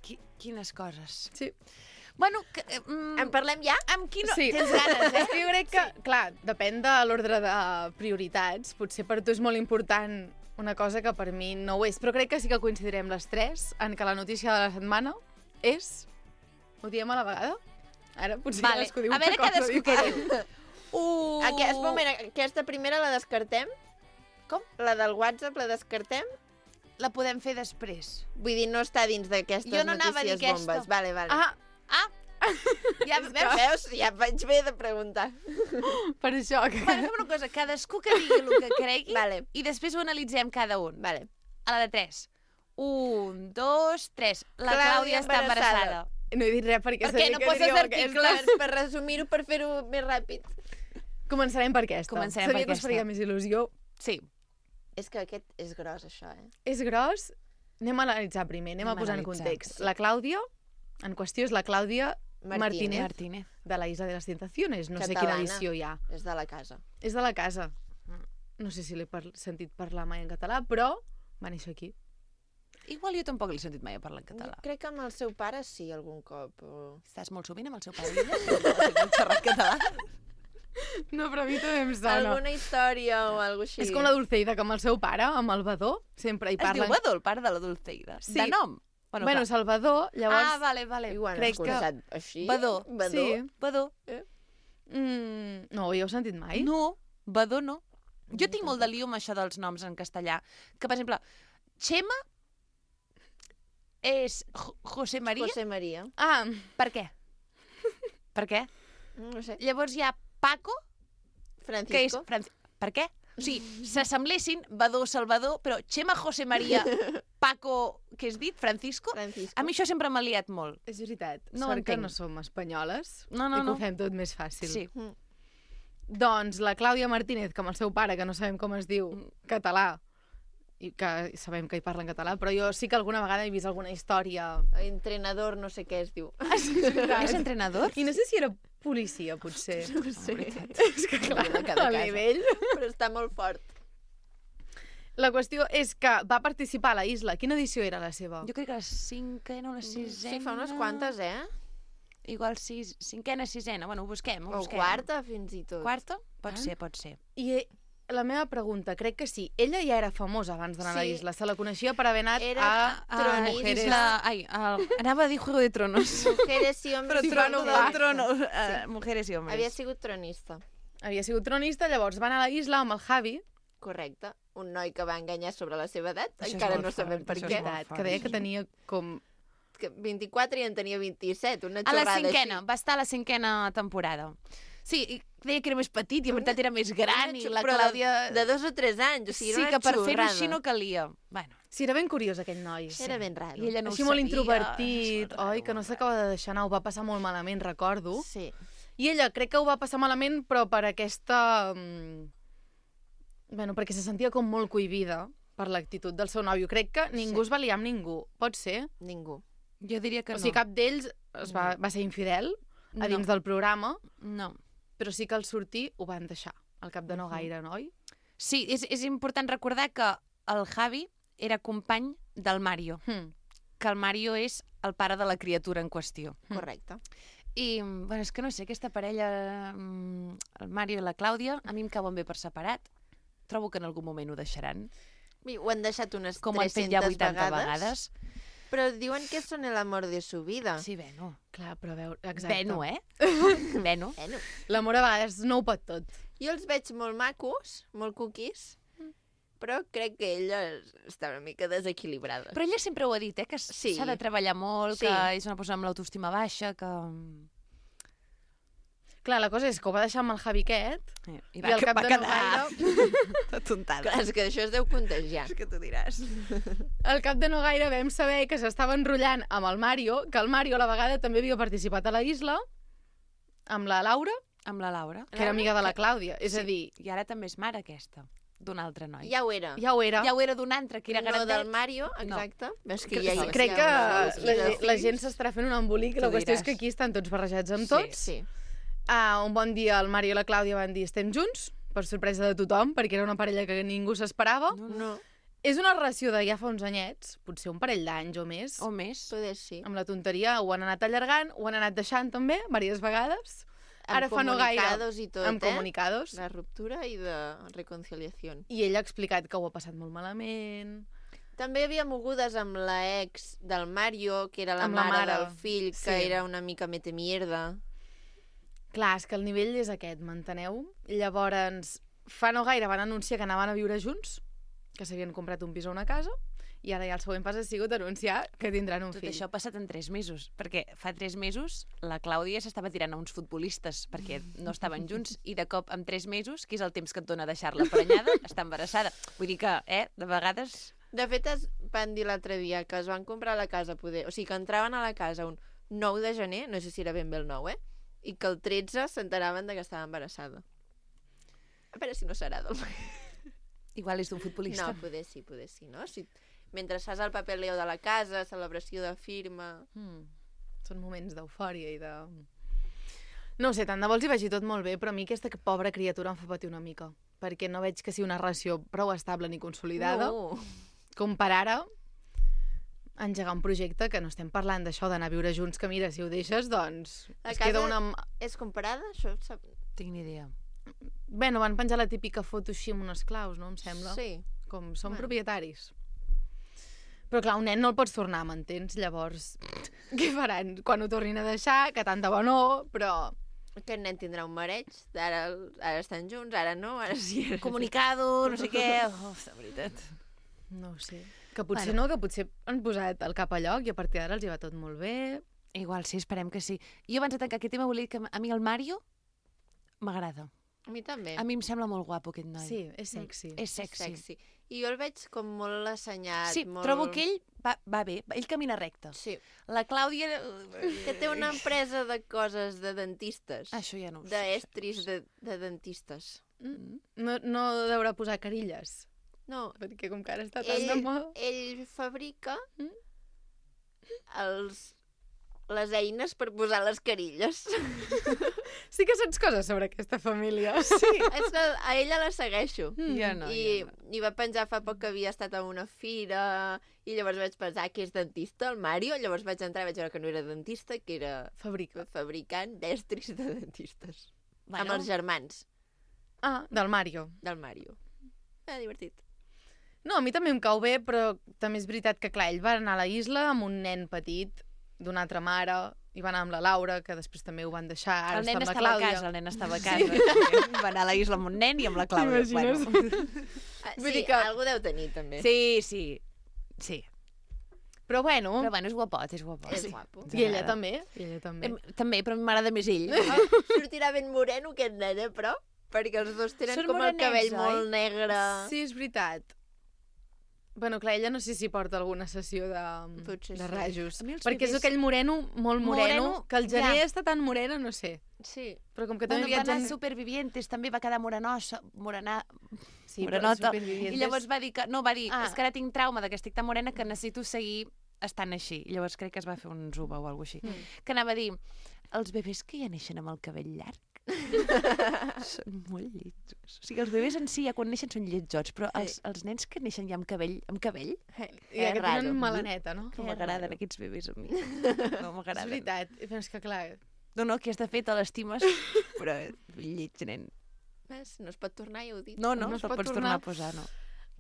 [SPEAKER 1] Qui, quines coses.
[SPEAKER 13] Sí.
[SPEAKER 1] Bueno, que, eh, mm,
[SPEAKER 2] En parlem ja?
[SPEAKER 1] amb qui no...
[SPEAKER 13] Sí.
[SPEAKER 1] Tens ganes, eh?
[SPEAKER 13] És que jo crec que, clar, depèn de l'ordre de prioritats. Potser per tu és molt important una cosa que per mi no ho és, però crec que sí que coincidirem les tres en que la notícia de la setmana és... Ho diem a la vegada? Ara potser
[SPEAKER 1] Vale.
[SPEAKER 13] cadascú diu
[SPEAKER 1] A
[SPEAKER 13] una
[SPEAKER 1] veure
[SPEAKER 13] cosa
[SPEAKER 1] cadascú què
[SPEAKER 13] diferent.
[SPEAKER 1] diu. Uh...
[SPEAKER 2] Aquest moment, aquesta primera la descartem?
[SPEAKER 1] Com?
[SPEAKER 2] La del WhatsApp la descartem?
[SPEAKER 1] La podem fer després.
[SPEAKER 2] Vull dir, no està dins d'aquestes
[SPEAKER 1] Jo no anava a dir
[SPEAKER 2] notícies
[SPEAKER 1] aquesta.
[SPEAKER 2] bombes. Vale, vale.
[SPEAKER 13] Ah,
[SPEAKER 1] Ah! Ja,
[SPEAKER 2] És que,
[SPEAKER 1] veus?
[SPEAKER 2] veus? Ja vaig bé de preguntar.
[SPEAKER 13] per això que...
[SPEAKER 1] Bueno, fem una cosa, cadascú que digui el que cregui
[SPEAKER 2] Vale.
[SPEAKER 1] i després ho analitzem cada un.
[SPEAKER 2] Vale.
[SPEAKER 1] A la de tres. Un, dos, tres. La
[SPEAKER 2] Clàudia
[SPEAKER 1] Clàudia està
[SPEAKER 2] embarassada.
[SPEAKER 1] embarassada.
[SPEAKER 13] No he dit res perquè
[SPEAKER 1] Per què?
[SPEAKER 13] sabia
[SPEAKER 1] No
[SPEAKER 13] que
[SPEAKER 1] poses
[SPEAKER 13] diríeu
[SPEAKER 1] articles?
[SPEAKER 13] aquesta.
[SPEAKER 2] Per, per resumir-ho, per fer-ho més ràpid.
[SPEAKER 13] Començarem per aquesta.
[SPEAKER 1] Començarem
[SPEAKER 13] Sabia
[SPEAKER 1] per
[SPEAKER 13] que us faria
[SPEAKER 1] aquesta.
[SPEAKER 13] més il·lusió.
[SPEAKER 1] Sí.
[SPEAKER 2] És que aquest és gros, això, eh?
[SPEAKER 13] És gros. Anem a analitzar primer, anem,
[SPEAKER 1] Anem
[SPEAKER 13] a posar
[SPEAKER 1] a
[SPEAKER 13] en
[SPEAKER 1] analitzar,
[SPEAKER 13] context.
[SPEAKER 1] sí.
[SPEAKER 13] La Clàudia, en qüestió, és la Clàudia
[SPEAKER 2] Martínez.
[SPEAKER 13] Martínez,
[SPEAKER 1] Martínez.
[SPEAKER 13] de la Isla de les Tentaciones. No sé
[SPEAKER 2] Catalana.
[SPEAKER 13] quina edició hi ha.
[SPEAKER 2] És de la casa.
[SPEAKER 13] És de la casa. No sé si l'he par sentit parlar mai en català, però va néixer aquí.
[SPEAKER 1] Igual jo tampoc l'he sentit mai a parlar en català.
[SPEAKER 2] Jo crec que amb el seu pare sí, algun cop. O...
[SPEAKER 1] Estàs molt sovint amb el seu pare? Ella? Xerrat català?
[SPEAKER 13] No, però a mi també em sona.
[SPEAKER 2] Alguna història o alguna així.
[SPEAKER 13] És com la Dulceida, que amb el seu pare, amb el Badó, sempre hi
[SPEAKER 1] Es
[SPEAKER 13] parlen...
[SPEAKER 1] diu Badó, el pare de la Dulceida?
[SPEAKER 13] Sí.
[SPEAKER 1] De nom?
[SPEAKER 13] Bueno, bueno Salvador, llavors...
[SPEAKER 1] Ah, vale, vale.
[SPEAKER 2] I ho han
[SPEAKER 13] crec que-
[SPEAKER 2] escoltat així?
[SPEAKER 1] Badó.
[SPEAKER 2] Badó.
[SPEAKER 13] Sí.
[SPEAKER 1] Badó.
[SPEAKER 2] Eh?
[SPEAKER 13] Mm, no ho heu sentit mai?
[SPEAKER 1] No, Badó no. Jo tinc molt de lío amb això dels noms en castellà. Que, per exemple, Xema és Jo- José María.
[SPEAKER 2] José María.
[SPEAKER 13] Ah,
[SPEAKER 1] Per què? Per què?
[SPEAKER 2] No sé.
[SPEAKER 1] Llavors hi ha Paco,
[SPEAKER 2] Francisco.
[SPEAKER 1] que és... Franci... Per què? O sigui, s'assemblessin Badó, Salvador, però Chema, José María, Paco, què has dit? Francisco?
[SPEAKER 2] Francisco.
[SPEAKER 1] A mi això sempre m'ha liat molt.
[SPEAKER 13] És veritat.
[SPEAKER 1] No
[SPEAKER 13] Sort que
[SPEAKER 1] entenc.
[SPEAKER 13] no som espanyoles
[SPEAKER 1] No, no,
[SPEAKER 13] i que
[SPEAKER 1] no.
[SPEAKER 13] ho fem tot més fàcil.
[SPEAKER 1] Sí.
[SPEAKER 2] Mm.
[SPEAKER 13] Doncs la Clàudia Martínez, que amb el seu pare, que no sabem com es diu, català, i que sabem que hi parla en català, però jo sí que alguna vegada he vist alguna història...
[SPEAKER 2] Entrenador, no sé què es diu.
[SPEAKER 13] Ah, sí, és veritat.
[SPEAKER 1] És entrenador?
[SPEAKER 13] I no sé si era policia, potser.
[SPEAKER 2] No ho sé.
[SPEAKER 13] És que clar,
[SPEAKER 2] De cada
[SPEAKER 13] el
[SPEAKER 2] casa.
[SPEAKER 13] nivell...
[SPEAKER 2] Però està molt fort.
[SPEAKER 13] La qüestió és que va participar a la Isla. Quina edició era la seva?
[SPEAKER 1] Jo crec que la cinquena o la sisena...
[SPEAKER 2] Sí, fa unes quantes, eh?
[SPEAKER 1] Igual sis, cinquena, sisena. Bueno, ho busquem, ho
[SPEAKER 2] O
[SPEAKER 1] busquem.
[SPEAKER 2] quarta, fins i tot.
[SPEAKER 1] Quarta? Pot
[SPEAKER 13] Ah.
[SPEAKER 1] ser, pot ser.
[SPEAKER 13] I eh, la meva pregunta, crec que sí. Ella ja era famosa abans d'anar a la
[SPEAKER 2] Sí.
[SPEAKER 13] Isla. Se la coneixia per haver anat
[SPEAKER 2] Era
[SPEAKER 13] a,
[SPEAKER 1] A
[SPEAKER 2] Tronista.
[SPEAKER 13] Mujeres.
[SPEAKER 1] Isla... Ai, el... anava a dir Juego de Tronos.
[SPEAKER 2] Mujeres i hombres.
[SPEAKER 1] Però
[SPEAKER 2] i
[SPEAKER 1] Trono
[SPEAKER 2] Tronos.
[SPEAKER 1] del Trono. Uh, mujeres i hombres.
[SPEAKER 2] Havia sigut tronista.
[SPEAKER 13] Havia sigut tronista, llavors van a la Isla amb el Javi.
[SPEAKER 2] Correcte. Un noi que va enganyar sobre la seva edat.
[SPEAKER 1] Això és
[SPEAKER 2] Encara
[SPEAKER 1] molt
[SPEAKER 2] no sabem
[SPEAKER 1] fort,
[SPEAKER 2] per
[SPEAKER 1] això
[SPEAKER 2] què.
[SPEAKER 1] és molt fort.
[SPEAKER 13] Que deia que tenia com...
[SPEAKER 2] Que vint-i-quatre i en tenia vint-i-set. Una
[SPEAKER 1] A la
[SPEAKER 2] xorrada
[SPEAKER 1] cinquena,
[SPEAKER 2] així.
[SPEAKER 1] va estar a la cinquena temporada. Sí, i deia que era més petit i en veritat era més gran i la
[SPEAKER 2] Però
[SPEAKER 1] Clàudia...
[SPEAKER 2] De, de dos o tres anys. O sigui,
[SPEAKER 1] Sí,
[SPEAKER 2] era
[SPEAKER 1] que
[SPEAKER 2] una
[SPEAKER 1] per fer-ho
[SPEAKER 2] xorrada.
[SPEAKER 1] així no calia. Bueno,
[SPEAKER 13] Sí, era ben curiós aquell noi.
[SPEAKER 2] Era ben raro.
[SPEAKER 1] i ella no
[SPEAKER 13] Així
[SPEAKER 1] ho
[SPEAKER 13] molt
[SPEAKER 1] sabia.
[SPEAKER 13] introvertit,
[SPEAKER 1] És molt
[SPEAKER 13] oi?
[SPEAKER 1] raro,
[SPEAKER 13] Que no
[SPEAKER 1] molt
[SPEAKER 13] s'acaba de deixar anar, ho va passar molt malament, recordo.
[SPEAKER 2] Sí.
[SPEAKER 13] I ella crec que ho va passar malament, però per aquesta... mm, Bueno, perquè se sentia com molt cohibida per l'actitud del seu nòvio. Crec que ningú
[SPEAKER 2] Sí.
[SPEAKER 13] es va liar amb ningú. Pot ser?
[SPEAKER 2] Ningú.
[SPEAKER 1] Jo diria que
[SPEAKER 13] O
[SPEAKER 1] no.
[SPEAKER 13] sigui, cap d'ells es va, va ser infidel a dins del programa,
[SPEAKER 1] No.
[SPEAKER 13] però sí que al sortir ho van deixar. Al cap de no gaire, no, oi?
[SPEAKER 1] Sí, és, és important recordar que el Javi era company del Mario,
[SPEAKER 13] Hmm.
[SPEAKER 1] que el Mario és el pare de la criatura en qüestió.
[SPEAKER 2] Correcte.
[SPEAKER 1] I, bueno, és que no sé, aquesta parella, mm, el Mario i la Clàudia, a mi em cauen bé per separat. Trobo que en algun moment ho deixaran.
[SPEAKER 2] I ho han deixat unes
[SPEAKER 1] Com ho han fet ja
[SPEAKER 2] tres-centes
[SPEAKER 1] vuitanta
[SPEAKER 2] vegades.
[SPEAKER 1] vegades.
[SPEAKER 2] Però diuen que són l'amor de su vida.
[SPEAKER 1] Sí, Beno.
[SPEAKER 13] Clar, però a veure... Exacte.
[SPEAKER 1] Beno, eh? Beno.
[SPEAKER 2] Bueno,
[SPEAKER 13] L'amor a vegades no ho pot tot.
[SPEAKER 2] jo els veig molt macos, molt cookies, però crec que ella està una mica desequilibrada.
[SPEAKER 1] Però ella sempre ho ha dit, eh? Que s'ha
[SPEAKER 2] Sí.
[SPEAKER 1] de treballar molt,
[SPEAKER 2] Sí.
[SPEAKER 1] que és una persona amb l'autoestima baixa, que...
[SPEAKER 13] Clar, la cosa és que ho va deixar amb el Javi aquest,
[SPEAKER 1] I,
[SPEAKER 13] i al cap
[SPEAKER 1] va
[SPEAKER 13] de no
[SPEAKER 1] quedar
[SPEAKER 13] gaire...
[SPEAKER 1] atontada.
[SPEAKER 2] Clar, és que això es deu contagiar.
[SPEAKER 1] És que tu diràs.
[SPEAKER 13] Al cap de no gaire vam saber que s'estava enrotllant amb el Mario, que el Mario a la vegada també havia participat a la Isla, amb la Laura,
[SPEAKER 1] Amb la Laura.
[SPEAKER 13] que era amiga de la Clàudia. És a
[SPEAKER 1] Sí.
[SPEAKER 13] dir,
[SPEAKER 1] I ara també és mare aquesta, d'un altre noi.
[SPEAKER 2] Ja ho era.
[SPEAKER 13] ja ho era.
[SPEAKER 1] Ja ho era d'un altre, que era
[SPEAKER 2] no
[SPEAKER 1] grandet.
[SPEAKER 2] del Mario, exacte. No. És que
[SPEAKER 13] Que,
[SPEAKER 2] ja hi
[SPEAKER 13] crec
[SPEAKER 2] hi
[SPEAKER 13] que
[SPEAKER 2] ha una
[SPEAKER 13] la,
[SPEAKER 2] de
[SPEAKER 13] la
[SPEAKER 2] fills.
[SPEAKER 13] gent s'estarà fent un embolic. La
[SPEAKER 1] Tu
[SPEAKER 13] qüestió és
[SPEAKER 1] diràs.
[SPEAKER 13] que aquí estan tots barrejats amb
[SPEAKER 1] Sí.
[SPEAKER 13] tots.
[SPEAKER 2] Sí.
[SPEAKER 13] Ah, un bon dia el Mario i la Clàudia van dir estem junts, per sorpresa de tothom, perquè era una parella que ningú s'esperava.
[SPEAKER 1] No,
[SPEAKER 2] No,
[SPEAKER 13] És una relació de ja fa uns anyets, potser un parell d'anys o més.
[SPEAKER 1] O més.
[SPEAKER 2] poder sí.
[SPEAKER 13] Amb la tonteria ho han anat allargant, ho han anat deixant també, diverses vegades.
[SPEAKER 2] Amb
[SPEAKER 13] Ara fa no gaire,
[SPEAKER 2] comunicados i tot,
[SPEAKER 13] amb
[SPEAKER 2] eh?
[SPEAKER 13] comunicados.
[SPEAKER 2] La ruptura i de reconciliació.
[SPEAKER 13] I ell ha explicat que ho ha passat molt malament.
[SPEAKER 2] També hi havia mogudes amb la ex del Mario, que era la,
[SPEAKER 13] Amb la
[SPEAKER 2] mare,
[SPEAKER 13] mare,
[SPEAKER 2] del fill, que
[SPEAKER 13] sí.
[SPEAKER 2] era una mica mete mierda.
[SPEAKER 13] Clar, és que el nivell és aquest, m'enteneu? Llavors, fa no gaire van anunciar que anaven a viure junts, que s'havien comprat un pis o una casa, i ara ja el següent pas ha sigut anunciar que tindran un
[SPEAKER 1] Tot
[SPEAKER 13] fill.
[SPEAKER 1] això ha passat en tres mesos, perquè fa tres mesos la Clàudia s'estava tirant a uns futbolistes perquè no estaven junts i de cop en tres mesos, que és el temps que et dona deixar-la prenyada, està embarassada. Vull dir que, eh, de vegades...
[SPEAKER 2] De fet, es van dir l'altre dia que es van comprar la casa, poder... o sigui, que entraven a la casa un nou de gener, no sé si era ben bé el nou, eh? I que el tretze s'enteraven de que estava embarassada. A veure si no serà del...
[SPEAKER 1] Igual és d'un futbolista.
[SPEAKER 2] No, poder sí, poder sí, no? Si... Mentre fas el paper leo de la casa, celebració de firma...
[SPEAKER 13] Mm. Són moments d'eufòria i de... No ho sé, tant de bo els hi vagi tot molt bé, però a mi aquesta pobra criatura em fa patir una mica, perquè no veig que sigui una relació prou estable ni consolidada,
[SPEAKER 2] No.
[SPEAKER 13] com per ara engegar un projecte que no estem parlant d'això d'anar a viure junts, que mira, si ho deixes, doncs
[SPEAKER 2] La
[SPEAKER 13] es
[SPEAKER 2] casa
[SPEAKER 13] queda una...
[SPEAKER 2] és comparada? Això sap...
[SPEAKER 1] Tinc ni idea.
[SPEAKER 13] Bé, no van penjar la típica foto així amb unes claus, no? Em sembla.
[SPEAKER 2] Sí.
[SPEAKER 13] Com són
[SPEAKER 2] Bueno.
[SPEAKER 13] propietaris. Però clar, un nen no el pots tornar, m'entens? Llavors, què faran? Quan ho tornin a deixar, que tant de bo no, però...
[SPEAKER 2] Aquest nen tindrà un mareig, ara, ara estan junts, ara no, ara sí. Ara...
[SPEAKER 1] Comunicado, no sé què... Oh, de veritat.
[SPEAKER 13] No ho sé. Que potser
[SPEAKER 1] Bueno.
[SPEAKER 13] no, que potser han posat el cap a lloc i a partir d'ara els hi va tot molt bé.
[SPEAKER 1] Igual sí, esperem que sí. Jo abans de tancar aquest tema volia dir que a mi el Mario m'agrada.
[SPEAKER 2] A mi també.
[SPEAKER 1] A mi em sembla molt guapo aquest noi.
[SPEAKER 11] Sí, és sexy.
[SPEAKER 1] És sexy.
[SPEAKER 2] sexy. I jo el veig com molt assenyat.
[SPEAKER 1] Sí,
[SPEAKER 2] molt...
[SPEAKER 1] trobo que ell va, va bé, ell camina recte.
[SPEAKER 2] Sí.
[SPEAKER 1] La Clàudia...
[SPEAKER 2] Que té una empresa de coses de dentistes.
[SPEAKER 1] Això ja no ho sé.
[SPEAKER 2] D'estris de, de dentistes.
[SPEAKER 11] Mm. No, no deurà posar carilles.
[SPEAKER 2] No.
[SPEAKER 11] Perquè com que ara està tan
[SPEAKER 2] Ell,
[SPEAKER 11] de moda...
[SPEAKER 2] ell fabrica els, les eines per posar les carilles.
[SPEAKER 11] Sí que saps coses sobre aquesta família.
[SPEAKER 2] Sí. És que a ella la segueixo.
[SPEAKER 1] Mm. Jo no,
[SPEAKER 2] I,
[SPEAKER 1] jo no.
[SPEAKER 2] I va penjar fa poc que havia estat a una fira i llavors vaig pensar que és dentista, el Mario. Llavors vaig entrar i vaig veure que no era dentista, que era
[SPEAKER 11] Fabrica.
[SPEAKER 2] fabricant d'estris de dentistes.
[SPEAKER 1] Bueno.
[SPEAKER 2] Amb els germans
[SPEAKER 11] Ah, del Mario.
[SPEAKER 2] del Mario. Ah, divertit.
[SPEAKER 11] No, a mi també em cau bé, però també és veritat que, clar, ell va anar a la isla amb un nen petit d'una altra mare, i va anar amb la Laura, que després també ho van deixar, ara
[SPEAKER 1] El nen
[SPEAKER 11] està amb la
[SPEAKER 1] estava a
[SPEAKER 11] Clàudia.
[SPEAKER 1] casa, el nen estava a casa. Sí. Va anar a la isla amb un nen i amb la Clàudia.
[SPEAKER 11] T'imagines?
[SPEAKER 1] Bueno.
[SPEAKER 2] Ah,
[SPEAKER 11] Vull
[SPEAKER 2] sí,
[SPEAKER 11] dir que-
[SPEAKER 2] algú deu tenir, també.
[SPEAKER 1] Sí, sí. Sí.
[SPEAKER 11] Però bueno,
[SPEAKER 1] Però bueno, és guapot, és guapot.
[SPEAKER 2] És
[SPEAKER 1] Sí.
[SPEAKER 2] guapo.
[SPEAKER 11] i ella també, i ella també.
[SPEAKER 1] Em, també, però m'agrada més ell.
[SPEAKER 2] Ah, sortirà ben moreno aquest nen, eh, però? Perquè els dos tenen
[SPEAKER 1] Són
[SPEAKER 2] com el
[SPEAKER 1] morenets,
[SPEAKER 2] cabell
[SPEAKER 1] oi?
[SPEAKER 2] molt negre.
[SPEAKER 11] Sí, és veritat. Bueno, clar, ella no sé si porta alguna sessió de,
[SPEAKER 2] Potser
[SPEAKER 11] de
[SPEAKER 2] sí.
[SPEAKER 11] rajos.
[SPEAKER 1] A mi els
[SPEAKER 11] Perquè és
[SPEAKER 1] bebès-
[SPEAKER 11] aquell moreno, molt moreno,
[SPEAKER 1] Moreno,
[SPEAKER 11] que el gener
[SPEAKER 1] ja.
[SPEAKER 11] està tan moreno, no sé.
[SPEAKER 2] Sí.
[SPEAKER 11] Però com que també
[SPEAKER 1] Bueno, va anar
[SPEAKER 11] viatgen...
[SPEAKER 1] a Supervivientes, també va quedar morenosa, morena,
[SPEAKER 11] Sí, però
[SPEAKER 1] morenota.
[SPEAKER 11] Supervivientes-
[SPEAKER 1] I llavors va dir que, no, va dir,
[SPEAKER 11] Ah.
[SPEAKER 1] és que ara tinc trauma de que estic tan morena que necessito seguir estant així. I llavors crec que es va fer un zuba o alguna així.
[SPEAKER 11] Mm.
[SPEAKER 1] Que anava a dir, els bebès que ja neixen amb el cabell llarg són molt lletjos. O sigui, els bebès en si ja quan neixen són lletjots, però els, els nens que neixen ja amb cabell, amb cabell,
[SPEAKER 11] I
[SPEAKER 2] És
[SPEAKER 11] que
[SPEAKER 2] raro.
[SPEAKER 11] tenen melaneta, no?
[SPEAKER 1] no m'agraden aquests bebès a mi. No
[SPEAKER 11] És
[SPEAKER 1] m'agraden.
[SPEAKER 11] veritat. I penso que, clar,
[SPEAKER 1] No, no, que has de fer, te l'estimes, però lleig, nen.
[SPEAKER 2] Ves? No es pot tornar, ja ho he dit.
[SPEAKER 1] No, no,
[SPEAKER 11] No
[SPEAKER 1] no
[SPEAKER 11] es
[SPEAKER 1] te'l
[SPEAKER 11] pot
[SPEAKER 1] pots
[SPEAKER 11] tornar.
[SPEAKER 1] tornar a posar, no.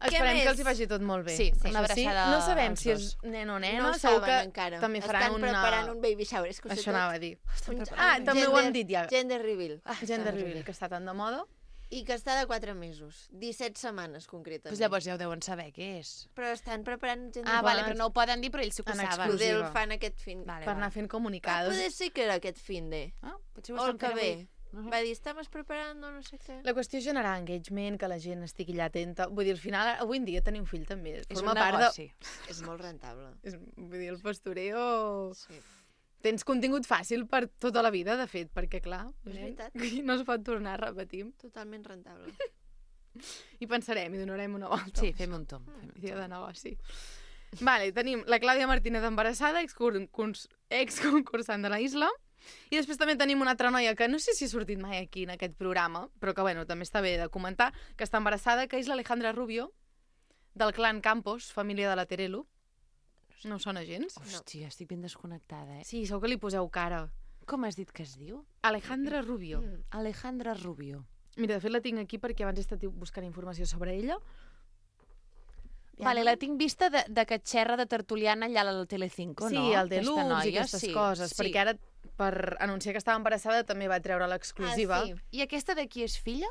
[SPEAKER 11] esperem
[SPEAKER 2] més?
[SPEAKER 11] que els hi vagi tot molt bé.
[SPEAKER 1] Sí,
[SPEAKER 11] Això
[SPEAKER 1] una abraçada
[SPEAKER 11] No sabem
[SPEAKER 1] als
[SPEAKER 11] si és
[SPEAKER 1] dos.
[SPEAKER 11] nen o nena,
[SPEAKER 2] No ho
[SPEAKER 11] segur
[SPEAKER 2] saben
[SPEAKER 11] que
[SPEAKER 2] encara.
[SPEAKER 11] també faran
[SPEAKER 2] Estan
[SPEAKER 11] una...
[SPEAKER 2] preparant un baby shower. És que ho sé
[SPEAKER 11] Això
[SPEAKER 2] tot.
[SPEAKER 11] anava a dir.
[SPEAKER 2] Un-
[SPEAKER 11] Ah, també ho hem
[SPEAKER 2] gender-
[SPEAKER 11] dit ja.
[SPEAKER 2] Gender reveal.
[SPEAKER 11] Ah, Gender reveal, que està tan de moda.
[SPEAKER 2] I que està de quatre mesos. disset setmanes, concretament.
[SPEAKER 1] Doncs llavors ja ho deuen saber què és.
[SPEAKER 2] Però estan preparant gender
[SPEAKER 1] Ah, vale,
[SPEAKER 2] reveal.
[SPEAKER 1] però no ho poden dir, però ells s'ho
[SPEAKER 11] En
[SPEAKER 1] saben.
[SPEAKER 11] exclusiva.
[SPEAKER 2] Poder el fan aquest fin.
[SPEAKER 1] Vale,
[SPEAKER 11] Per anar
[SPEAKER 1] vale.
[SPEAKER 11] fent
[SPEAKER 2] Ah,
[SPEAKER 11] comunicados.
[SPEAKER 2] poder sí que era aquest fin de.
[SPEAKER 1] Ah, potser ho
[SPEAKER 2] O el
[SPEAKER 1] estan
[SPEAKER 2] que
[SPEAKER 1] fent
[SPEAKER 2] ve.
[SPEAKER 1] avui. Uh-huh.
[SPEAKER 2] Va dir, estamos preparando no sé què.
[SPEAKER 11] La qüestió és generar engagement, que la gent estigui allà atenta. Vull dir, al final, avui en dia tenir un fill també
[SPEAKER 1] És
[SPEAKER 11] forma
[SPEAKER 1] un
[SPEAKER 11] part
[SPEAKER 1] negoci.
[SPEAKER 11] de...
[SPEAKER 2] És molt rentable.
[SPEAKER 11] És, vull dir, el postureo...
[SPEAKER 2] Sí.
[SPEAKER 11] Tens contingut fàcil per tota la vida, de fet, perquè, clar,
[SPEAKER 2] És
[SPEAKER 11] nen,
[SPEAKER 2] veritat.
[SPEAKER 11] no es pot tornar, repetim.
[SPEAKER 2] Totalment rentable.
[SPEAKER 11] I pensarem, i donarem una volta.
[SPEAKER 1] Sí, fem un tom. Fem un
[SPEAKER 11] Dia
[SPEAKER 1] tom.
[SPEAKER 11] de negoci. Vale, tenim la Clàudia Martínez embarassada, exconcursant de la Isla, i després també tenim una altra noia que no sé si ha sortit mai aquí en aquest programa, però que bueno, també està bé de comentar, que està embarassada, que és l'Alejandra Rubio, del clan Campos, família de la Terelu. No us sona gens?
[SPEAKER 1] Hòstia, estic ben desconnectada, eh?
[SPEAKER 11] Sí, segur que li poseu cara.
[SPEAKER 1] Com has dit que es diu?
[SPEAKER 11] Alejandra Rubio.
[SPEAKER 2] Mm.
[SPEAKER 1] Alejandra Rubio.
[SPEAKER 11] Mira, de fet la tinc aquí perquè abans he estat buscant informació sobre ella.
[SPEAKER 1] Vale, la tinc vista de, de que xerra de tertuliana allà al Telecinco,
[SPEAKER 11] Sí,
[SPEAKER 1] no?
[SPEAKER 11] el de
[SPEAKER 1] Aquesta
[SPEAKER 11] Lux
[SPEAKER 1] noia,
[SPEAKER 11] i aquestes
[SPEAKER 1] sí,
[SPEAKER 11] coses,
[SPEAKER 1] sí.
[SPEAKER 11] perquè ara per anunciar que estava embarassada també va treure l'exclusiva
[SPEAKER 2] Ah, sí.
[SPEAKER 1] I aquesta de qui és filla?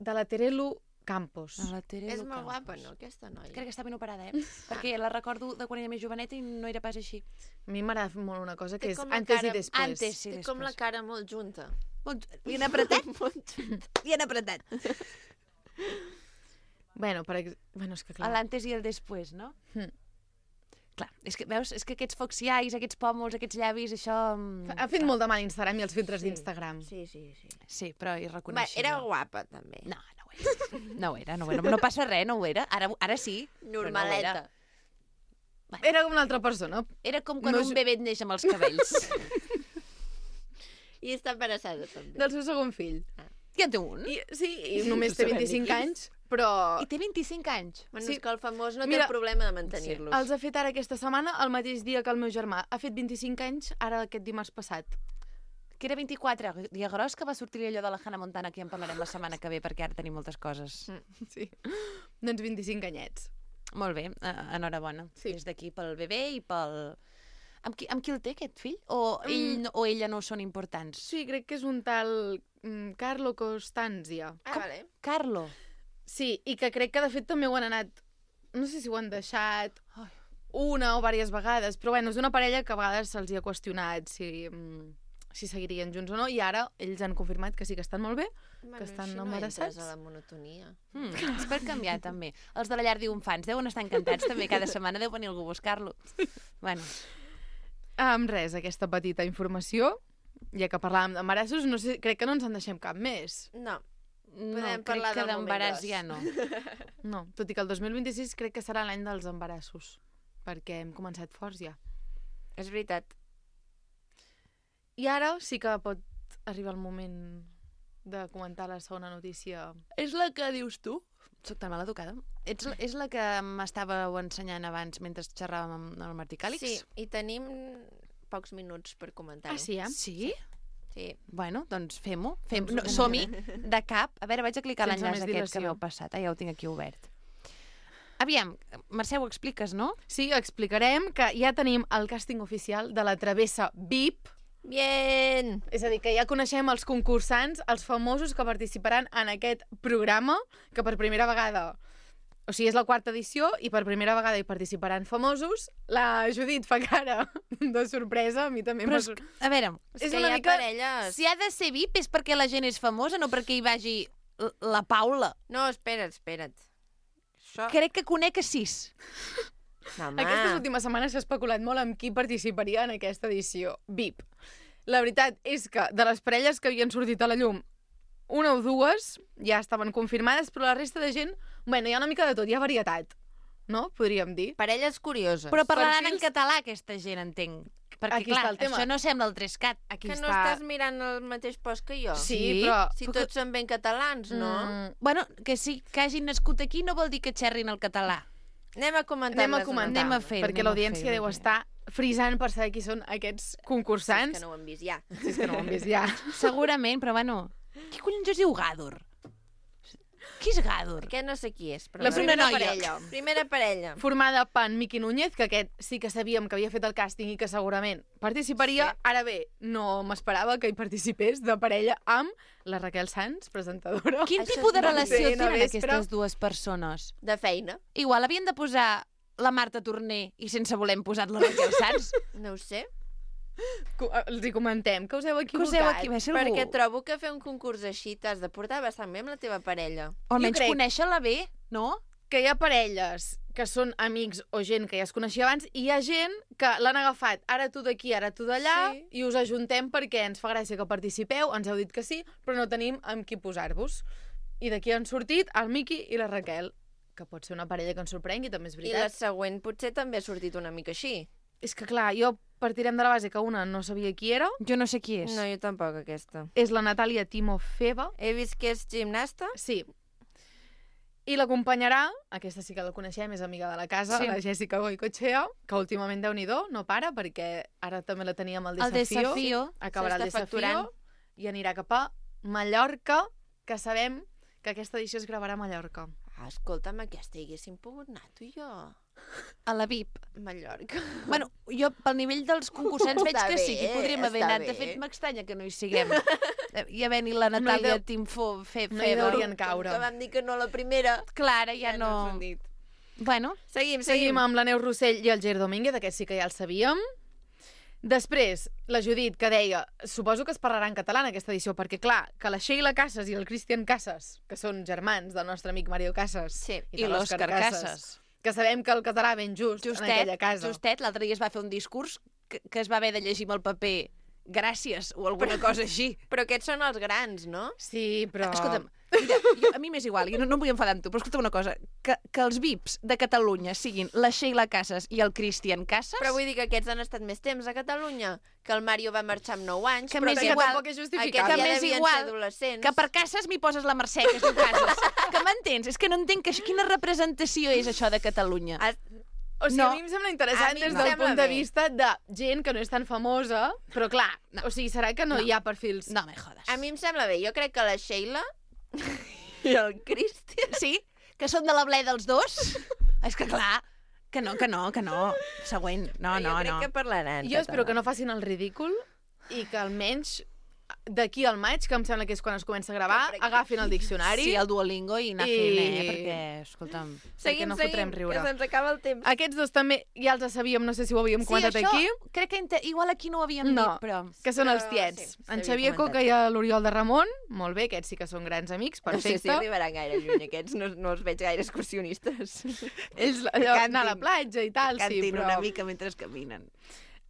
[SPEAKER 11] de la Terelu Campos.
[SPEAKER 1] De la Terelu
[SPEAKER 2] És molt
[SPEAKER 1] Campos.
[SPEAKER 2] guapa, no, aquesta noia?
[SPEAKER 1] Crec que està ben operada, eh? Perquè la recordo de quan era més joveneta i no era pas així.
[SPEAKER 11] A mi m'agrada molt una cosa que
[SPEAKER 2] Té
[SPEAKER 11] és
[SPEAKER 2] com la
[SPEAKER 11] antes
[SPEAKER 2] cara-
[SPEAKER 11] i després.
[SPEAKER 1] Antes i
[SPEAKER 2] Té
[SPEAKER 1] després.
[SPEAKER 2] com la cara molt junta.
[SPEAKER 1] Molt... Li han apretat?
[SPEAKER 2] Molt junta.
[SPEAKER 1] Li han apretat.
[SPEAKER 11] Bueno, per ex... bueno, és que clar.
[SPEAKER 1] L'antes i el després, no?
[SPEAKER 11] Hm.
[SPEAKER 1] Clar, és que, veus, és que aquests foxiais, aquests pòmuls, aquests llavis, això... mm,
[SPEAKER 11] Ha fet molt de mal Instagram i els filtres
[SPEAKER 2] Sí.
[SPEAKER 11] d'Instagram.
[SPEAKER 2] Sí, sí, sí.
[SPEAKER 1] Sí, però
[SPEAKER 2] Va,
[SPEAKER 1] irreconeixible.
[SPEAKER 2] era guapa, també.
[SPEAKER 1] No, no ho era. No ho era, no ho era. No passa res, no ho era. Ara, ara sí. però no ho era.
[SPEAKER 2] Normaleta.
[SPEAKER 11] Era com una altra persona.
[SPEAKER 1] Era com quan
[SPEAKER 11] No
[SPEAKER 1] un
[SPEAKER 11] és-
[SPEAKER 1] bebè et neix amb els cabells.
[SPEAKER 2] I està embarassada, també.
[SPEAKER 11] Del seu segon fill.
[SPEAKER 1] Ja en té un?
[SPEAKER 11] I, sí, i només té
[SPEAKER 2] sabem ni
[SPEAKER 11] vint-i-cinc
[SPEAKER 2] qui.
[SPEAKER 11] anys, però...
[SPEAKER 1] I té vint-i-cinc anys.
[SPEAKER 2] Bueno,
[SPEAKER 11] Sí.
[SPEAKER 2] és que el famós no té
[SPEAKER 11] Mira,
[SPEAKER 2] el problema de mantenir-los.
[SPEAKER 11] Els ha fet ara aquesta setmana, el mateix dia que el meu germà. Ha fet vint-i-cinc anys, ara aquest dimarts passat.
[SPEAKER 1] Que era vint-i-quatre, dia gros, que va sortir allò de la Hannah Montana, que ja en parlarem la setmana que ve, perquè ara tenim moltes coses.
[SPEAKER 11] Mm, sí. Doncs vint-i-cinc anyets.
[SPEAKER 1] Molt bé, eh, enhorabona.
[SPEAKER 11] Sí.
[SPEAKER 1] Des d'aquí pel bebè i pel... Amb qui, amb qui el té, aquest fill? O, ell, no- o ella no són importants?
[SPEAKER 11] Sí, crec que és un tal mm, Carlo Costanzia.
[SPEAKER 2] Ah, vale.
[SPEAKER 1] Carlo.
[SPEAKER 11] Sí, i que crec que de fet també ho han anat... No sé si ho han deixat
[SPEAKER 1] Ai.
[SPEAKER 11] una o diverses vegades, però bueno, és una parella que a vegades se'ls hi ha qüestionat si mm,
[SPEAKER 13] si seguirien junts o no, i ara ells han confirmat que sí que estan molt bé,
[SPEAKER 2] Bueno,
[SPEAKER 13] que estan
[SPEAKER 2] així no
[SPEAKER 13] embarassats.
[SPEAKER 2] entres a la monotonia.
[SPEAKER 1] Mm, és per canviar, també. Els de la llar d'infants deuen estar encantats, també. Cada setmana deu venir algú a buscar-lo. Bueno.
[SPEAKER 13] Amb res, aquesta petita informació, ja que parlàvem d'embarassos, no sé, crec que no ens en deixem cap més.
[SPEAKER 2] No,
[SPEAKER 1] No,
[SPEAKER 2] podem
[SPEAKER 1] crec
[SPEAKER 2] parlar
[SPEAKER 1] que
[SPEAKER 2] del moment
[SPEAKER 1] d'embaràs
[SPEAKER 2] gros.
[SPEAKER 1] ja no.
[SPEAKER 13] No, tot i que el dos mil vint-i-sis crec que serà l'any dels embarassos, perquè hem començat forts ja.
[SPEAKER 2] És veritat.
[SPEAKER 13] I ara sí que pot arribar el moment de comentar la segona notícia.
[SPEAKER 1] És la que dius tu? Soc tan mal educada. Ets, la- és la que m'estàveu ensenyant abans mentre xerràvem amb el Martí Càlix?
[SPEAKER 2] Sí, i tenim pocs minuts per comentar-ho.
[SPEAKER 13] Ah, sí, eh?
[SPEAKER 1] Sí?
[SPEAKER 2] Sí.
[SPEAKER 1] Bueno, doncs fem-ho. Fem
[SPEAKER 13] Doncs
[SPEAKER 1] no,
[SPEAKER 13] ho
[SPEAKER 1] Som-hi
[SPEAKER 13] comentarem.
[SPEAKER 1] de cap. A veure, vaig a clicar
[SPEAKER 13] Sense
[SPEAKER 1] l'enllaç
[SPEAKER 13] més
[SPEAKER 1] aquest
[SPEAKER 13] dilació.
[SPEAKER 1] que m'heu passat. Ah, ja ho tinc aquí obert. Aviam, Mercè, ho expliques, no?
[SPEAKER 13] Sí, explicarem que ja tenim el càsting oficial de la Travessa V I P.
[SPEAKER 2] Bien!
[SPEAKER 13] És a dir, que ja coneixem els concursants, els famosos que participaran en aquest programa, que per primera vegada... O sigui, és la quarta edició i per primera vegada hi participaran famosos. La Judit fa cara de sorpresa, a mi també
[SPEAKER 1] Però
[SPEAKER 13] m'ha
[SPEAKER 1] és,
[SPEAKER 13] sor-
[SPEAKER 1] a veure,
[SPEAKER 2] És,
[SPEAKER 13] És
[SPEAKER 2] que
[SPEAKER 13] una
[SPEAKER 2] hi ha
[SPEAKER 13] mica-
[SPEAKER 2] parelles...
[SPEAKER 1] si ha de ser V I P és perquè la gent és famosa, no perquè hi vagi l- la Paula.
[SPEAKER 2] No, espera't, espera't. Això...
[SPEAKER 1] Crec que conec a sis.
[SPEAKER 2] No, home.
[SPEAKER 13] Aquestes últimes setmanes s'ha especulat molt amb qui participaria en aquesta edició V I P. La veritat és que de les parelles que havien sortit a la llum, una o dues ja estaven confirmades, però la resta de gent, bueno, hi ha una mica de tot, hi ha varietat, no? Podríem dir.
[SPEAKER 2] Parelles curioses.
[SPEAKER 1] Però parlaran en
[SPEAKER 13] Perfils-
[SPEAKER 1] català, aquesta gent, entenc. Perquè,
[SPEAKER 13] Aquí
[SPEAKER 1] clar,
[SPEAKER 13] està el tema.
[SPEAKER 1] això no sembla el Trescat.
[SPEAKER 13] Aquí
[SPEAKER 2] que no
[SPEAKER 13] està...
[SPEAKER 2] estàs mirant el mateix post que jo.
[SPEAKER 13] Sí,
[SPEAKER 1] Sí,
[SPEAKER 13] però...
[SPEAKER 2] Si tots són ben catalans, no?
[SPEAKER 13] Mm,
[SPEAKER 1] Bueno, que sí, que hagin nascut aquí no vol dir que xerrin el català.
[SPEAKER 2] Anem a comentar.
[SPEAKER 13] anem a comentar,
[SPEAKER 1] Anem a fer-ho,
[SPEAKER 13] perquè
[SPEAKER 1] anem a
[SPEAKER 13] l'audiència
[SPEAKER 1] fer-ho,
[SPEAKER 13] deu
[SPEAKER 1] bé.
[SPEAKER 13] estar frisant per saber qui són aquests concursants.
[SPEAKER 2] És que no ho hem vist ja.
[SPEAKER 13] Si és que no ho hem vist ja.
[SPEAKER 1] Segurament, però bueno... Qui collons es diu Gàdor? Qui és Gàdor?
[SPEAKER 2] Aquest no sé qui és, però...
[SPEAKER 13] La
[SPEAKER 2] és
[SPEAKER 13] primera
[SPEAKER 2] una
[SPEAKER 13] noia.
[SPEAKER 2] parella. Primera parella.
[SPEAKER 13] Formada per Miqui Núñez, que aquest sí que sabíem que havia fet el càsting i que segurament participaria.
[SPEAKER 2] Sí.
[SPEAKER 13] Ara bé, no m'esperava que hi participés de parella amb la Raquel Sanz, presentadora.
[SPEAKER 1] Quin
[SPEAKER 2] Això
[SPEAKER 1] tipus de
[SPEAKER 2] és una
[SPEAKER 1] relació
[SPEAKER 13] cena
[SPEAKER 1] tenen
[SPEAKER 13] vespre.
[SPEAKER 1] aquestes dues persones?
[SPEAKER 2] De feina.
[SPEAKER 1] Igual havien de posar la Marta Torner i sense voler hem posat la Raquel Sanz.
[SPEAKER 2] No ho sé.
[SPEAKER 13] Co- Els hi comentem que us heu
[SPEAKER 1] Que
[SPEAKER 13] equivocat.
[SPEAKER 1] us heu equivocat. Algú...
[SPEAKER 2] Perquè trobo que fer un concurs així t'has de portar bastant bé amb la teva parella.
[SPEAKER 1] O almenys
[SPEAKER 13] crec-
[SPEAKER 1] conèixer-la bé, no?
[SPEAKER 13] Que hi ha parelles que són amics o gent que ja es coneixia abans i hi ha gent que l'han agafat ara tu d'aquí, ara tu d'allà
[SPEAKER 2] Sí.
[SPEAKER 13] i us ajuntem perquè ens fa gràcia que participeu, ens heu dit que sí, però no tenim amb qui posar-vos. I d'aquí han sortit el Miqui i la Raquel, que pot ser una parella que ens sorprengui, també és
[SPEAKER 2] I la
[SPEAKER 13] veritat.
[SPEAKER 2] següent potser també ha sortit una mica així.
[SPEAKER 13] És que clar, jo partirem de la base que una no sabia qui era,
[SPEAKER 1] Jo no sé qui és.
[SPEAKER 2] No, jo tampoc, aquesta.
[SPEAKER 13] és la Natàlia Timofeva,
[SPEAKER 2] He vist que és gimnasta.
[SPEAKER 13] sí, i l'acompanyarà, aquesta sí que la coneixem, és amiga de la casa,
[SPEAKER 1] Sí.
[SPEAKER 13] la Jessica Goicoechea, que últimament déu-n'hi-do, no para, perquè ara també la teníem al
[SPEAKER 1] El
[SPEAKER 13] desafío.
[SPEAKER 1] desafío.
[SPEAKER 13] Acabarà el
[SPEAKER 2] S'està
[SPEAKER 13] desafío
[SPEAKER 2] facturant.
[SPEAKER 13] i anirà cap a Mallorca, que sabem que aquesta edició es gravarà a Mallorca.
[SPEAKER 2] Ah, escolta'm, aquesta hi haguéssim pogut anar, tu i jo.
[SPEAKER 1] A la V I P.
[SPEAKER 2] Mallorca.
[SPEAKER 1] Bueno, jo pel nivell dels concursants veig
[SPEAKER 2] Està
[SPEAKER 1] que sí, que hi
[SPEAKER 2] bé,
[SPEAKER 1] podríem haver
[SPEAKER 2] està
[SPEAKER 1] anat. De
[SPEAKER 2] bé.
[SPEAKER 1] fet, m'estranya que no hi siguem. I havent-hi la Natàlia
[SPEAKER 13] deu-
[SPEAKER 1] Timfo fe,
[SPEAKER 13] no hi
[SPEAKER 1] Feber.
[SPEAKER 13] deurien caure.
[SPEAKER 2] Que vam dir que no la primera.
[SPEAKER 1] Clara, ja,
[SPEAKER 2] Ja
[SPEAKER 1] no...
[SPEAKER 2] ens ho han dit.
[SPEAKER 1] Bueno,
[SPEAKER 2] Seguim, seguim.
[SPEAKER 13] Seguim amb la Neus Rossell i el Ger Domínguez, aquest sí que ja el sabíem. Després, la Judit, que deia, suposo que es parlarà en català en aquesta edició, perquè clar, que la Sheila Casas i el Cristian Casas, que són germans del nostre amic Mario Casas,
[SPEAKER 2] Sí.
[SPEAKER 1] i l'Òscar Casas.
[SPEAKER 13] que sabem que el català ben just
[SPEAKER 1] Justet,
[SPEAKER 13] en aquella casa.
[SPEAKER 1] justet, l'altre dia es va fer un discurs que, que es va haver de llegir amb el paper gràcies o alguna cosa així.
[SPEAKER 2] Però aquests són els grans, no?
[SPEAKER 13] Sí, però...
[SPEAKER 1] Escolta'm, mira, jo, a mi m'és igual, jo no, no em vull enfadar amb tu, però escolta'm una cosa, que, que els V I Ps de Catalunya siguin la Sheila Casas i el Cristian Casas...
[SPEAKER 2] Però vull dir que aquests han estat més temps a Catalunya, que el Mario va marxar amb nou anys,
[SPEAKER 1] Que
[SPEAKER 2] però
[SPEAKER 1] m'és
[SPEAKER 2] que
[SPEAKER 1] igual,
[SPEAKER 13] tampoc és
[SPEAKER 2] aquests
[SPEAKER 13] justificable.
[SPEAKER 2] ja
[SPEAKER 1] Que m'és
[SPEAKER 2] devien
[SPEAKER 1] igual,
[SPEAKER 2] ser adolescents.
[SPEAKER 1] que per Casas m'hi poses la Mercè, que es diu Casas. Que m'entens? És que no entenc que, quina representació és això de Catalunya.
[SPEAKER 2] Has-
[SPEAKER 13] O sigui,
[SPEAKER 1] No.
[SPEAKER 13] a mi em sembla interessant
[SPEAKER 2] A mi
[SPEAKER 13] des
[SPEAKER 2] em
[SPEAKER 13] del
[SPEAKER 2] sembla
[SPEAKER 13] punt de
[SPEAKER 2] bé.
[SPEAKER 13] vista de gent que no és tan famosa, però clar,
[SPEAKER 1] No.
[SPEAKER 13] o sigui, serà que no,
[SPEAKER 1] No.
[SPEAKER 13] hi ha perfils...
[SPEAKER 1] No me jodes.
[SPEAKER 2] A mi em sembla bé. Jo crec que la Sheila i el Cristian...
[SPEAKER 1] Sí? Que són de la ble dels dos? És que clar, que no, que no, que no. Següent. No,
[SPEAKER 2] jo
[SPEAKER 1] no,
[SPEAKER 2] crec
[SPEAKER 1] no.
[SPEAKER 2] que parlaran.
[SPEAKER 13] Jo espero que no facin el ridícul i que almenys d'aquí al maig, que em sembla que és quan es comença a gravar, agafin el diccionari.
[SPEAKER 1] Sí, el Duolingo i anar fent, eh? Perquè, escolta'm...
[SPEAKER 2] Seguim,
[SPEAKER 13] no
[SPEAKER 2] seguim,
[SPEAKER 13] fotrem riure.
[SPEAKER 2] que se'ns acaba el temps.
[SPEAKER 13] Aquests dos també ja els sabíem, no sé si ho havíem comentat
[SPEAKER 1] sí, això,
[SPEAKER 13] aquí.
[SPEAKER 1] crec que inte... igual aquí no ho havíem
[SPEAKER 13] no,
[SPEAKER 1] dit, però...
[SPEAKER 13] que són
[SPEAKER 2] Però
[SPEAKER 13] els tiets.
[SPEAKER 2] sí,
[SPEAKER 13] en
[SPEAKER 2] s'havia
[SPEAKER 13] Xavier
[SPEAKER 2] comentat.
[SPEAKER 13] Coca i l'Oriol de Ramon, molt bé, aquests sí que són grans amics,
[SPEAKER 2] No sé
[SPEAKER 13] perfecte.
[SPEAKER 2] si arribaran gaire lluny, aquests no, no els veig gaire excursionistes.
[SPEAKER 13] Ells allò, anar a la platja i tal, sí,
[SPEAKER 1] Cantin
[SPEAKER 13] però...
[SPEAKER 1] una mica mentre caminen.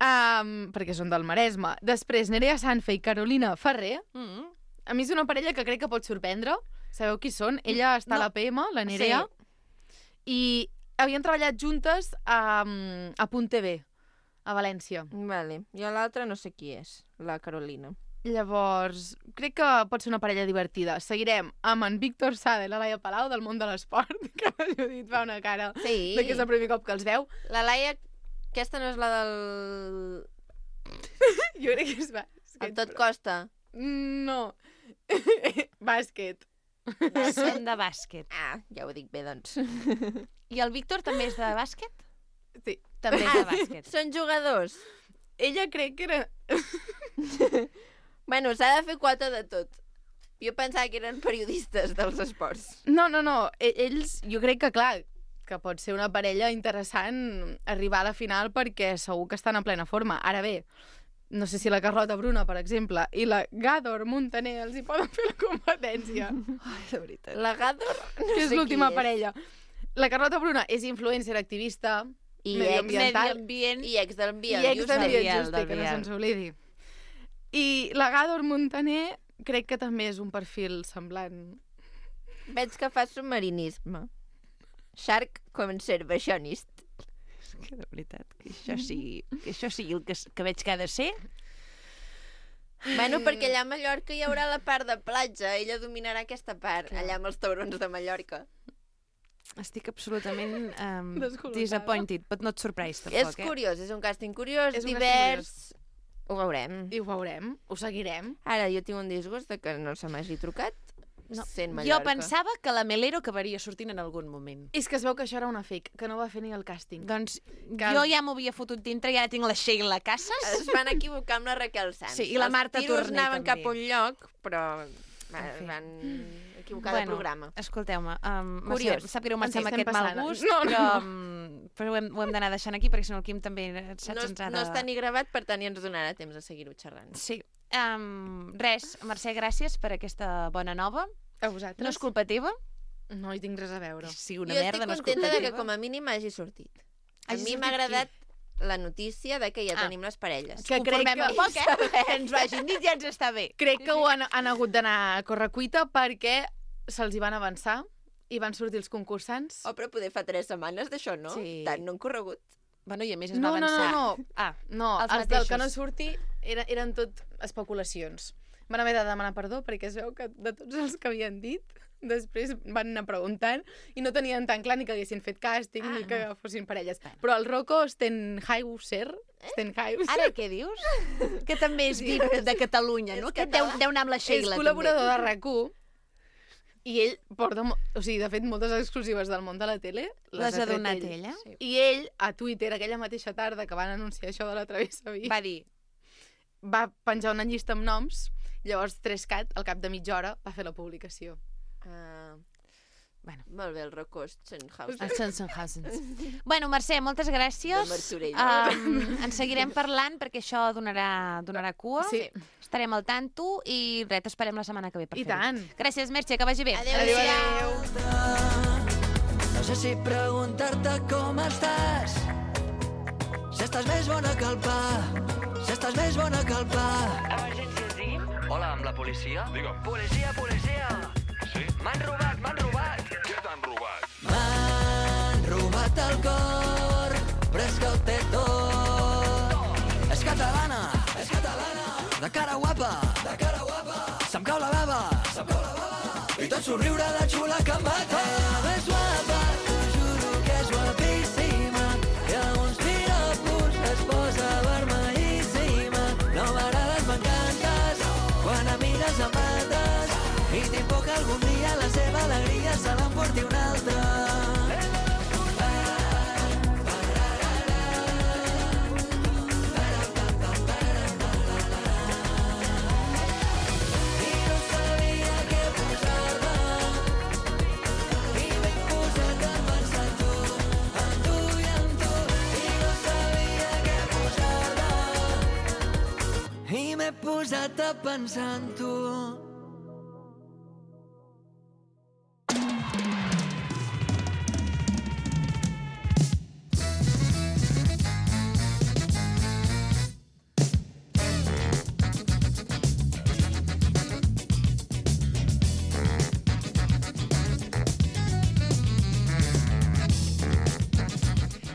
[SPEAKER 13] Um, perquè són del Maresme. Després, Nerea Sanfe i Carolina Ferrer.
[SPEAKER 1] Mm.
[SPEAKER 13] A mi és una parella que crec que pot sorprendre. Sabeu qui són? Ella està
[SPEAKER 1] No.
[SPEAKER 13] a la P M, la Nerea,
[SPEAKER 2] Sí.
[SPEAKER 13] i havien treballat juntes a, a Punt T V, a València.
[SPEAKER 2] Vale. Jo l'altra no sé qui és, la Carolina.
[SPEAKER 13] Llavors, crec que pot ser una parella divertida. Seguirem amb en Víctor Sada i la Laia Palau del món de l'esport, que la Judit fa una cara
[SPEAKER 2] Sí.
[SPEAKER 13] de que és el primer cop que els veu.
[SPEAKER 2] La Laia, aquesta no és la del...
[SPEAKER 13] Jo crec que és bàsquet.
[SPEAKER 2] El tot costa.
[SPEAKER 13] No. Bàsquet.
[SPEAKER 1] Són de bàsquet.
[SPEAKER 2] Ah, ja ho dic bé, doncs.
[SPEAKER 1] I el Víctor també és de bàsquet?
[SPEAKER 13] Sí.
[SPEAKER 1] També és de bàsquet.
[SPEAKER 2] Són jugadors.
[SPEAKER 13] Ella crec que era...
[SPEAKER 2] Bueno, s'ha de fer quota de tot. Jo pensava que eren periodistes dels esports.
[SPEAKER 13] No, no, no. E- Ells, jo crec que, clar, que pot ser una parella interessant arribar a la final perquè segur que estan en plena forma. Ara bé, no sé si la Carlota Bruna, per exemple, i la Gàdor Montaner els hi poden fer la competència.
[SPEAKER 1] Ai, de veritat.
[SPEAKER 2] La Gàdor, no
[SPEAKER 13] que és
[SPEAKER 2] sé
[SPEAKER 13] l'última
[SPEAKER 2] qui és.
[SPEAKER 13] parella. La Carlota Bruna és influencer, activista,
[SPEAKER 2] I
[SPEAKER 13] medioambiental.
[SPEAKER 1] Ambient.
[SPEAKER 2] I ex del Biel.
[SPEAKER 13] I ex del
[SPEAKER 1] Biel,
[SPEAKER 13] Biel, juste,
[SPEAKER 1] del
[SPEAKER 13] que no
[SPEAKER 1] Biel.
[SPEAKER 13] se'ns oblidi. I la Gàdor Montaner crec que també és un perfil semblant.
[SPEAKER 2] Veig que fa submarinisme. Shark conservationist.
[SPEAKER 1] És que de veritat, que això sigui, que això sigui el que, s- que veig que ha de ser.
[SPEAKER 2] Bueno, perquè allà a Mallorca hi haurà la part de platja. Ella dominarà aquesta part,
[SPEAKER 1] Clar.
[SPEAKER 2] allà amb els taurons de Mallorca.
[SPEAKER 1] Estic absolutament um,
[SPEAKER 13] Descol·locada.
[SPEAKER 1] disappointed, but not surprised, tampoc,
[SPEAKER 2] És
[SPEAKER 1] eh?
[SPEAKER 2] curiós, és un càsting curiós,
[SPEAKER 13] És un
[SPEAKER 2] divers... Ho veurem.
[SPEAKER 13] I ho veurem, ho seguirem.
[SPEAKER 2] Ara, jo tinc un disgust de que no se m'hagi trucat.
[SPEAKER 1] No.
[SPEAKER 2] Sent
[SPEAKER 1] Jo
[SPEAKER 2] Mallorca.
[SPEAKER 1] pensava que la Melero acabaria sortint en algun moment.
[SPEAKER 13] És que es veu que això era una fake, que no va fer ni el càsting.
[SPEAKER 1] Doncs
[SPEAKER 13] Que-
[SPEAKER 1] jo ja m'ho havia fotut dintre i ara tinc la Sheila Casas.
[SPEAKER 2] Es van equivocar amb la Raquel Sanz.
[SPEAKER 1] Sí, i la Marta
[SPEAKER 2] Els tiros
[SPEAKER 1] Torner,
[SPEAKER 2] anaven
[SPEAKER 1] també.
[SPEAKER 2] cap a un lloc, però van,
[SPEAKER 1] En fi.
[SPEAKER 2] van equivocar de programa.
[SPEAKER 1] Escolteu-me, um,
[SPEAKER 2] Curiós.
[SPEAKER 1] Mercè, sap greu marxar
[SPEAKER 13] Ens
[SPEAKER 1] amb
[SPEAKER 13] estem
[SPEAKER 1] aquest mal
[SPEAKER 13] passant.
[SPEAKER 1] gust,
[SPEAKER 13] No, no,
[SPEAKER 1] però,
[SPEAKER 13] no.
[SPEAKER 1] um, però ho hem, ho hem d'anar deixant aquí perquè si no el Quim també saps,
[SPEAKER 2] No,
[SPEAKER 1] ens ha de...
[SPEAKER 2] no està ni gravat, per tant, ja ens donarà temps de seguir-ho xerrant.
[SPEAKER 1] Sí. Um, res, Mercè, gràcies per aquesta bona nova.
[SPEAKER 13] A vosaltres?
[SPEAKER 1] No és culpa teva?
[SPEAKER 13] No hi tinc res a veure.
[SPEAKER 1] Sí, una
[SPEAKER 2] jo
[SPEAKER 1] merda, no és
[SPEAKER 2] estic
[SPEAKER 1] culpa
[SPEAKER 2] contenta de
[SPEAKER 1] teva.
[SPEAKER 2] que com a mínim hagi sortit. A
[SPEAKER 1] Hagi
[SPEAKER 2] mi m'ha
[SPEAKER 1] sortit
[SPEAKER 2] agradat la notícia de que ja
[SPEAKER 1] Ah.
[SPEAKER 2] tenim les parelles.
[SPEAKER 13] Que crec que...
[SPEAKER 1] Conformem poc, eh? Que ens ho hagin dit ja ens està bé.
[SPEAKER 13] Crec que ho han, han hagut d'anar a correcuita perquè se'ls hi van avançar i van sortir els concursants.
[SPEAKER 2] Oh, però poder fa tres setmanes d'això, no?
[SPEAKER 1] Sí.
[SPEAKER 2] Tant no han corregut.
[SPEAKER 1] Bueno, i a més es
[SPEAKER 13] No,
[SPEAKER 1] va
[SPEAKER 13] no,
[SPEAKER 1] avançar.
[SPEAKER 13] no, no.
[SPEAKER 1] Ah,
[SPEAKER 13] No,
[SPEAKER 1] els
[SPEAKER 13] els, del que
[SPEAKER 1] mateixos.
[SPEAKER 13] no surti eren, eren tot especulacions. Van haver de demanar perdó perquè es veu que de tots els que havien dit després van anar preguntant i no tenien tan clar ni que haguessin fet càsting ah, ni que fossin parelles. Però el Rocco Stenhauser... Stenhauser...
[SPEAKER 1] Ara què dius? Que també és V I P de Catalunya, no?
[SPEAKER 2] És
[SPEAKER 1] Que deu,
[SPEAKER 2] català.
[SPEAKER 1] deu anar amb la
[SPEAKER 13] és
[SPEAKER 1] Sheila,
[SPEAKER 13] col·laborador
[SPEAKER 1] també.
[SPEAKER 13] de RAC u i ell porta, mo- o sigui, de fet, moltes exclusives del món de la tele
[SPEAKER 1] Les ha
[SPEAKER 13] tret
[SPEAKER 1] donat
[SPEAKER 13] ell.
[SPEAKER 1] ella?
[SPEAKER 2] Sí.
[SPEAKER 13] I ell, a Twitter, aquella mateixa tarda que van anunciar això de la Travessa Vic,
[SPEAKER 1] Va dir,
[SPEAKER 13] va penjar una llista amb noms, llavors Trescat, al cap de mitja hora, va fer la publicació.
[SPEAKER 2] Uh,
[SPEAKER 1] Bueno.
[SPEAKER 2] Molt bé, el Rocco Stenhauser.
[SPEAKER 1] els Sensenhausens. Bueno, Mercè, moltes gràcies.
[SPEAKER 2] De Martorell.
[SPEAKER 1] Um, en seguirem parlant perquè això donarà, donarà cua.
[SPEAKER 13] Sí.
[SPEAKER 1] Estarem al tanto i res, t'esperem la setmana que ve per
[SPEAKER 13] I
[SPEAKER 1] fer-ho.
[SPEAKER 13] tant.
[SPEAKER 1] Gràcies, Mercè, que vagi bé.
[SPEAKER 2] Adéu,
[SPEAKER 13] Adéu,
[SPEAKER 2] adéu.
[SPEAKER 13] adéu.
[SPEAKER 10] No sé si preguntar-te com estàs, si estàs més bona que el pa, si estàs més bona que el pa.
[SPEAKER 14] Emergències, digui'm.
[SPEAKER 15] Hola, amb la policia?
[SPEAKER 14] Digue'm.
[SPEAKER 15] Policia, policia!
[SPEAKER 14] Sí?
[SPEAKER 15] M'han robat, m'han robat!
[SPEAKER 14] Què t'han robat?
[SPEAKER 10] M'han robat el cor, però és que ho té tot. És catalana, és catalana, de cara guapa, de cara guapa. Se'm cau la bava, se'm cau la bava. I tot somriure de xula que em mata. És guapa, t'ho juro que és guapíssima. I amb uns piropos es posa vermellíssima. No m'agrades, m'encantes, quan em mires em mates. I tinc por que algun dia la seva alegria se l'emporti un altre. rata pensant tu.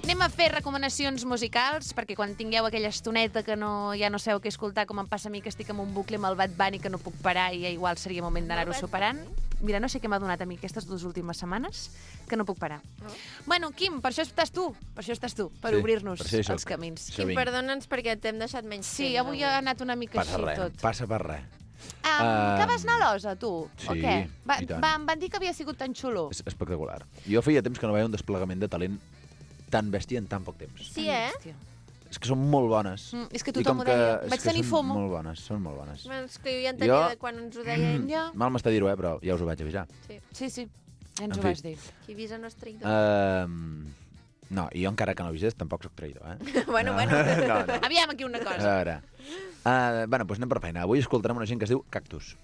[SPEAKER 1] Anem a fer recomanacions musicals, perquè quan tingueu aquella estoneta que no, ja no sabeu què escoltar, com em passa a mi, que estic amb un bucle amb el Bad Bunny que no puc parar i igual seria moment d'anar-ho superant. Mira, no sé què m'ha donat a mi aquestes dues últimes setmanes, que no puc parar.
[SPEAKER 2] No.
[SPEAKER 1] Bueno, Quim, per això estàs tu, per això estàs tu, per
[SPEAKER 2] Sí,
[SPEAKER 1] obrir-nos
[SPEAKER 2] per això hi soc.
[SPEAKER 1] els camins.
[SPEAKER 2] Quim, perdona'ns perquè t'hem deixat menys
[SPEAKER 1] Sí,
[SPEAKER 2] temps.
[SPEAKER 1] avui ha anat una mica
[SPEAKER 16] Passa
[SPEAKER 1] així
[SPEAKER 16] res,
[SPEAKER 1] tot.
[SPEAKER 16] passa per res.
[SPEAKER 1] Um,
[SPEAKER 16] Um,
[SPEAKER 1] que vas anar a l'Osa, tu?
[SPEAKER 16] sí,
[SPEAKER 1] o què? Va,
[SPEAKER 16] i tant.
[SPEAKER 1] va, em van dir que havia sigut tan xulo.
[SPEAKER 16] És espectacular. Jo feia temps que no veia un desplegament de talent tan bèstia en tan poc temps.
[SPEAKER 2] Sí, eh?
[SPEAKER 16] És que són molt bones.
[SPEAKER 1] Mm, és que
[SPEAKER 16] I
[SPEAKER 1] tothom
[SPEAKER 16] com
[SPEAKER 1] ho deia.
[SPEAKER 16] és
[SPEAKER 1] Vaig
[SPEAKER 16] que
[SPEAKER 1] tenir
[SPEAKER 16] són
[SPEAKER 1] FOMO.
[SPEAKER 16] molt bones, són molt bones.
[SPEAKER 2] Bueno, és que jo ja entenia
[SPEAKER 16] Jo-
[SPEAKER 2] de quan ens ho deia ell.
[SPEAKER 1] Ja.
[SPEAKER 16] Mal m'està dir-ho, eh, però ja us ho vaig avisar.
[SPEAKER 2] Sí.
[SPEAKER 1] Sí, sí, ja ens
[SPEAKER 16] En
[SPEAKER 1] ho
[SPEAKER 16] fi.
[SPEAKER 1] vas dir.
[SPEAKER 2] Qui avisa no és traïdor.
[SPEAKER 16] Uh, no, i jo encara que no avises tampoc sóc traïdor, eh?
[SPEAKER 2] Bueno,
[SPEAKER 16] no,
[SPEAKER 2] bueno.
[SPEAKER 16] No, no.
[SPEAKER 1] Aviam aquí una
[SPEAKER 16] A
[SPEAKER 1] cosa.
[SPEAKER 16] veure. Uh, bueno, doncs anem per feina. Avui escoltarem una gent que es diu Cactus.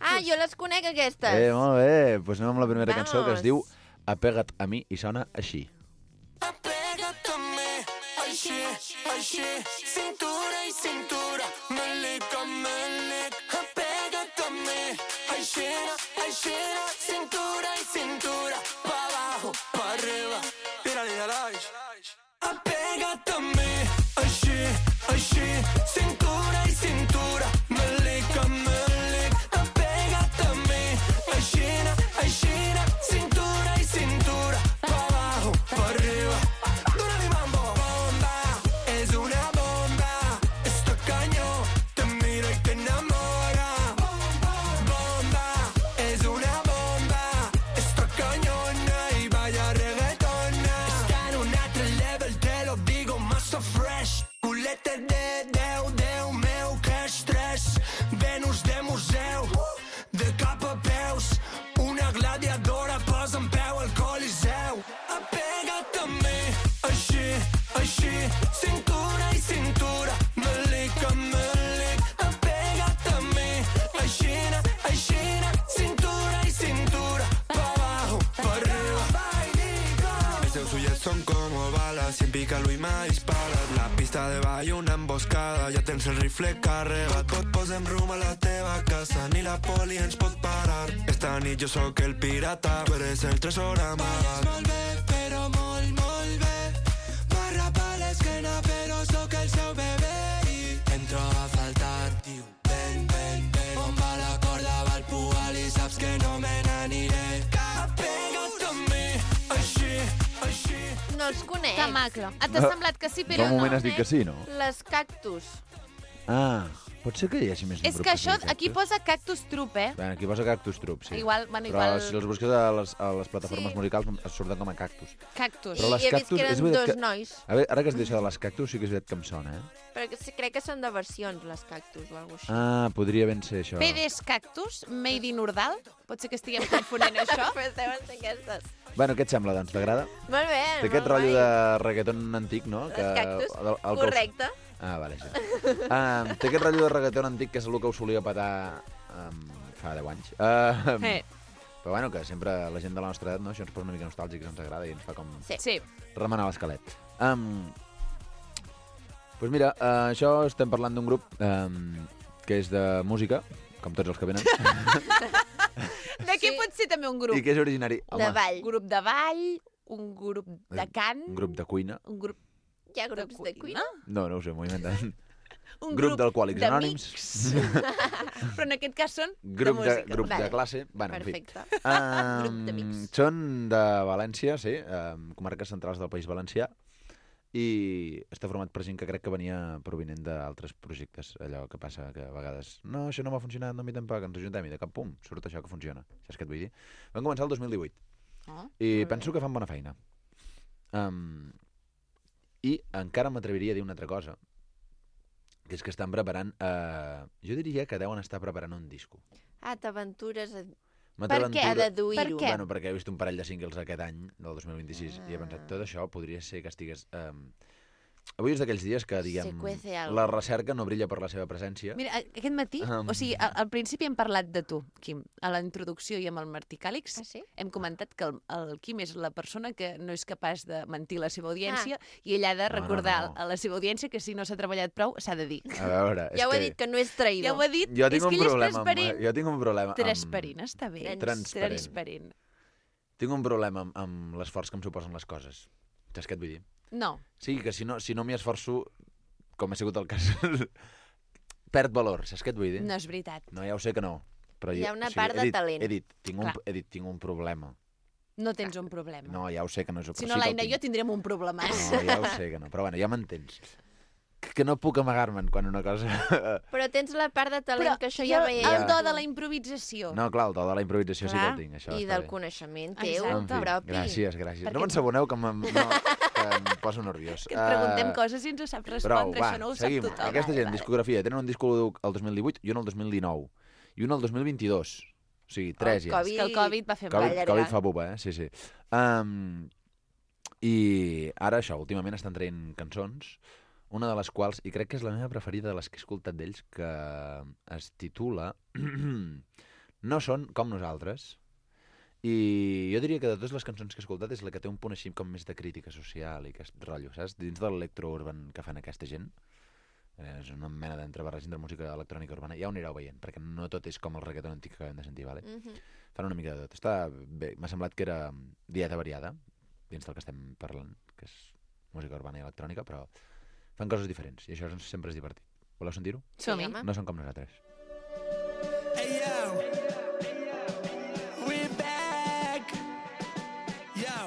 [SPEAKER 2] Ah, jo les conec, aquestes.
[SPEAKER 16] Eh, molt bé. Doncs anem amb la primera
[SPEAKER 2] Vamos.
[SPEAKER 16] cançó que es diu Apega't a mi i sona així.
[SPEAKER 10] Així, així, cintura i cintura, melic a melic, apega't a mi. Aixina, aixina, cintura i cintura, pa abajo, pa arriba, tira-li a l'aix. Apega't a mi, així, així, cintura i cintura, melic a melic, apega't a mi. Aixina, aixina, cintura i cintura, pa abajo, pa arriba. Dóna-li mambo. Bomba, és una bomba, esto cañón, te mira y te enamora. Bomba, és una bomba, esto cañona y vaya reggaetona. Està en un altre level, te lo digo, massa fresh. Culete de Déu, Déu meu, que estrès. Venus de museu, de cap a peus, una gladiadora posa en peu al coliseu. Apega't a mi, així, així, cintura i cintura, melic a melic, apega't a mi, aixina, aixina, cintura i cintura, pa abajo, pa arriba.
[SPEAKER 17] Mis seus ulls són com balas, si em pica l'ull m'ha disparat. La pista de ball, una emboscada, ja tens el rifle carregat. Pot posem rum a la teva casa, ni la poli ens pot parar. Esta nit jo sóc el pirata, tu eres el tresor amagat.
[SPEAKER 10] Molt bé, però molt, molt bé. Barra pa l'esquena, però sóc el seu bebè i em troba a faltar. Diu, ven, ven, ven, on va la corda, va el pugal i saps que no me n'aniré. Apega't a mi, així, així.
[SPEAKER 2] No els conec.
[SPEAKER 1] Que maco. Et ha semblat que sí, però
[SPEAKER 16] Fa un
[SPEAKER 1] no.
[SPEAKER 16] moment has dit que sí, no?
[SPEAKER 2] Les cactus.
[SPEAKER 16] Ah, pot ser que hi hagi més d'un
[SPEAKER 1] És
[SPEAKER 16] grup
[SPEAKER 1] que
[SPEAKER 16] es
[SPEAKER 1] això,
[SPEAKER 16] digui
[SPEAKER 1] aquí
[SPEAKER 16] Cactus?
[SPEAKER 1] posa Cactus Troop, eh?
[SPEAKER 16] Bé, aquí posa Cactus Troop, sí.
[SPEAKER 1] Igual, bueno,
[SPEAKER 16] Però
[SPEAKER 1] igual-
[SPEAKER 16] si els busques a les, a les plataformes
[SPEAKER 1] Sí.
[SPEAKER 16] musicals es surten com a Cactus.
[SPEAKER 1] Cactus.
[SPEAKER 16] Però les
[SPEAKER 2] I he vist
[SPEAKER 16] Cactus,
[SPEAKER 2] que eren
[SPEAKER 16] és veritat
[SPEAKER 2] dos
[SPEAKER 16] que...
[SPEAKER 2] nois.
[SPEAKER 16] A veure, ara que has dit això de les Cactus, sí que és veritat que em sona, eh?
[SPEAKER 2] Però que sí, crec que són de versions, les cactus, o alguna cosa així.
[SPEAKER 16] Ah, podria ben ser això.
[SPEAKER 1] P Ds Cactus, Made in Urdal. Pot ser que estiguem confonent això.
[SPEAKER 2] Pues deuen ser aquestes.
[SPEAKER 16] Bueno, què et sembla, doncs? T'agrada?
[SPEAKER 2] Molt bé,
[SPEAKER 16] Té aquest
[SPEAKER 2] molt
[SPEAKER 16] rotllo
[SPEAKER 2] guai.
[SPEAKER 16] de reggaeton antic, no?
[SPEAKER 2] Les Cactus,
[SPEAKER 16] el- el que us-
[SPEAKER 2] correcte.
[SPEAKER 16] Ah, vale, sí. Uh, té aquest rotllo de reggaeton antic que és el que us solia petar um, fa deu anys. Uh,
[SPEAKER 1] Eh.
[SPEAKER 16] Però bueno, que sempre la gent de la nostra edat, no? Això ens posa una mica nostàlgics, ens agrada i ens fa com
[SPEAKER 1] Sí. sí.
[SPEAKER 16] remenar l'esquelet. Um, doncs mira, uh, això estem parlant d'un grup um, que és de música, com tots els que venen,
[SPEAKER 1] D'aquí pot ser també un grup.
[SPEAKER 16] i que és originari...
[SPEAKER 1] De ball. Grup de ball, un grup de cant,
[SPEAKER 16] Un grup de cuina.
[SPEAKER 1] un grup
[SPEAKER 2] Hi ha grups de cuina?
[SPEAKER 16] No, no ho sé, m'ho he inventat.
[SPEAKER 1] Un
[SPEAKER 16] grup
[SPEAKER 1] grup
[SPEAKER 16] d'alcohòlics
[SPEAKER 1] d'amics.
[SPEAKER 16] anònims.
[SPEAKER 1] Però en aquest cas són
[SPEAKER 16] Grup
[SPEAKER 1] de
[SPEAKER 16] de,
[SPEAKER 1] música.
[SPEAKER 16] grup de
[SPEAKER 1] Vale.
[SPEAKER 16] classe. Bueno,
[SPEAKER 1] Perfecte.
[SPEAKER 16] En fi. Um,
[SPEAKER 1] Grup d'amics.
[SPEAKER 16] Són de València, sí, um, comarques centrals del País Valencià, i està format per gent que crec que venia provinent d'altres projectes. Allò que passa que a vegades no, això no m'ha funcionat, no m'hi tampoc, ens ajuntem i de cap pum, surt això que funciona. Saps què et vull dir? Van començar el dos mil divuit
[SPEAKER 1] Oh,
[SPEAKER 16] i penso que fan bona feina. Um, I encara m'atreviria a dir una altra cosa, que és que estan preparant... Uh, jo diria que deuen estar preparant un disco.
[SPEAKER 2] Ah, t'aventures a...
[SPEAKER 16] M'aventura-
[SPEAKER 2] A deduir-ho.
[SPEAKER 1] Per què?
[SPEAKER 16] Bueno, perquè he vist un parell de singles aquest any, del dos mil vint-i-sis, ah. i he pensat, tot això podria ser que estigués... Um, avui és d'aquells dies que, diguem,
[SPEAKER 2] Se cuece algo.
[SPEAKER 16] la recerca no brilla per la seva presència.
[SPEAKER 1] Mira, aquest matí,
[SPEAKER 16] Um.
[SPEAKER 1] o sigui, al, al principi hem parlat de tu, Quim. A la introducció i amb el Martí Càlix
[SPEAKER 2] ah, sí?
[SPEAKER 1] hem comentat que el, el Quim és la persona que no és capaç de mentir a la seva audiència ah. i ell ha de recordar
[SPEAKER 16] no, no, no.
[SPEAKER 1] a la seva audiència que si no s'ha treballat prou, s'ha de dir.
[SPEAKER 16] A veure, és
[SPEAKER 2] Ja ho he
[SPEAKER 16] que...
[SPEAKER 2] dit, que no és traïdor.
[SPEAKER 1] Ja ho ha dit,
[SPEAKER 16] Jo tinc
[SPEAKER 1] és
[SPEAKER 16] un
[SPEAKER 1] que ell és
[SPEAKER 16] problema amb-
[SPEAKER 1] transparent.
[SPEAKER 16] jo tinc un problema amb-
[SPEAKER 1] Transparent, està bé.
[SPEAKER 16] Transparent.
[SPEAKER 1] Transparent.
[SPEAKER 16] Tinc un problema amb, amb l'esforç que em suposen les coses. Saps què et vull dir?
[SPEAKER 1] No.
[SPEAKER 16] Sí, que si no, si no m'hi esforço, com ha sigut el cas, perd valor, saps què et vull dir?
[SPEAKER 1] No és veritat.
[SPEAKER 16] No, ja ho sé que no. Però
[SPEAKER 2] Hi ha
[SPEAKER 16] jo-
[SPEAKER 2] una
[SPEAKER 16] o sigui,
[SPEAKER 2] part
[SPEAKER 16] he
[SPEAKER 2] de
[SPEAKER 16] dit,
[SPEAKER 2] talent.
[SPEAKER 16] He dit, tinc un,
[SPEAKER 1] Clar.
[SPEAKER 16] he dit, tinc un problema.
[SPEAKER 1] No tens un problema.
[SPEAKER 16] No, ja ho sé que no és...
[SPEAKER 1] Si
[SPEAKER 16] però
[SPEAKER 1] no,
[SPEAKER 16] sí que el
[SPEAKER 1] l'Aina i
[SPEAKER 16] tinc.
[SPEAKER 1] jo tindrem un problema.
[SPEAKER 16] No, ja ho sé que no, però bueno, ja m'entens. Que, que no puc amagar-me'n quan una cosa...
[SPEAKER 2] Però tens la part de talent,
[SPEAKER 1] Però
[SPEAKER 2] que això
[SPEAKER 1] i
[SPEAKER 2] ja
[SPEAKER 1] el,
[SPEAKER 2] veiem.
[SPEAKER 1] el do de la improvisació.
[SPEAKER 16] No, clar, el do de la improvisació sí que
[SPEAKER 2] Clar,
[SPEAKER 16] el tinc, això
[SPEAKER 2] I
[SPEAKER 16] està
[SPEAKER 2] del
[SPEAKER 16] bé.
[SPEAKER 2] coneixement teu,
[SPEAKER 16] En fi,
[SPEAKER 2] propi.
[SPEAKER 16] gràcies, gràcies.
[SPEAKER 1] Perquè-
[SPEAKER 16] No m'ensaboneu que, em, no, que em poso nerviós.
[SPEAKER 1] Que et preguntem
[SPEAKER 16] Eh,
[SPEAKER 1] coses i ens ho sap
[SPEAKER 16] Prou,
[SPEAKER 1] respondre,
[SPEAKER 16] va,
[SPEAKER 1] això no ho
[SPEAKER 16] seguim.
[SPEAKER 1] sap tothom.
[SPEAKER 16] Aquesta gent, discografia, tenen un disc el dos mil divuit i un el dos mil dinou. I un el dos mil vint-i-dos. O sigui, tres
[SPEAKER 1] El
[SPEAKER 16] ja.
[SPEAKER 1] Covid, que el Covid va fer
[SPEAKER 16] Covid,
[SPEAKER 1] mal.
[SPEAKER 16] Covid fa buba, eh? Sí, sí. Um, I ara això, últimament estan traient cançons, una de les quals, i crec que és la meva preferida de les que he escoltat d'ells, que es titula No són com nosaltres. I jo diria que de totes les cançons que he escoltat és la que té un punt així com més de crítica social i aquest rotllo, saps? Dins de l'electro-urban que fan aquesta gent. És una mena d'entrebarreig entre música electrònica urbana. Ja ho anireu veient, perquè no tot és com el reggaeton antic que acabem de sentir, vale?
[SPEAKER 2] Mhm.
[SPEAKER 16] Fan una mica de tot. Està bé. M'ha semblat que era dieta variada, dins del que estem parlant, que és música urbana i electrònica, però fan coses diferents, i això sempre és divertit. Voleu sentir-ho?
[SPEAKER 1] Som-hi.
[SPEAKER 16] No són com nosaltres.
[SPEAKER 17] Hey yo, we back. Yo,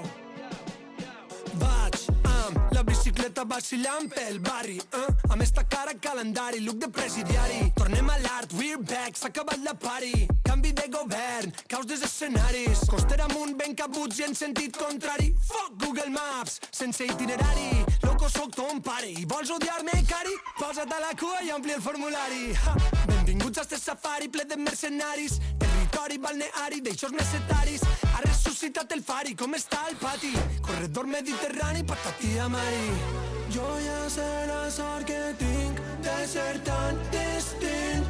[SPEAKER 17] vaig amb la bicicleta vacilant pel barri, eh? Amb esta cara calendari, look de presidiari. Tornem a l'art, we're back, s'ha acabat la party. Canvi de govern, caos dels escenaris. Coster amunt, ben cabuts i en sentit contrari. Fuck Google Maps, sense itinerari. Loco, soc ton pare i vols odiar-me, cari? Posa't a la cua i ompli el formulari. Ha! Benvinguts a este safari ple de mercenaris. Territori balneari d'eixos necessaris. Ha ressuscitat el fari, com està el pati? Corredor mediterrani, patati amari. Jo ja sé la sort que tinc de ser tan distint.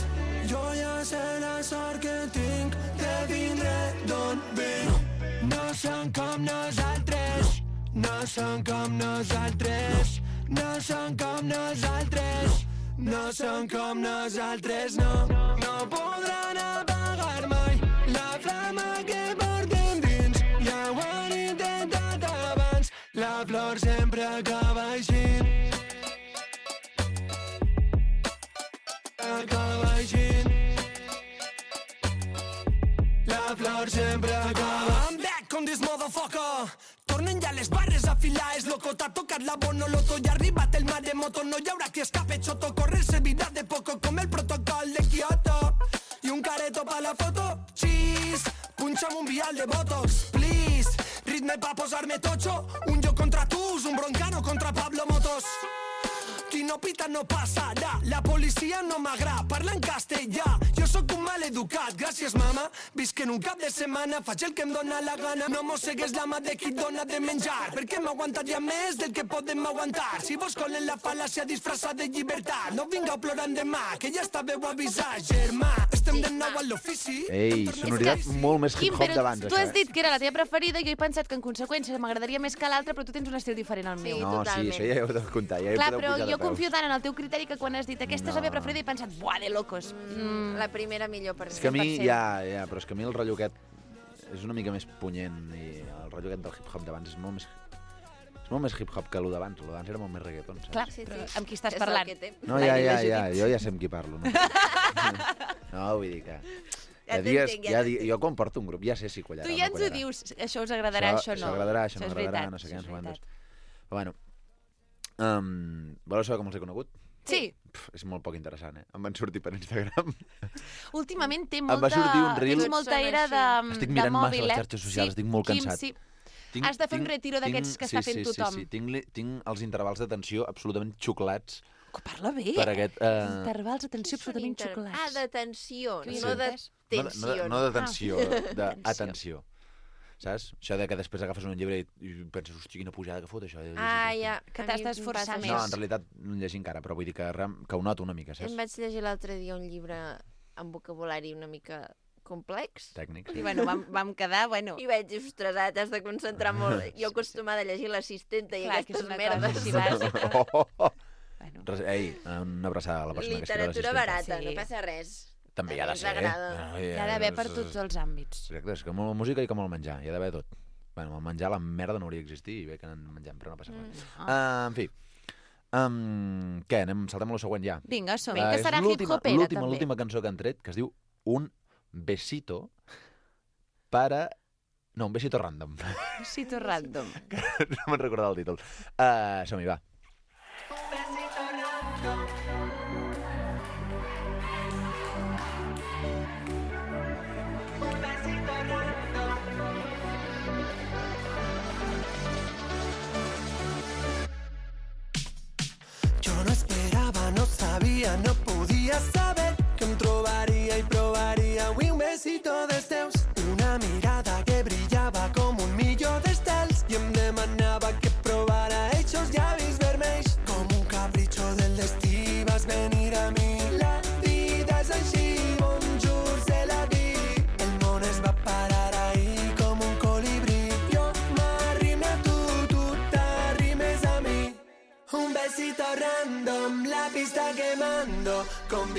[SPEAKER 17] Jo ja sé la sort que tinc de vindre d'on vinc. No són com nosaltres, no són com nosaltres, no són com nosaltres, no són com nosaltres, no. No podran apagar mai la flama que portem dins. Ja ho han intentat abans, la flor sempre acaba així. Acaba així. La flor sempre acaba. I'm back on this motherfucker. Tornen ja les barres a filar, és loco, t'ha tocat la bonoloto i ha arribat el maremoto, no hi haurà qui escape, xoto, correr servirà de poco com el protocol de Kyoto. I un careto pa la foto, cheese, punxa'm un vial de botox, please, ritme pa posar-me tocho, un jo contra tu, un broncano contra Pablo Motos. Qui no pita no passarà, la policia no m'agrada, parla en castellà, jo sóc un maleducat, gràcies mama, visc en un cap de setmana, faig el que em dóna la gana, no mossegues la mà de qui et dóna de menjar, perquè m'aguantaria més del que podem aguantar, si vos colen la fal·làcia disfressada de llibertat, no vingueu plorant demà, que ja estàveu avisats, germà, estem de nou a l'ofici.
[SPEAKER 16] Ei, sonoritat molt més
[SPEAKER 1] Quim,
[SPEAKER 16] hip-hop
[SPEAKER 1] però
[SPEAKER 16] d'abans,
[SPEAKER 1] tu
[SPEAKER 16] això,
[SPEAKER 1] has
[SPEAKER 16] eh?
[SPEAKER 1] dit que era la teva preferida i jo he pensat que en conseqüència m'agradaria més que l'altra, però tu tens un estil diferent al meu.
[SPEAKER 16] No, sí, això ja heu de comptar, ja hi
[SPEAKER 1] Clar,
[SPEAKER 16] podeu
[SPEAKER 1] però
[SPEAKER 16] pujar de
[SPEAKER 1] jo
[SPEAKER 16] peus.
[SPEAKER 1] confio tant en el teu criteri que quan has dit aquesta és la
[SPEAKER 16] No.
[SPEAKER 1] meva preferida he pensat, buah, de locos. Mm.
[SPEAKER 2] La primera millor per mi.
[SPEAKER 16] És que a mi,
[SPEAKER 2] cent per cent.
[SPEAKER 16] ja, ja, però és que a mi el rotllo aquest és una mica més punyent i el rotllo aquest del hip-hop d'abans és molt més... És molt més hip-hop que el d'abans, el d'abans era molt més reggaeton, saps?
[SPEAKER 1] Clar, sí, però amb qui estàs
[SPEAKER 2] És el
[SPEAKER 1] parlant?
[SPEAKER 2] que té.
[SPEAKER 16] No, ja, ja, ja, jo ja sé amb qui parlo. No, no vull dir que...
[SPEAKER 1] Ja
[SPEAKER 16] Hi ha dies,
[SPEAKER 1] t'entenc, ja
[SPEAKER 16] hi ha di...
[SPEAKER 1] t'entenc.
[SPEAKER 16] Jo quan porto un grup ja sé si quallarà
[SPEAKER 1] Tu
[SPEAKER 16] o
[SPEAKER 1] ja
[SPEAKER 16] no
[SPEAKER 1] ens ho
[SPEAKER 16] quallarà.
[SPEAKER 1] dius, això us agradarà, això, no.
[SPEAKER 16] Això agradarà, això no
[SPEAKER 1] és
[SPEAKER 16] agradarà,
[SPEAKER 1] veritat,
[SPEAKER 16] no sé què,
[SPEAKER 1] això
[SPEAKER 16] no sé
[SPEAKER 1] és
[SPEAKER 16] quantes.
[SPEAKER 1] veritat.
[SPEAKER 16] Però bueno, um, voleu saber com els he conegut?
[SPEAKER 1] Sí.
[SPEAKER 16] Pff, és molt poc interessant, eh? Em van sortir per Instagram.
[SPEAKER 1] Últimament té
[SPEAKER 16] Em
[SPEAKER 1] molta...
[SPEAKER 16] va sortir un reel.
[SPEAKER 1] Tens molta era de,
[SPEAKER 16] Estic
[SPEAKER 1] de
[SPEAKER 16] mirant massa
[SPEAKER 1] mòbil,
[SPEAKER 16] les
[SPEAKER 1] eh?
[SPEAKER 16] xarxes socials,
[SPEAKER 1] sí.
[SPEAKER 16] estic molt
[SPEAKER 1] Quim,
[SPEAKER 16] cansat.
[SPEAKER 1] sí.
[SPEAKER 16] Tinc-
[SPEAKER 1] Has de fer un
[SPEAKER 16] tinc-
[SPEAKER 1] retiro d'aquests
[SPEAKER 16] tinc-
[SPEAKER 1] que
[SPEAKER 16] sí,
[SPEAKER 1] està fent
[SPEAKER 16] sí,
[SPEAKER 1] tothom.
[SPEAKER 16] Sí, sí, tinc, li- tinc els intervals d'atenció absolutament xuclats.
[SPEAKER 1] Que parla bé,
[SPEAKER 16] Per
[SPEAKER 1] eh?
[SPEAKER 16] aquest, eh,
[SPEAKER 1] Intervals d'atenció absolutament
[SPEAKER 2] Inter-
[SPEAKER 1] xocolats.
[SPEAKER 2] Ah, d'atenció,
[SPEAKER 1] Què
[SPEAKER 2] no de
[SPEAKER 16] No, de-
[SPEAKER 2] tensió.
[SPEAKER 16] no de tensió,
[SPEAKER 1] Ah.
[SPEAKER 16] d'atenció. saps? Això de que després agafes un llibre i, i penses, hosti, quina pujada que fot, això.
[SPEAKER 2] Ah, ja.
[SPEAKER 1] Que t'has d'esforçar més.
[SPEAKER 16] No, en realitat no en llegir encara, però vull dir que, que ho noto una mica, saps?
[SPEAKER 2] Em vaig llegir l'altre dia un llibre amb vocabulari una mica complex.
[SPEAKER 16] Tècnics.
[SPEAKER 1] I bueno, vam, vam quedar, bueno...
[SPEAKER 2] I vaig dir, ostres, ara t'has de concentrar molt. Jo acostumada a llegir l'assistenta i
[SPEAKER 1] Clar, que és
[SPEAKER 2] aquestes
[SPEAKER 1] una
[SPEAKER 2] merdes.
[SPEAKER 1] cosa així bàsica.
[SPEAKER 16] Oh, oh, oh. Bueno. Ei, una abraçada a la persona que escriu
[SPEAKER 2] Literatura
[SPEAKER 16] l'assistenta.
[SPEAKER 2] barata,
[SPEAKER 1] Sí.
[SPEAKER 2] no passa res.
[SPEAKER 16] També hi ha de
[SPEAKER 2] Ens
[SPEAKER 16] ser, eh?
[SPEAKER 2] agrada.
[SPEAKER 1] Hi ha d'haver per tots els àmbits.
[SPEAKER 16] Exacte, és que molt música i com el menjar, hi ha d'haver tot. Bueno, el menjar, la merda no hauria d'existir i bé que en mengem, però no passa res.
[SPEAKER 1] Mm.
[SPEAKER 16] Uh, en fi, um, què, anem, saltem a lo següent ja.
[SPEAKER 1] Vinga, som
[SPEAKER 16] Uh,
[SPEAKER 1] que
[SPEAKER 16] és
[SPEAKER 1] serà
[SPEAKER 16] l'última-
[SPEAKER 1] hip-hopera,
[SPEAKER 16] l'última-
[SPEAKER 1] també.
[SPEAKER 16] L'última cançó que han tret, que es diu Un besito para... No, un besito random.
[SPEAKER 1] Besito random.
[SPEAKER 16] No me'n recordava el títol. Uh, som-hi, va.
[SPEAKER 10] Jo no esperava, no sabia, no podia saber que em trobaria i provaria avui un besito dels teus. Una mirada que brillava com un millor d'estels i em demanava que provara eixos llavis vermells. Com un capritxo del destí vas venir a mi. La vida és així, bonjour, c'est la vie. El món es va parar ahí com un colibrí. Jo m'arrime a tu, tu t'arrimes a mi. Un besito random, la pista que mando.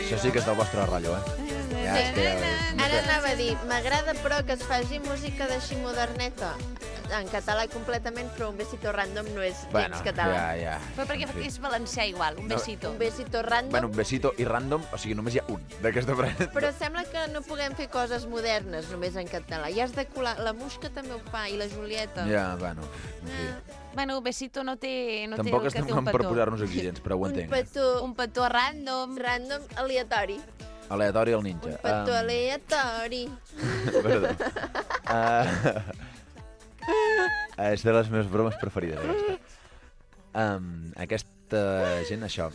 [SPEAKER 16] Això sí que és del vostre rotllo, eh? Ja, és que...
[SPEAKER 2] Ara anava a dir, m'agrada però que es faci música d'així moderneta. En català completament, però un besito random no és gens
[SPEAKER 16] Bueno,
[SPEAKER 2] català.
[SPEAKER 16] ja, ja.
[SPEAKER 1] Però perquè
[SPEAKER 16] En fi.
[SPEAKER 1] és valencià igual, un
[SPEAKER 16] No.
[SPEAKER 1] besito.
[SPEAKER 2] Un besito random,
[SPEAKER 16] Bueno, un besito i random, o sigui, només hi ha un d'aquesta frase.
[SPEAKER 2] però sembla que no puguem fer coses modernes només en català. I has de colar... La Musca també ho fa, i la Julieta.
[SPEAKER 16] Ja, bueno, en fi.
[SPEAKER 1] Bueno, besito no té, no
[SPEAKER 16] Tampoc
[SPEAKER 1] té el que
[SPEAKER 16] estem
[SPEAKER 1] té un
[SPEAKER 16] per
[SPEAKER 1] petó.
[SPEAKER 16] posar-nos exigents, però ho
[SPEAKER 2] Un
[SPEAKER 16] entenc.
[SPEAKER 2] petó...
[SPEAKER 1] Un petó random.
[SPEAKER 2] Random aleatori.
[SPEAKER 16] Aleatori al ninja.
[SPEAKER 2] Un petó
[SPEAKER 16] Um,
[SPEAKER 2] aleatori.
[SPEAKER 16] Perdó. Uh, és de les meves bromes preferides, aquesta. Um, aquesta gent, això...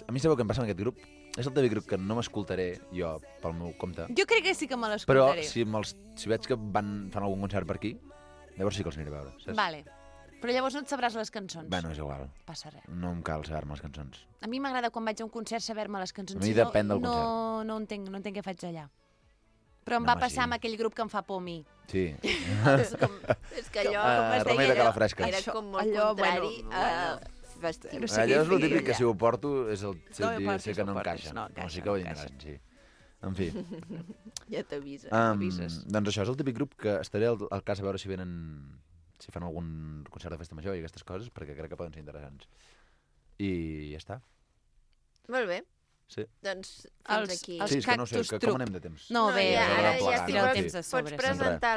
[SPEAKER 16] A mi sabeu què em passa amb aquest grup? És el típic grup que no m'escoltaré jo pel meu compte.
[SPEAKER 1] Jo crec que sí que me
[SPEAKER 16] Però
[SPEAKER 1] l'escoltaré.
[SPEAKER 16] si, me'ls, si veig que van, fan algun concert per aquí, llavors sí que els aniré a veure, saps?
[SPEAKER 1] Vale. Però llavors no et sabràs les cançons.
[SPEAKER 16] Bueno, és igual.
[SPEAKER 1] Passa res.
[SPEAKER 16] No em cal saber-me les cançons.
[SPEAKER 1] A mi m'agrada quan vaig a un concert saber-me les cançons.
[SPEAKER 16] A mi
[SPEAKER 1] Si no,
[SPEAKER 16] depèn del
[SPEAKER 1] no,
[SPEAKER 16] concert.
[SPEAKER 1] no, entenc, no entenc què faig allà. Però em
[SPEAKER 16] No,
[SPEAKER 1] va
[SPEAKER 16] home,
[SPEAKER 1] passar
[SPEAKER 16] sí.
[SPEAKER 1] amb aquell grup que em fa por a mi.
[SPEAKER 16] Sí.
[SPEAKER 2] És, com, és que allò...
[SPEAKER 16] Ah,
[SPEAKER 2] com es deia,
[SPEAKER 16] remei de
[SPEAKER 2] allò-
[SPEAKER 16] calafresques.
[SPEAKER 2] Era
[SPEAKER 1] Això,
[SPEAKER 2] com molt
[SPEAKER 1] allò,
[SPEAKER 2] contrari
[SPEAKER 1] bueno,
[SPEAKER 2] a
[SPEAKER 1] bueno.
[SPEAKER 2] vestir.
[SPEAKER 1] No sé
[SPEAKER 16] Allò
[SPEAKER 1] què
[SPEAKER 16] és el
[SPEAKER 1] dir,
[SPEAKER 16] típic que
[SPEAKER 1] ja.
[SPEAKER 16] si ho porto és el
[SPEAKER 1] No
[SPEAKER 16] no
[SPEAKER 1] ho
[SPEAKER 16] dir,
[SPEAKER 1] portis,
[SPEAKER 16] sé que
[SPEAKER 1] no
[SPEAKER 16] no
[SPEAKER 1] ho portis,
[SPEAKER 16] encaixa.
[SPEAKER 1] no
[SPEAKER 16] No,
[SPEAKER 1] encaixa,
[SPEAKER 16] sí que
[SPEAKER 1] no
[SPEAKER 16] ho vindran, sí. En fi.
[SPEAKER 2] Ja t'avisa.
[SPEAKER 16] Um,
[SPEAKER 1] avises.
[SPEAKER 16] doncs això és el típic grup que estaré al, al cas a veure si venen, si fan algun concert de festa major i aquestes coses, perquè crec que poden ser interessants. I ja està.
[SPEAKER 2] Molt bé.
[SPEAKER 16] Sí.
[SPEAKER 2] Doncs fins
[SPEAKER 1] Els-
[SPEAKER 2] aquí.
[SPEAKER 1] els
[SPEAKER 16] Sí, és que no sé,
[SPEAKER 1] Cactus
[SPEAKER 16] que,
[SPEAKER 1] Trup.
[SPEAKER 16] com anem de temps?
[SPEAKER 1] No, bé,
[SPEAKER 2] ja,
[SPEAKER 16] ja,
[SPEAKER 2] ara
[SPEAKER 16] ja
[SPEAKER 2] ja
[SPEAKER 16] es
[SPEAKER 2] estic
[SPEAKER 16] tira el
[SPEAKER 2] pots-
[SPEAKER 16] temps
[SPEAKER 1] de sobre,
[SPEAKER 2] Pots
[SPEAKER 1] sempre.
[SPEAKER 2] presentar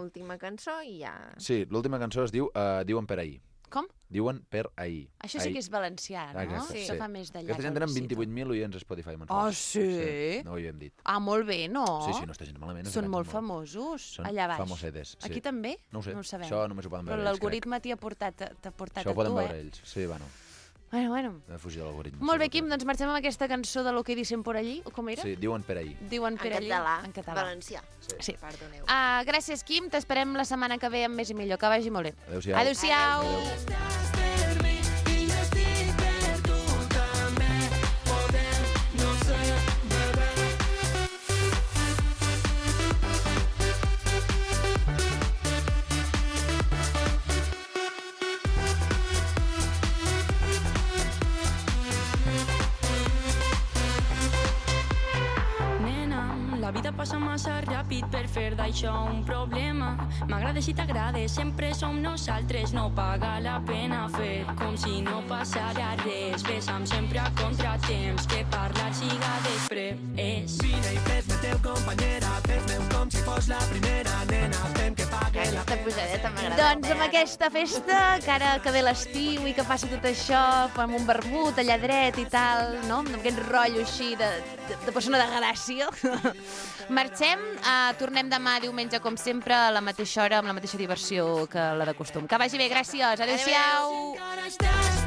[SPEAKER 2] l'última cançó i ja...
[SPEAKER 16] Sí, l'última cançó es diu uh, Diuen per ahir.
[SPEAKER 1] Com?
[SPEAKER 16] Diuen per ahir.
[SPEAKER 1] Això sí que és valencià, no?
[SPEAKER 16] Aquesta,
[SPEAKER 1] Això fa més d'allà.
[SPEAKER 16] Aquesta gent
[SPEAKER 1] que el
[SPEAKER 16] tenen
[SPEAKER 1] besito.
[SPEAKER 16] vint-i-vuit mil oients a Spotify
[SPEAKER 1] Oh,
[SPEAKER 16] mensuals.
[SPEAKER 1] sí?
[SPEAKER 16] No ho havíem dit.
[SPEAKER 1] Ah, molt bé, no?
[SPEAKER 16] Sí, sí, no està gens malament.
[SPEAKER 1] Són
[SPEAKER 16] es
[SPEAKER 1] molt
[SPEAKER 16] pensen
[SPEAKER 1] famosos,
[SPEAKER 16] Són
[SPEAKER 1] allà baix.
[SPEAKER 16] famosetes, sí.
[SPEAKER 1] Aquí també?
[SPEAKER 16] No ho sé,
[SPEAKER 1] No ho sabem.
[SPEAKER 16] això només ho poden
[SPEAKER 1] Però
[SPEAKER 16] veure ells,
[SPEAKER 1] l'algoritme t'hi ha portat, t'ha portat
[SPEAKER 16] Això ho
[SPEAKER 1] a
[SPEAKER 16] poden
[SPEAKER 1] tu,
[SPEAKER 16] veure
[SPEAKER 1] eh?
[SPEAKER 16] ells. Sí, bueno,
[SPEAKER 1] Bueno, bueno.
[SPEAKER 16] he fugit de l'algoritme.
[SPEAKER 1] Molt bé, Quim, doncs marxem amb aquesta cançó de Lo que dicen por allí, o com era?
[SPEAKER 16] Sí, diuen per ahir.
[SPEAKER 1] Diuen per
[SPEAKER 2] En
[SPEAKER 1] allí.
[SPEAKER 2] català,
[SPEAKER 1] En català.
[SPEAKER 2] valencià.
[SPEAKER 1] Sí.
[SPEAKER 2] Perdoneu.
[SPEAKER 1] Uh, gràcies, Quim. T'esperem la setmana que ve amb més i millor. Que vagi molt bé.
[SPEAKER 16] Adéu-siau.
[SPEAKER 1] Adéu-siau.
[SPEAKER 16] Adéu.
[SPEAKER 18] Nena, la vida passa massa ràpid per fer d'això un problema. M'agrada si t'agrada, sempre som nosaltres, no paga la pena fer com si no passara res. Besa'm sempre a contratemps, que parlar siga després.
[SPEAKER 10] Vine i fes-me teu companyera, fes-me un com si fos la primera nena, fem que pague la
[SPEAKER 2] Aquesta pujadeta m'agrada.
[SPEAKER 1] Doncs amb aquesta festa, que ara que ve l'estiu i que passa tot això, fem un vermut allà dret i tal, no? Amb aquest rotllo així de, de, de persona de gràcia. Marxem, uh, tornem demà diumenge, com sempre, a la mateixa hora, amb la mateixa diversió que la de costum. Que vagi bé, gràcies. Adéu-siau.
[SPEAKER 18] Encara estàs